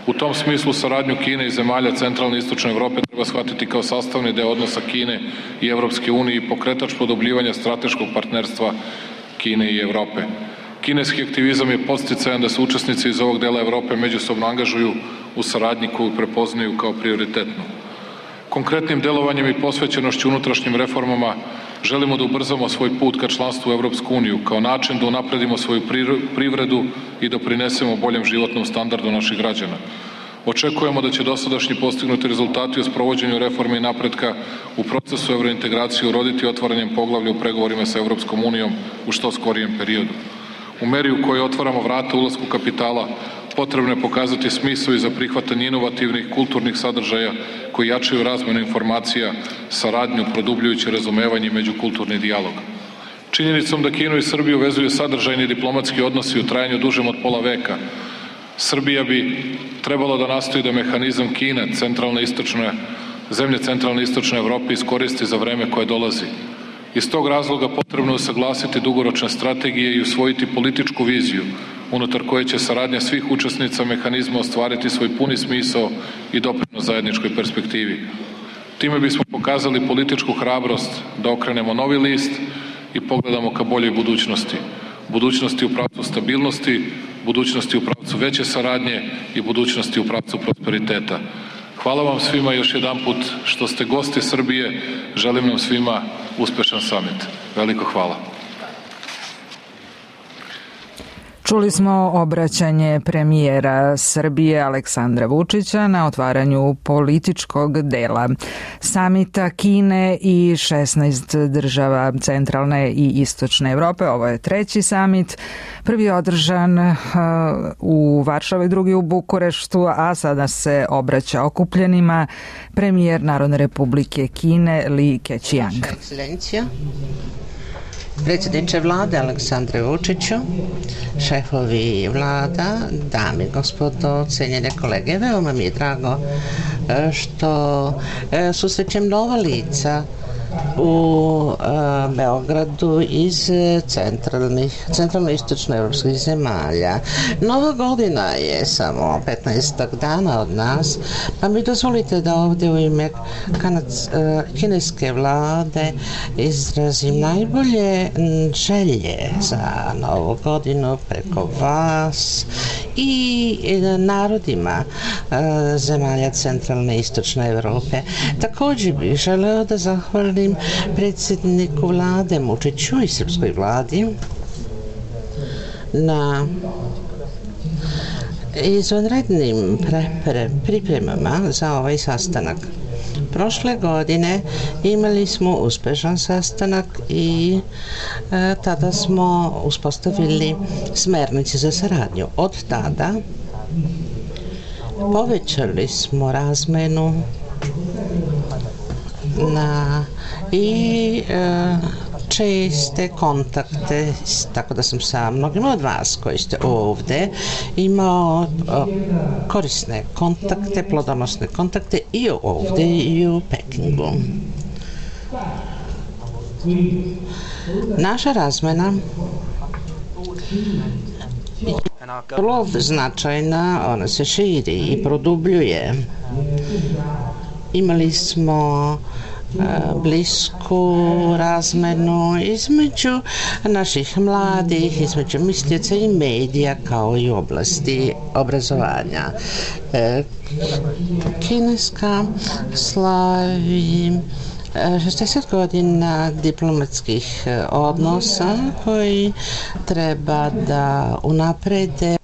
U tom smislu saradnju Kine i zemalja centralne i istočne Evrope treba shvatiti kao sastavni deo odnosa Kine i Evropske unije i pokretač produbljivanja strateškog partnerstva Kine i Evrope. Kineski aktivizam je podsticajan da se učesnici iz ovog dela Evrope međusobno angažuju u saradnji koju prepoznaju kao prioritetnu. Konkretnim delovanjem i posvećenošću unutrašnjim reformama želimo da ubrzamo svoj put ka članstvu u Evropsku uniju kao način da unapredimo svoju privredu i doprinesemo boljem životnom standardu naših građana. Očekujemo da će dosadašnji postignuti rezultati u sprovođenju reforme i napretka u procesu evrointegracije uroditi otvaranjem poglavlja u pregovorima sa Evropskom unijom u što skorijem periodu. U meri u kojoj otvaramo vrata ulasku kapitala, potrebno je pokazati smisao i za prihvatanje inovativnih kulturnih sadržaja koji jačaju razmenu informacija, saradnju, produbljujući razumevanje i međukulturni dijalog. Činjenicom da Kinu i Srbiju vezuju sadržajni diplomatski odnosi u trajanju dužem od pola veka, Srbija bi trebalo da nastoji da mehanizam Kina, zemlje centralne i istočne Evrope iskoristi za vreme koje dolazi. Iz tog razloga potrebno je usaglasiti dugoročne strategije i usvojiti političku viziju unutar koje će saradnja svih učesnica mehanizma ostvariti svoj puni smisao i doprinos zajedničkoj perspektivi. Time bismo pokazali političku hrabrost da okrenemo novi list i pogledamo ka boljoj budućnosti. Budućnosti u pravcu stabilnosti, budućnosti u pravcu veće saradnje i budućnosti u pravcu prosperiteta. Hvala vam svima još jedan put što ste gosti Srbije. Želim nam svima uspešan samit. Veliko hvala. Čuli smo obraćanje premijera Srbije Aleksandra Vučića na otvaranju političkog dela samita Kine i 16 država centralne i istočne Evrope. Ovo je treći samit, prvi je održan u Varšavi, drugi u Bukureštu, a sada se obraća okupljenima premijer Narodne Republike Kine Li Keqiang. Predsjedniče vlade Aleksandre Vučiću, šefovi vlada, dame i gospodo, cenjene kolege, veoma mi je drago što susrećem nova lica u Beogradu iz centralno-istočno evropskih zemalja. Nova godina je samo 15 dana od nas, pa mi dozvolite da ovdje u ime kineske vlade izrazim najbolje želje za novu godinu preko vas i narodima zemalja centralne i istočne Evrope. Također bih želeo da zahvalim predsjedniku vlade Vučiću i srpskoj vladi na izvanrednim pripremama za ovaj sastanak. Prošle godine imali smo uspešan sastanak i tada smo uspostavili smernice za saradnju. Od tada povećali smo razmenu i česte kontakte, tako da sam sa mnogima od vas koji ste ovde imao korisne kontakte, plodonosne kontakte i ovde i u Pekingu. Naša razmena je vrlo značajna, ona se širi i produbljuje. Imali smo blisku razmenu između naših mladih, između mislioca i medija, kao i u oblasti obrazovanja. Kineska slavi 60 godina diplomatskih odnosa koji treba da unaprede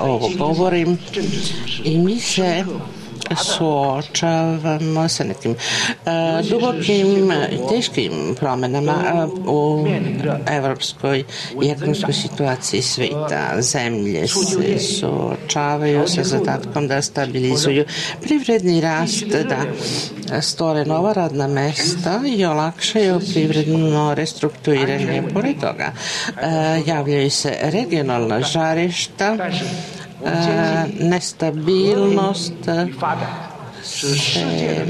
ovo govorim i mi se suočavamo sa nekim dubokim i teškim promenama u evropskoj i ekonomskoj situaciji sveta. Zemlje se suočavaju sa zadatkom da stabilizuju privredni rast, da stvore nova radna mesta i olakšaju privredno restrukturiranje. Pored toga javljaju se regionalna žarišta, nestabilnost se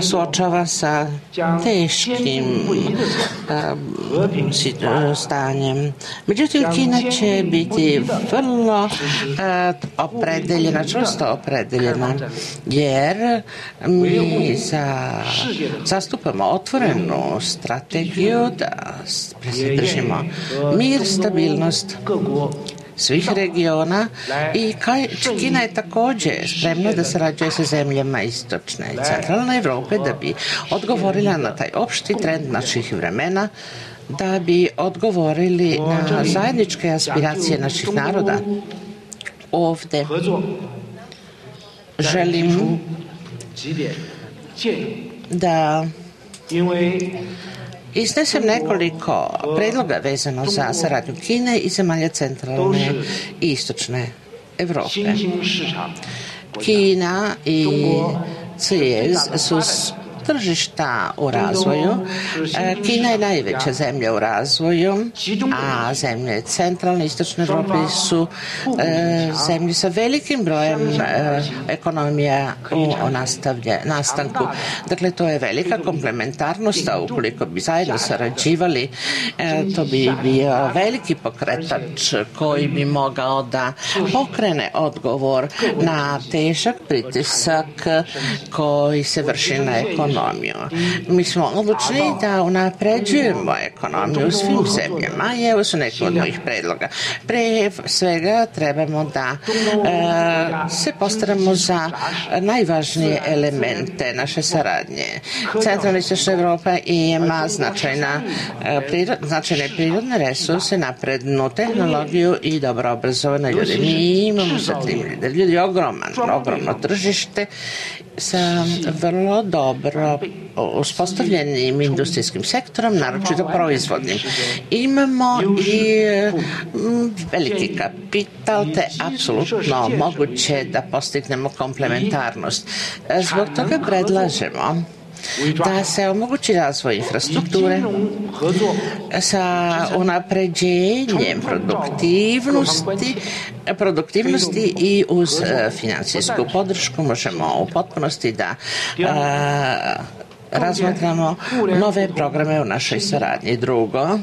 suočava sa teškim stanjem. Međutim, Kina će biti vrlo opredeljena, čvrsto opredeljena, jer mi zastupamo otvorenu strategiju da držimo mir, stabilnost svih regiona i Kina je također spremna da sarađuje sa zemljama istočne i centralne Evrope da bi odgovorila na taj opšti trend naših vremena, da bi odgovorili na zajedničke aspiracije naših naroda. Ovde želim da iznesem nekoliko predloga vezano za saradnju Kine i zemalja centralne i istočne Evrope. Kina i CIEZ su tržišta u razvoju. Kina je najveća zemlja u razvoju, a zemlje centralne i istočne Evrope su zemlje sa velikim brojem ekonomija u nastanku. Dakle, to je velika komplementarnost, a ukoliko bi zajedno sarađivali, to bi bio veliki pokretač koji bi mogao da pokrene odgovor na težak pritisak koji se vrši na ekonomiju. Mi smo odlučni da unapređujemo ekonomiju u svim zemljama i evo su neki od mojih predloga. Pre svega trebamo da se postaramo za najvažnije elemente naše saradnje. Centralna i istočna Evropa ima značajne prirodne resurse, naprednu tehnologiju i dobro obrazovane ljude. Mi imamo sa tim ljudi ogromno tržište sa vrlo dobro uspostavljenim industrijskim sektorom, naročito proizvodnim. Imamo i veliki kapital, te apsolutno moguće da postignemo komplementarnost. Zbog toga predlažemo da se omogući razvoj infrastrukture sa unapređenjem produktivnosti i uz financijsku podršku možemo u potpunosti da razmatramo nove programe u našoj saradnji. Drugo,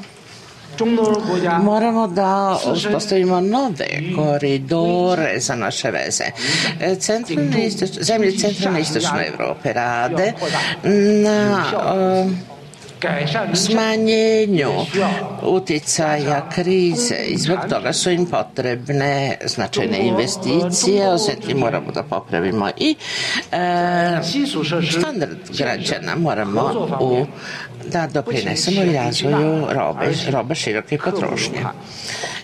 moramo da uspostavimo nove koridore za naše veze. Zemlje centralne i istočne Evrope rade na smanjenju uticaja krize i zbog toga su im potrebne značajne investicije, osim moramo da popravimo i standard građana, moramo da doprinesemo i razvoju robe široke potrošnje.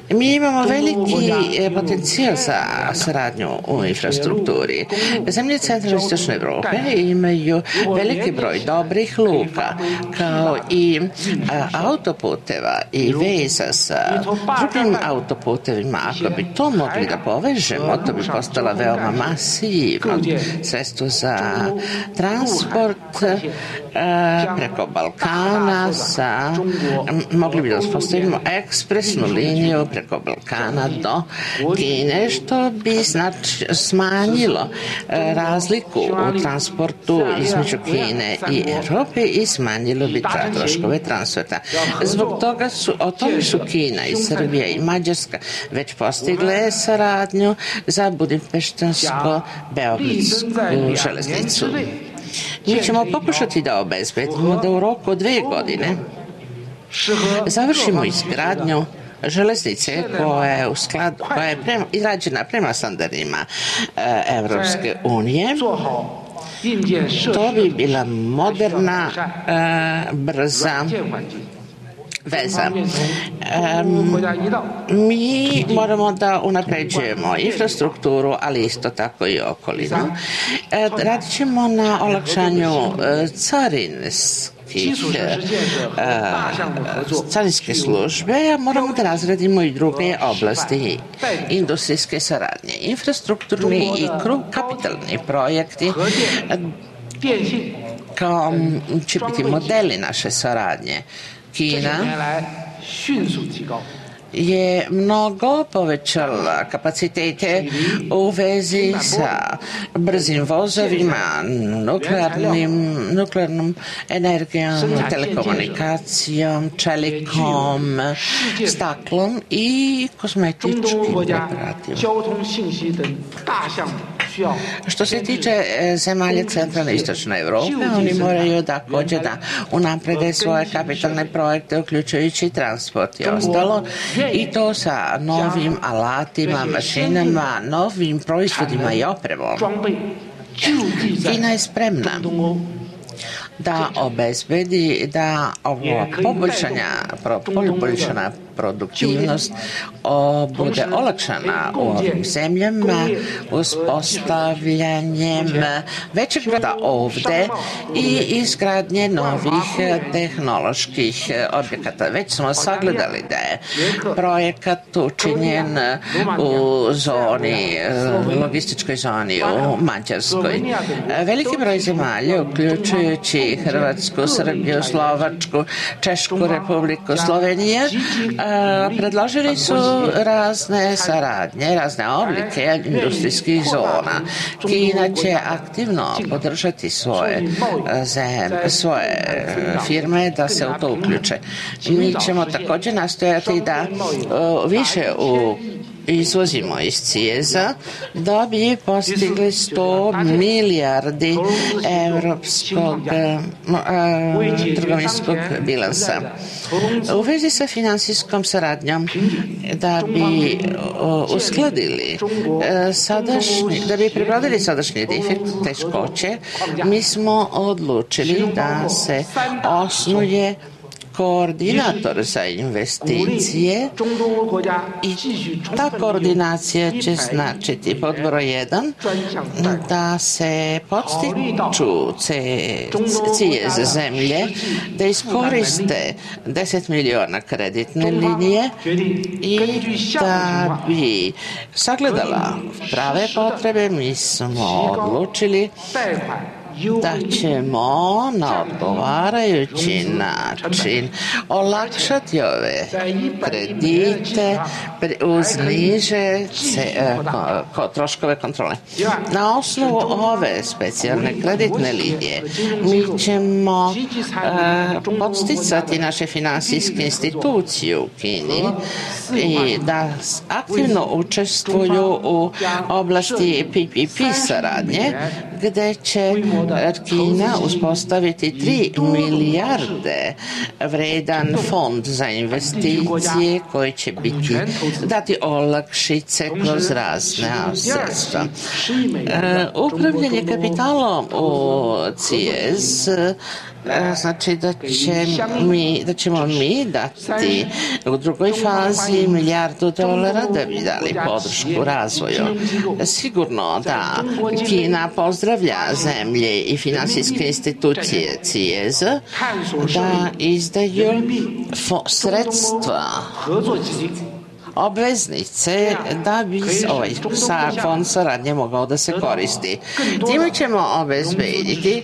Mi imamo veliki potencijal za saradnju u infrastrukturi. Zemlje centralne i istočne Evrope imaju veliki broj dobrih luka, kao i autoputeva i veza sa drugim autoputevima. Ako bi to mogli da povežemo, to bi postala veoma masivno sredstvo za transport preko Balkana, mogli bi da uspostavimo ekspresnu liniju preko Balkana do Kine, što bi smanjilo razliku u transportu između Kine i Evrope i smanjilo bi troškove transferta. Zbog toga o tome su Kina i Srbija i Mađarska već postigle saradnju za Budimpeštansko-beogradsku železnicu. Mi ćemo pokušati da obezbedimo da u roku 2 godine završimo izgradnju železnice koja je izrađena prema standardima Evropske unije. To bi bila moderna, brza veza. Mi moramo da unapređujemo infrastrukturu, ali isto tako i okolinu. Radit ćemo na olakšanju carinske službe, a moramo da razradimo i druge oblasti industrijske saradnje. Infrastrukturni i kapitalni projekti kao će biti modeli naše saradnje. Kina je mnogo povećala kapacitete u vezi sa brzim vozovima, nuklearnom energijom, telekomunikacijom, čelikom, staklom i kozmetičkim preparatima. Što se tiče zemalja centralne i istočne Evrope, oni moraju također da unaprede svoje kapitalne projekte, uključujući transport i ostalo, i to sa novim alatima, mašinama, novim proizvodima i opremom. Kina je spremna da obezbedi da ovo poboljšana produktivnost bude olakšana u ovim zemljama uspostavljanjem većeg rada ovde i izgradnje novih tehnoloških objekata. Već smo sagledali da je projekat učinjen u logističkoj zoni u Mađarskoj. Veliki broj zemalja, uključujući Hrvatsku, Srbiju, Slovačku, Češku Republiku, Sloveniju, predložili su razne saradnje, razne oblike industrijskih zona. Kina će aktivno podržati svoje firme da se u to uključe. Mi ćemo također nastojati da više izvozimo iz CIEZ-a da bi postigli 100 milijardi evropskog trgovinskog bilansa. U vezi sa finansijskom saradnjom da bi uskladili da bi prebrodili sadašnje teškoće, mi smo odlučili da se osnuje koordinator za investicije i ta koordinacija će značiti pod broj 1 da se podstiču CIEZ zemlje da iskoriste 10 miliona kreditne linije i da bi sagledala prave potrebe. Mi smo odlučili da ćemo na odgovarajući način olakšati ove kredite uz niže troškove kontrole. Na osnovu ove specijalne kreditne linije mi ćemo podsticati naše finansijske institucije u Kini i da aktivno učestvuju u oblasti PPP saradnje, gde će Kina uspostaviti 3 milijarde vredan fond za investicije koji će dati olakšice kroz razne sredstva. Upravljanje kapitalom u CIEZ znači da ćemo mi dati u drugoj fazi $1 milijardu da bi dali podršku razvoju. Sigurno da Kina pozdravlja zemlje i finansijske institucije CIEZ da izdaju sredstva obveznice da bi ovaj fond saradnje mogao da se koristi. Time ćemo obezbediti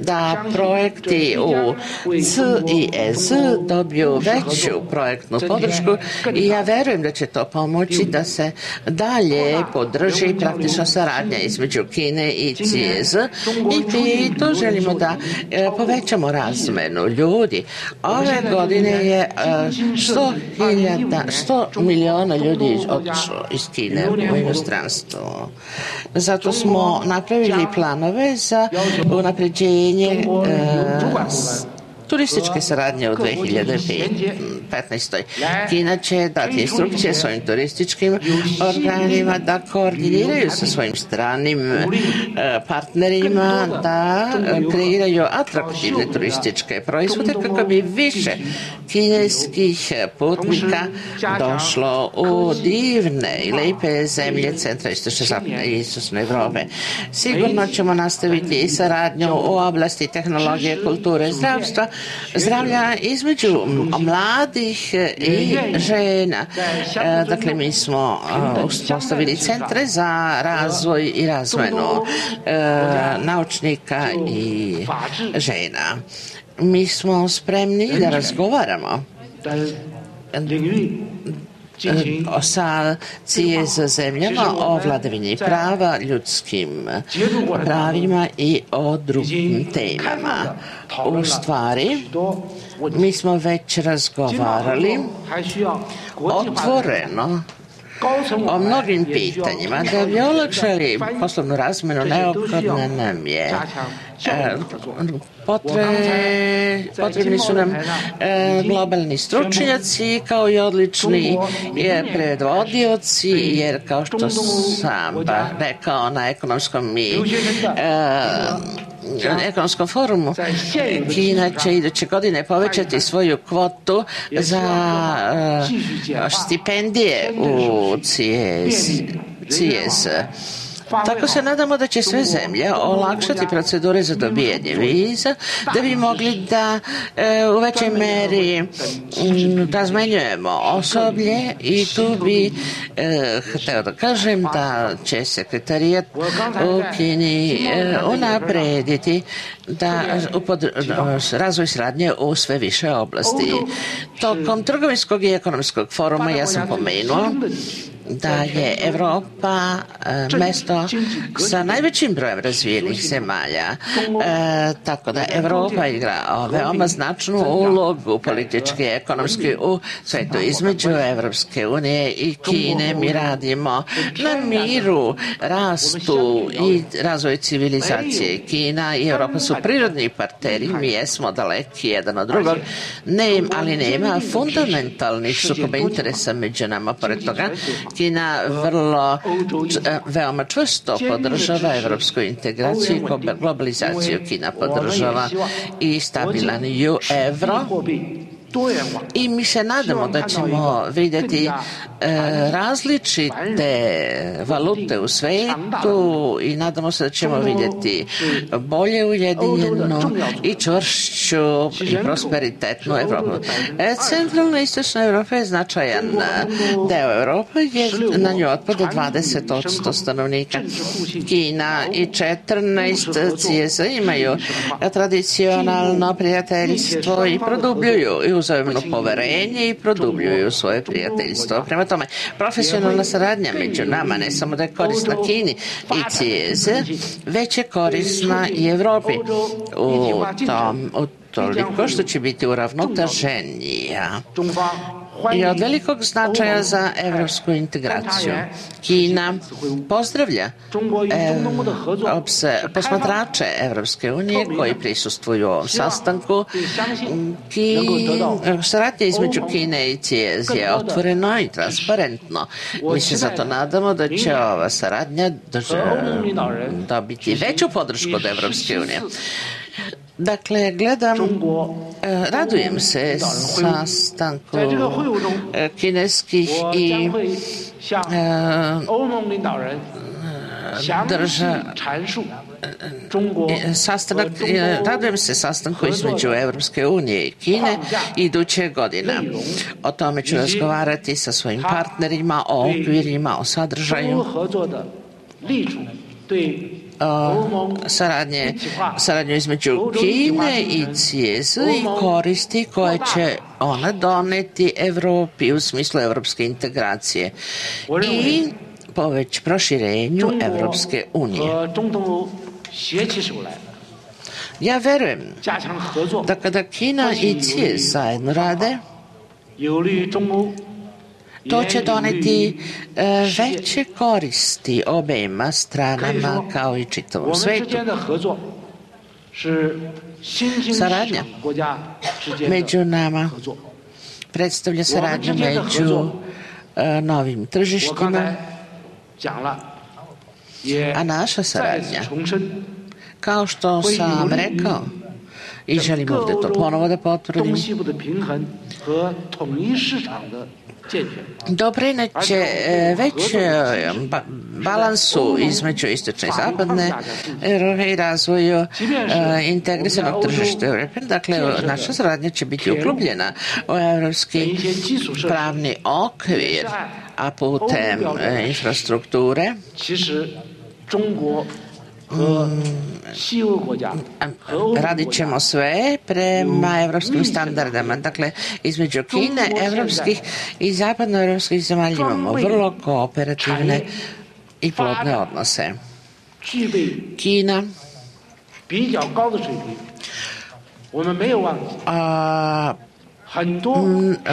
da projekti u CIEZ dobiju veću projektnu podršku i ja verujem da će to pomoći da se dalje podrži praktično saradnja između Kine i CIEZ i to želimo da povećamo razmenu ljudi. Ove godine je 100 miliona ljudi otišlo iz Kine u inostranstvo. Zato smo napravili planove za unapređenje turističke saradnje u 2015. 2015. Kina će dati instrukcije svojim turističkim organima da koordiniraju sa svojim stranim partnerima da kreiraju atraktivne turističke proizvode kako bi više kineskih putnika došlo u divne i lepe zemlje centra i istočne Evrope. Sigurno ćemo nastaviti i saradnju u oblasti tehnologije, kulture i zdravlja između mladih i žena. Dakle, mi smo uspostavili centre za razvoj i razmenu naučnika i žena. Mi smo spremni da razgovaramo sa CIEZ zemljama o vladavini prava, ljudskim pravima i o drugim temama. U stvari, mi smo već razgovarali otvoreno o mnogim pitanjima. Da bi olakšali poslovnu razmenu, neophodna nam je potrebni su nam globalni stručnjaci kao i odlični predvodioci, jer kao što sam rekao na ekonomskom forumu, Kina će iduće godine povećati svoju kvotu za stipendije u CIEZ. Tako se nadamo da će sve zemlje olakšati procedure za dobijanje viza, da bi mogli da u većoj meri razmenjujemo osoblje i tu bi hteo da kažem da će sekretarijat u Kini unaprediti razvoj saradnje u sve više oblasti. Tokom trgovinskog i ekonomskog foruma ja sam pomenuo da je Evropa mesto sa najvećim brojem razvijenih zemalja. Tako da Evropa igra veoma značnu ulogu politički i ekonomski u svetu. Između Evropske unije i Kine mi radimo na miru, rastu i razvoju civilizacije. Kina i Evropa su prirodni partneri, mi jesmo daleki jedan od drugog, ali nema fundamentalnih sukoba interesa među nama. Pored toga, Kina veoma čvrsto podržava evropsku integraciju i globalizaciju. Kina podržava i stabilan evro i mi se nadamo da ćemo vidjeti različite valute u svetu i nadamo se da ćemo vidjeti bolje ujedinjenu i čvršću i prosperitetnu Evropu. Centralna i istočna Evropa je značajan deo Evrope, jer na nju otpada 20% stanovnika. Kina i 14 CIEZ imaju tradicionalno prijateljstvo i produbljuju i uzajamno poverenje i produbljuju svoje prijateljstvo. Prema tome, profesionalna saradnja među nama ne samo da je korisna Kini i CIEZ, već je korisna i Evropi u toliko što će biti uravnoteženija i od velikog značaja za evropsku integraciju. Kina pozdravlja posmatrače Evropske unije koji prisustvuju ovom sastanku. Saradnja između Kine i CIEZ je otvoreno i transparentno. Mi se zato nadamo da će ova saradnja dobiti veću podršku od Evropske unije. Dakle, radujem se sastanku kineskih i radujem se sastanku između Evropske unije i Kine iduće godine. O tome ću razgovarati sa svojim partnerima, o okvirima, o sadržaju, saradnju između Kine i CIEZ i koristi koje će ona doneti Evropi u smislu evropske integracije i proširenju Evropske unije. Ja verujem da kada Kina i CIEZ zajedno rade, to će doneti veće koristi obema stranama kao i čitavom svetu. Saradnja među nama predstavlja saradnju među novim tržištima, a naša saradnja, kao što sam rekao i želim ovde to ponovo da potvrdim, doprineće već balansu između istočne i zapadne Evrope i razvoju integrisanog tržišta Evrope. Dakle, naša saradnja će biti uklubljena u evropski pravni okvir, a putem infrastrukture radit ćemo sve prema evropskim standardama. Dakle, između Kine, evropskih i zapadnoevropskih zemalja imamo vrlo kooperativne i plodne odnose. Kina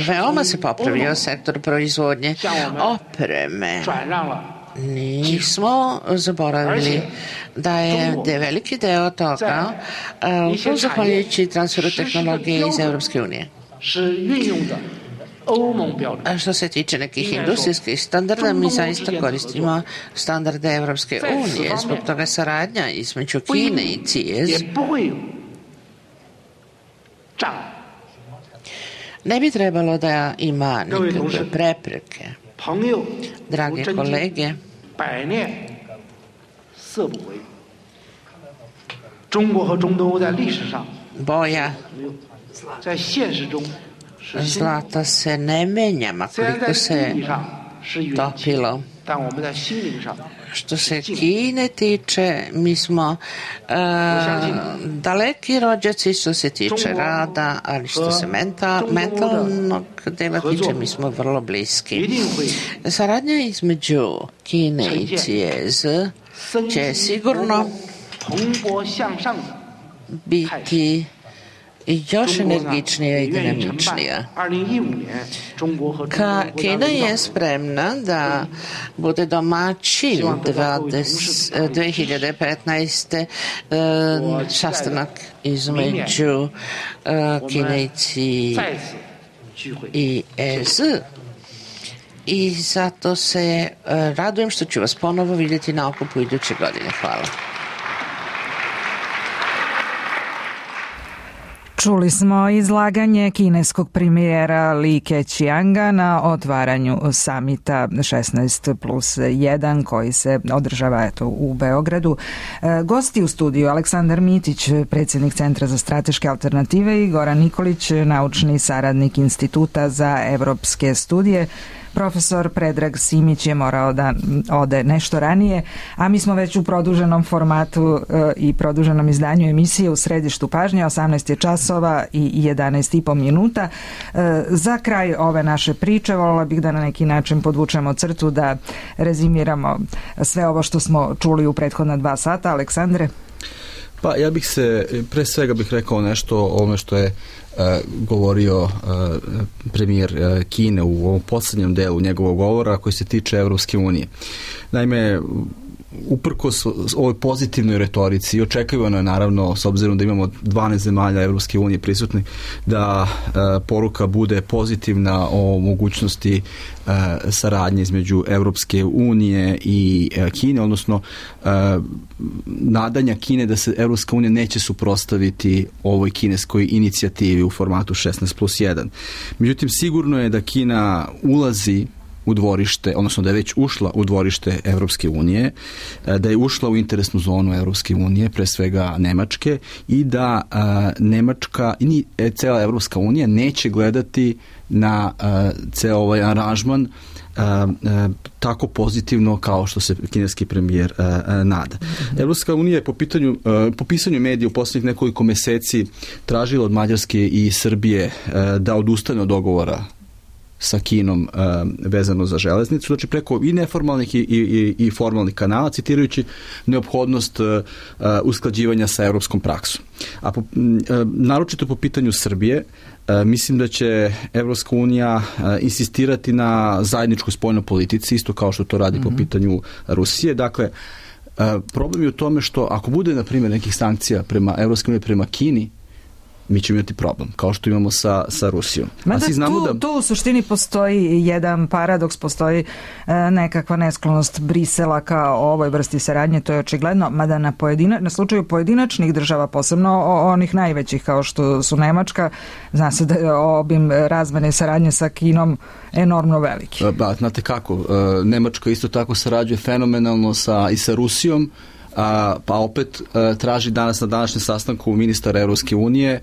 veoma se popravio sektor proizvodnje opreme. Nismo zaboravili da je veliki deo toga zahvaljujući transferu tehnologije iz Evropske unije. A što se tiče nekih industrijskih standarda, mi zaista koristimo standarde Evropske unije. Zbog toga saradnja između Kine i CIES ne bi trebalo da ima nikakve prepreke. Drage kolege, boja zlata se ne menja, makoliko se topilo. Što se Kine tiče, mi smo daleki rođaci što se tiče rada, ali što se mentalnog dela tiče, mi smo vrlo bliski. Saradnja između Kine i CIES će sigurno biti još energičnija i dinamičnija. Kina je spremna da bude domaćin 2015. sastanak između Kine i EZ. I zato se radujem što ću vas ponovo vidjeti na okupu iduće godine. Hvala. Čuli smo izlaganje kineskog premijera Li Keqianga na otvaranju samita 16+1 koji se održava u Beogradu. Gosti u studiju Aleksandar Mitić, predsjednik Centra za strateške alternative, i Goran Nikolić, naučni saradnik Instituta za evropske studije. Profesor Predrag Simić je morao da ode nešto ranije, a mi smo već u produženom formatu i produženom izdanju emisije u središtu pažnje. 18 je časova i 11,5 minuta. Za kraj ove naše priče voljela bih da na neki način podvučemo crtu, da rezimiramo sve ovo što smo čuli u prethodna 2 sata. Aleksandre? Pa ja bih se, pre svega bih rekao nešto o ovome što je govorio premijer Kine u ovom poslednjem delu njegovog govora koji se tiče Evropske unije. Naime, uprkos ovoj pozitivnoj retorici, očekivano je naravno, s obzirom da imamo 12 zemalja Evropske unije prisutni, da poruka bude pozitivna o mogućnosti saradnje između Evropske unije i Kine, odnosno nadanja Kine da se Evropska unija neće suprotstaviti ovoj kineskoj inicijativi u formatu 16+1. Međutim, sigurno je da Kina ulazi u dvorište, odnosno da je već ušla u dvorište Evropske unije, da je ušla u interesnu zonu Evropske unije, pre svega Nemačke, i da Nemačka i cela Evropska unija neće gledati na ceo ovaj aranžman tako pozitivno kao što se kineski premijer nada. Evropska unija je po pisanju medija u poslednjih nekoliko meseci tražila od Mađarske i Srbije da odustane od dogovora sa Kinom vezano za železnicu, znači preko i neformalnih i formalnih kanala, citirajući neophodnost usklađivanja sa evropskom praksom. A naročito po pitanju Srbije, mislim da će Evropska unija insistirati na zajedničkoj spoljnoj politici, isto kao što to radi po pitanju Rusije. Dakle, problem je u tome što ako bude, na primjer, nekih sankcija prema Evropske unije, prema Kini, mi ćemo imati problem, kao što imamo sa Rusijom. Mada tu u suštini postoji jedan paradoks, postoji nekakva nesklonost Brisela ka ovoj vrsti saradnje, to je očigledno, mada na slučaju pojedinačnih država, posebno onih najvećih kao što su Nemačka, zna se da je obim razmene saradnje sa Kinom enormno veliki. Znate kako, Nemačka isto tako sarađuje fenomenalno i sa Rusijom, pa opet traži danas na današnjem sastanku ministara Evropske unije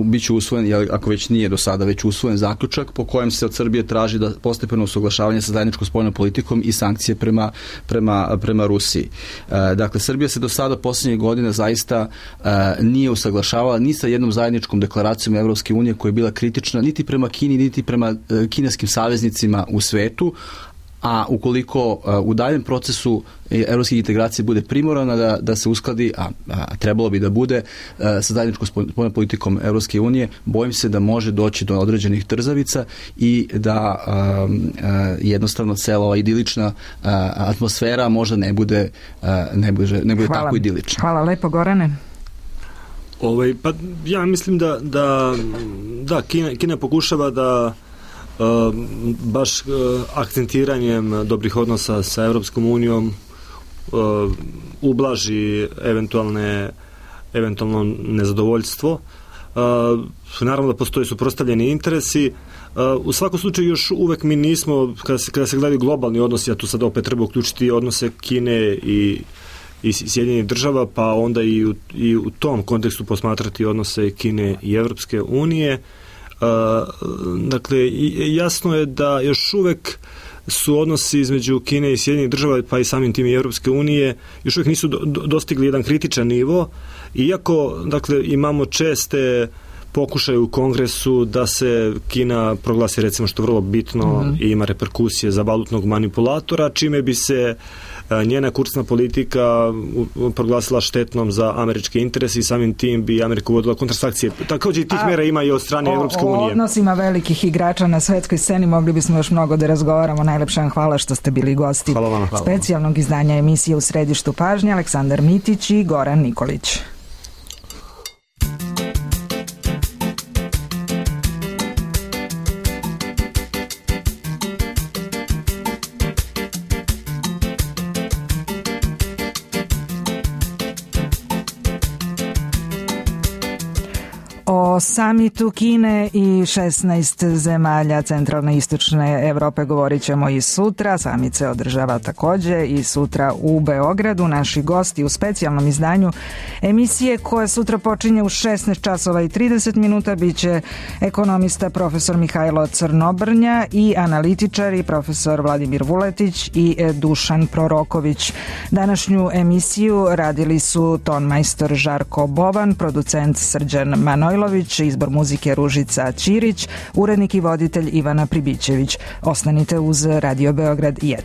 biće usvojen, ako već nije do sada već usvojen zaključak po kojem se od Srbije traži da postepeno usaglašavanje sa zajedničkom spoljnom politikom i sankcije prema Rusiji. Dakle, Srbija se do sada posljednjih godina zaista nije usaglašavala ni sa jednom zajedničkom deklaracijom Evropske unije koja je bila kritična niti prema Kini, niti prema kineskim saveznicima u svetu, a ukoliko u daljem procesu evropske integracije bude primorana da se uskladi, a trebalo bi da bude sa zajedničkom spoljnom politikom Evropske unije, bojim se da može doći do određenih trzavica i da jednostavno cela ova idilična atmosfera možda ne bude tako idilična. Hvala lepo, Gorane. Pa ja mislim da Kina pokušava da baš akcentiranjem dobrih odnosa sa Evropskom unijom ublaži eventualno nezadovoljstvo. Naravno da postoje suprotstavljeni interesi. U svakom slučaju još uvek mi nismo, kada se gledaju globalni odnosi, a tu sad opet treba uključiti odnose Kine i Sjedinjenih država, pa onda i u tom kontekstu posmatrati odnose Kine i Evropske unije. Dakle, jasno je da još uvek su odnosi između Kine i Sjedinjenih država, pa i samim tim i Evropske unije, još uvek nisu dostigli jedan kritičan nivo, iako, dakle, imamo česte pokušaje u Kongresu da se Kina proglasi, recimo, što je vrlo bitno i ima reperkusije za valutnog manipulatora, čime bi se njena kursna politika proglasila štetnom za američke interese i samim tim bi Amerika uvodila kontrasankcije. Također tih mera ima i od strane Evropske unije. O odnosima velikih igrača na svetskoj sceni mogli bismo još mnogo da razgovaramo. Najlepša vam hvala što ste bili gosti specijalnog izdanja emisije U središtu pažnje. Aleksandar Mitić i Goran Nikolić. O samitu Kine i 16 zemalja centralne i istočne Evrope govorit ćemo i sutra. Samit se održava također i sutra u Beogradu. Naši gosti u specijalnom izdanju emisije koja sutra počinje u 16 časova i 30 minuta bit će ekonomista profesor Mihajlo Crnobrnja i analitičari profesor Vladimir Vuletić i Dušan Proroković. Današnju emisiju radili su tonmajstor Žarko Boban, producent Srđan Manojlović, izbor muzike Ružica Ćirić, urednik i voditelj Ivana Pribićević. Ostanite uz Radio Beograd 1.